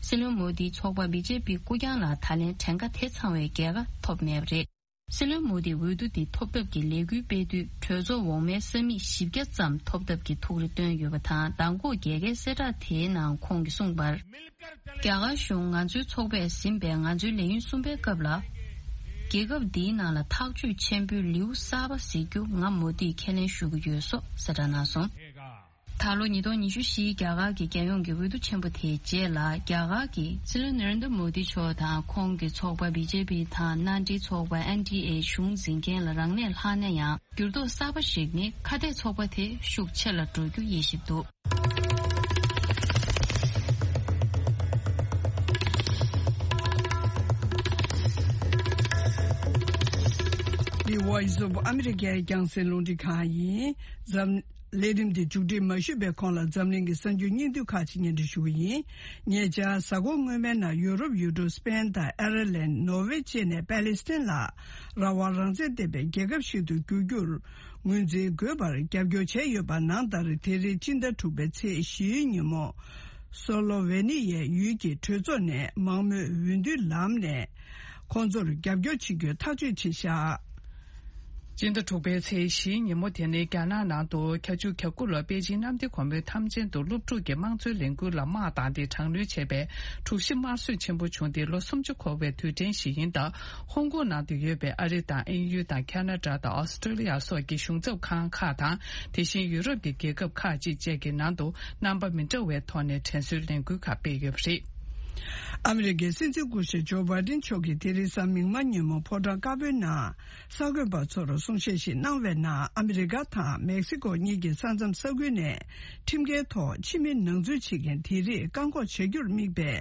སྲིད་བློན་མོ་དིའི་ཚོགས་པ་བི་ཇེ་པི་སྐུ་རྐྱང་ལ་ད་ལན་གྲངས་ཀ་དེ་ཚང་བའི་རྒྱལ་ཁ་ཐོབ་མེད་པ་རེད། སྲིད་བློན་མོ་དིས་འོས་བསྡུ་འདི་ཐོབ་ཐབས་ཀྱི་ལས་འགུལ་སྤེལ་དུས། གྲོས་ཚོགས་འོག་མའི་ས་མིག་བཞི་བརྒྱ་ཙམ་ཐོབ་ཐབས་ཀྱི་ཐུགས་རེ་བཏོན་ཡོད་པ་དང་། མདང་དགོང་རྒྱལ་ཁའི་གསལ་བསྒྲགས་དེའི་ནང་ཁོང་གིས་གསུངས་པར། རྒྱ་གར་གཞུང་ང་ཚོའི་ཚོགས་པས་ཟིན་པའི་ང་ཚོའི་ལས་ཡུན་གསུམ་པའི་སྐབས་ལ། རྒྱལ་ཁབ་འདིའི་ནང་ལ་ཐག་གཅོད་ཆེན་པོའི་ལེའུ་གསར་པ་གཟིགས་རྒྱུ་ང་མོ་དིས་ཁས་ལེན་ཞུ་གི་ཡོད་སོགས་གསལ་བསྒྲགས་གནང་སོང་། ད་ལོ་ཉིས་སྟོང་ཉི་ཤུ་བཞིའི་རྒྱ་གར་གྱི་རྒྱལ་ཡོངས་ཀྱི་འོས་བསྡུ་ཆེན་པོ་དེའི་རྗེས་ལ། རྒྱ་གར་གྱི་སྲིད་བློན་ནཱ་རེན་དྲ་མོ་དི་མཆོག་དང་ཁོང་གི་ཚོགས་པ་བི་ཇེ་པི་དང་མནའ་འབྲེལ་ཚོགས་པ་ཨེན་ཌི་ཨེ་གཞུང་འཛིན་མཁན་ལ་རང་གནས་ལྷག་ན་ཡང་། འགྱུར་ལྡོག་གསར་པ་ཞིག་ནི། ཁ་གཏད་ཚོགས་པ་དེ་ཤུགས་ཆེ་ལ་འགྲོ་རྒྱུ་དབྱེ་ཞིབ་འདུག The Voice of America རྒྱང་སྲིང་རླུང་འཕྲིན་ཁང་ཡིན། འཛམ། ལས་རིམ་འདི་མཇུག་སྒྲིལ་མ་ཞུས་པའི་གོང་ལ་འཛམ་གླིང་གི་གསར་འགྱུར་སྙིང་བསྡུས་ཁག་ཅིག་སྙན་སྒྲོན་ཞུ་གི་ཡིན། ཉེ་ཆར་གཟའ་འཁོར་སྔོན་མའི་ནང་ཡུ་རོབ་ཡུལ་གྲུ་སི་པེན་དང་ཨེར་ལན། ནོར་ཝེ་བཅས་ནས་པཱ་ལི་སི་ཐན་ལ་རང་དབང་རང་བཙན་ལྡན་པའི་རྒྱལ་ཁབ་ཞིག་ཏུ་འགྱུར་རྒྱུར་ངོས་འཛིན་དགོས་པར་རྒྱབ་སྐྱོར་བྱས་ཡོད་པ་ནང་ལྟར། དེ་རིང་སྤྱི་ཟླ་དྲུག་པའི་ཚེས་བཞིའི་ཉིན་མོ། སོ་ལོ་ཝེ་ནི་ཡའི་ཡུལ་གྱི་གྲོས་ཚོགས་ནས་མང་མོས་འོས་བསྡུའི་ལམ་ནས་ཁོང་ཚོར་རྒྱབ་སྐྱོར་བྱེད་རྒྱུའི་ཐག་གཅོད་བྱས་བཞག་སྤྱི་ཟླ་དྲུག་པའི་ཚེས་བཞིའི་ཉིན་མོ་དེ་ནི་རྒྱ་ནག་ནང་དུ་བརྒྱད་ཅུ་གྱ་དགུ་ལོར་པེ་ཅིང་གནམ་བདེ་སྒོ་མོའི་འཐབ་ཆེན་དུ་སློབ་ཕྲུག་གི་དམངས་གཙོའི་ལས་འགུལ་ལ་དམག་བཏང་སྟེ་དྲག་གནོན་བྱས་པའི་དྲུག་བཞི་དམར་གསོད་ཆེན་པོ་བྱུང་སྟེ་ལོ་སུམ་ཅུ་འཁོར་བའི་དུས་དྲན་ཞིག་ཡིན་སྟབས། ཧོང་ཀོང་ནང་དུ་ཡོད་པའི་ཨ་རི་དང་དབྱིན་ཡུལ་དང་ཁ་ན་ཌ་དང་ཨོ་སི་ཀྲི་ལི་ཡ་སོགས་ཀྱི་གཞུང་ཚབ་ཁང་ཁག་དང་། དེ་བཞིན་ཡུ་རོབ་ཀྱི་རྒྱལ་ཁབ་ཁག་ཅིག་བཅས་ཀྱི་ནང་དུ་རྣམ་པ་མི་འདྲ་བའི་ཐོག་ནས་དྲན་གསོའི་ལས་འགུལ་ཁག་སྤེལ་ཡོད་པ་རེད། ཨ་མི་རི་ཀའི་སྲིད་འཛིན་སྐུ་ཞབས་ཇོ་བྷའི་ཌེན་མཆོག་གིས་དེ་རིང་གཟའ་མིག་དམར་ཉིན་མོ་ཕོ་བྲང་དཀར་པོའི་ནང་གསར་འགོད་པ་ཚོར་གསུང་བཤད་ཞིག་གནང་བའི་ནང་། ཨ་མི་རི་ཀ་དང་མེག་སི་ཀོ་གཉིས་ཀྱི་ས་མཚམས་ས་ཁུལ་ནས་ཁྲིམས་འགལ་ཐོག་ཕྱི་མི་ནང་འཛུལ་བྱེད་མཁན་དེ་རིགས་བཀག་འགོག་བྱ་རྒྱུར་དམིགས་པའི་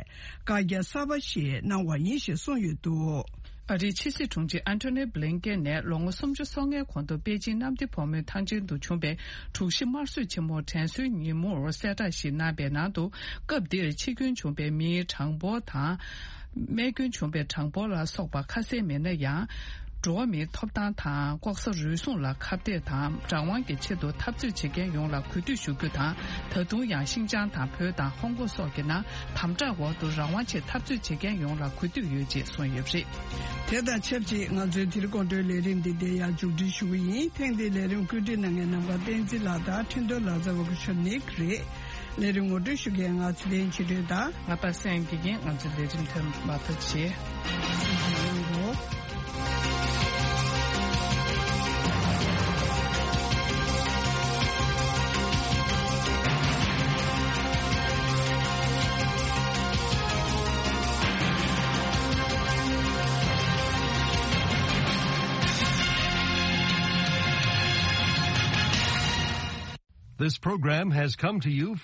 བཀའ་རྒྱ་གསར་པ་ཞིག་གནང་བ་ཡིན་ཞེས་གསུངས་ཡོད་འདུག་ཨ་རིའི་ཕྱི་སྲིད་དྲུང་ཆེ་ཨན་ཐོ་ནི་བྷི་ལིན་ཀེན་ནས་ལོ་ངོ་སུམ་ཅུ་སོ་ལྔའི་གོང་དུ་པེ་ཅིང་གནམ་བདེ་སྒོ་མོའི་ཐང་ཆེན་དུ་བྱུང་བའི་དྲུག་བཞི་དམར་གསོད་ཆེན་མོ་དྲན་གསོའི་ཉིན་མོར་གསལ་བསྒྲགས་ཤིག་གནང་བའི་ནང་དུ། སྐབས་འདིར་འཆི་སྐྱོན་བྱུང་བའི་མིའི་གྲངས་འབོར་དང་། རྨས་སྐྱོན་བྱུང་བའི་གྲངས་འབོར་ལ་སོགས་པ་ཁ་གསལ་མེད་ན་ཡང་། འགྲོ་བ་མིའི་ཐོབ་ཐང་དང་ལྐོག་ཟ་རུལ་སུངས་ལ་ཁ་གཏད་དང་རང་དབང་གི་ཆེད་དུ་འཐབ་རྩོད་བྱེད་མཁན་ཡོངས་ལ་གུས་འདུད་ཞུ་རྒྱུ་དང་། ད་དུང་ཡང་ཤིན་ཅང་དང་བོད་དང་ཧོང་ཀོང་སོགས་ཀྱི་ནང་དམ་དྲག་འོག་ཏུ་རང་དབང་ཆེད་འཐབ་རྩོད་བྱེད་མཁན་ཡོངས་ལ་གུས་འདུད་ཡོད་ཅེས་གསུངས་ཡོད་པ་རེད། དེ་དང་ཆབས་ཅིག་ང་ཚོའི་དེ་རིང་དགོང་དྲོའི་ལས་རིམ་འདི་འདིར་ཡང་མཇུག་སྒྲིལ་ཞུ་གི་ཡིན། ཐེངས་འདིའི་ལས་རིམ་བཀོད་སྒྲིག་གནང་མཁན་ནམ་མཁའ་བསྟན་འཛིན་ལགས་དང་འཕྲིན་གཏོང་ལག་རྩལ་བ་སྐུ་ཞབས་ནིག་རེད། ལས་རིམ་ངོ་སྤྲོད་ཞུ་མཁན་ང་ཚེ་བརྟན་ཆོས་སྒྲོན་དང་། ང་པ་སངས་དགེ་རྒན། ང་ཚོའི་ལས་རིམ་ཐོན་མ་ཐག་བྱས། This program has come to you from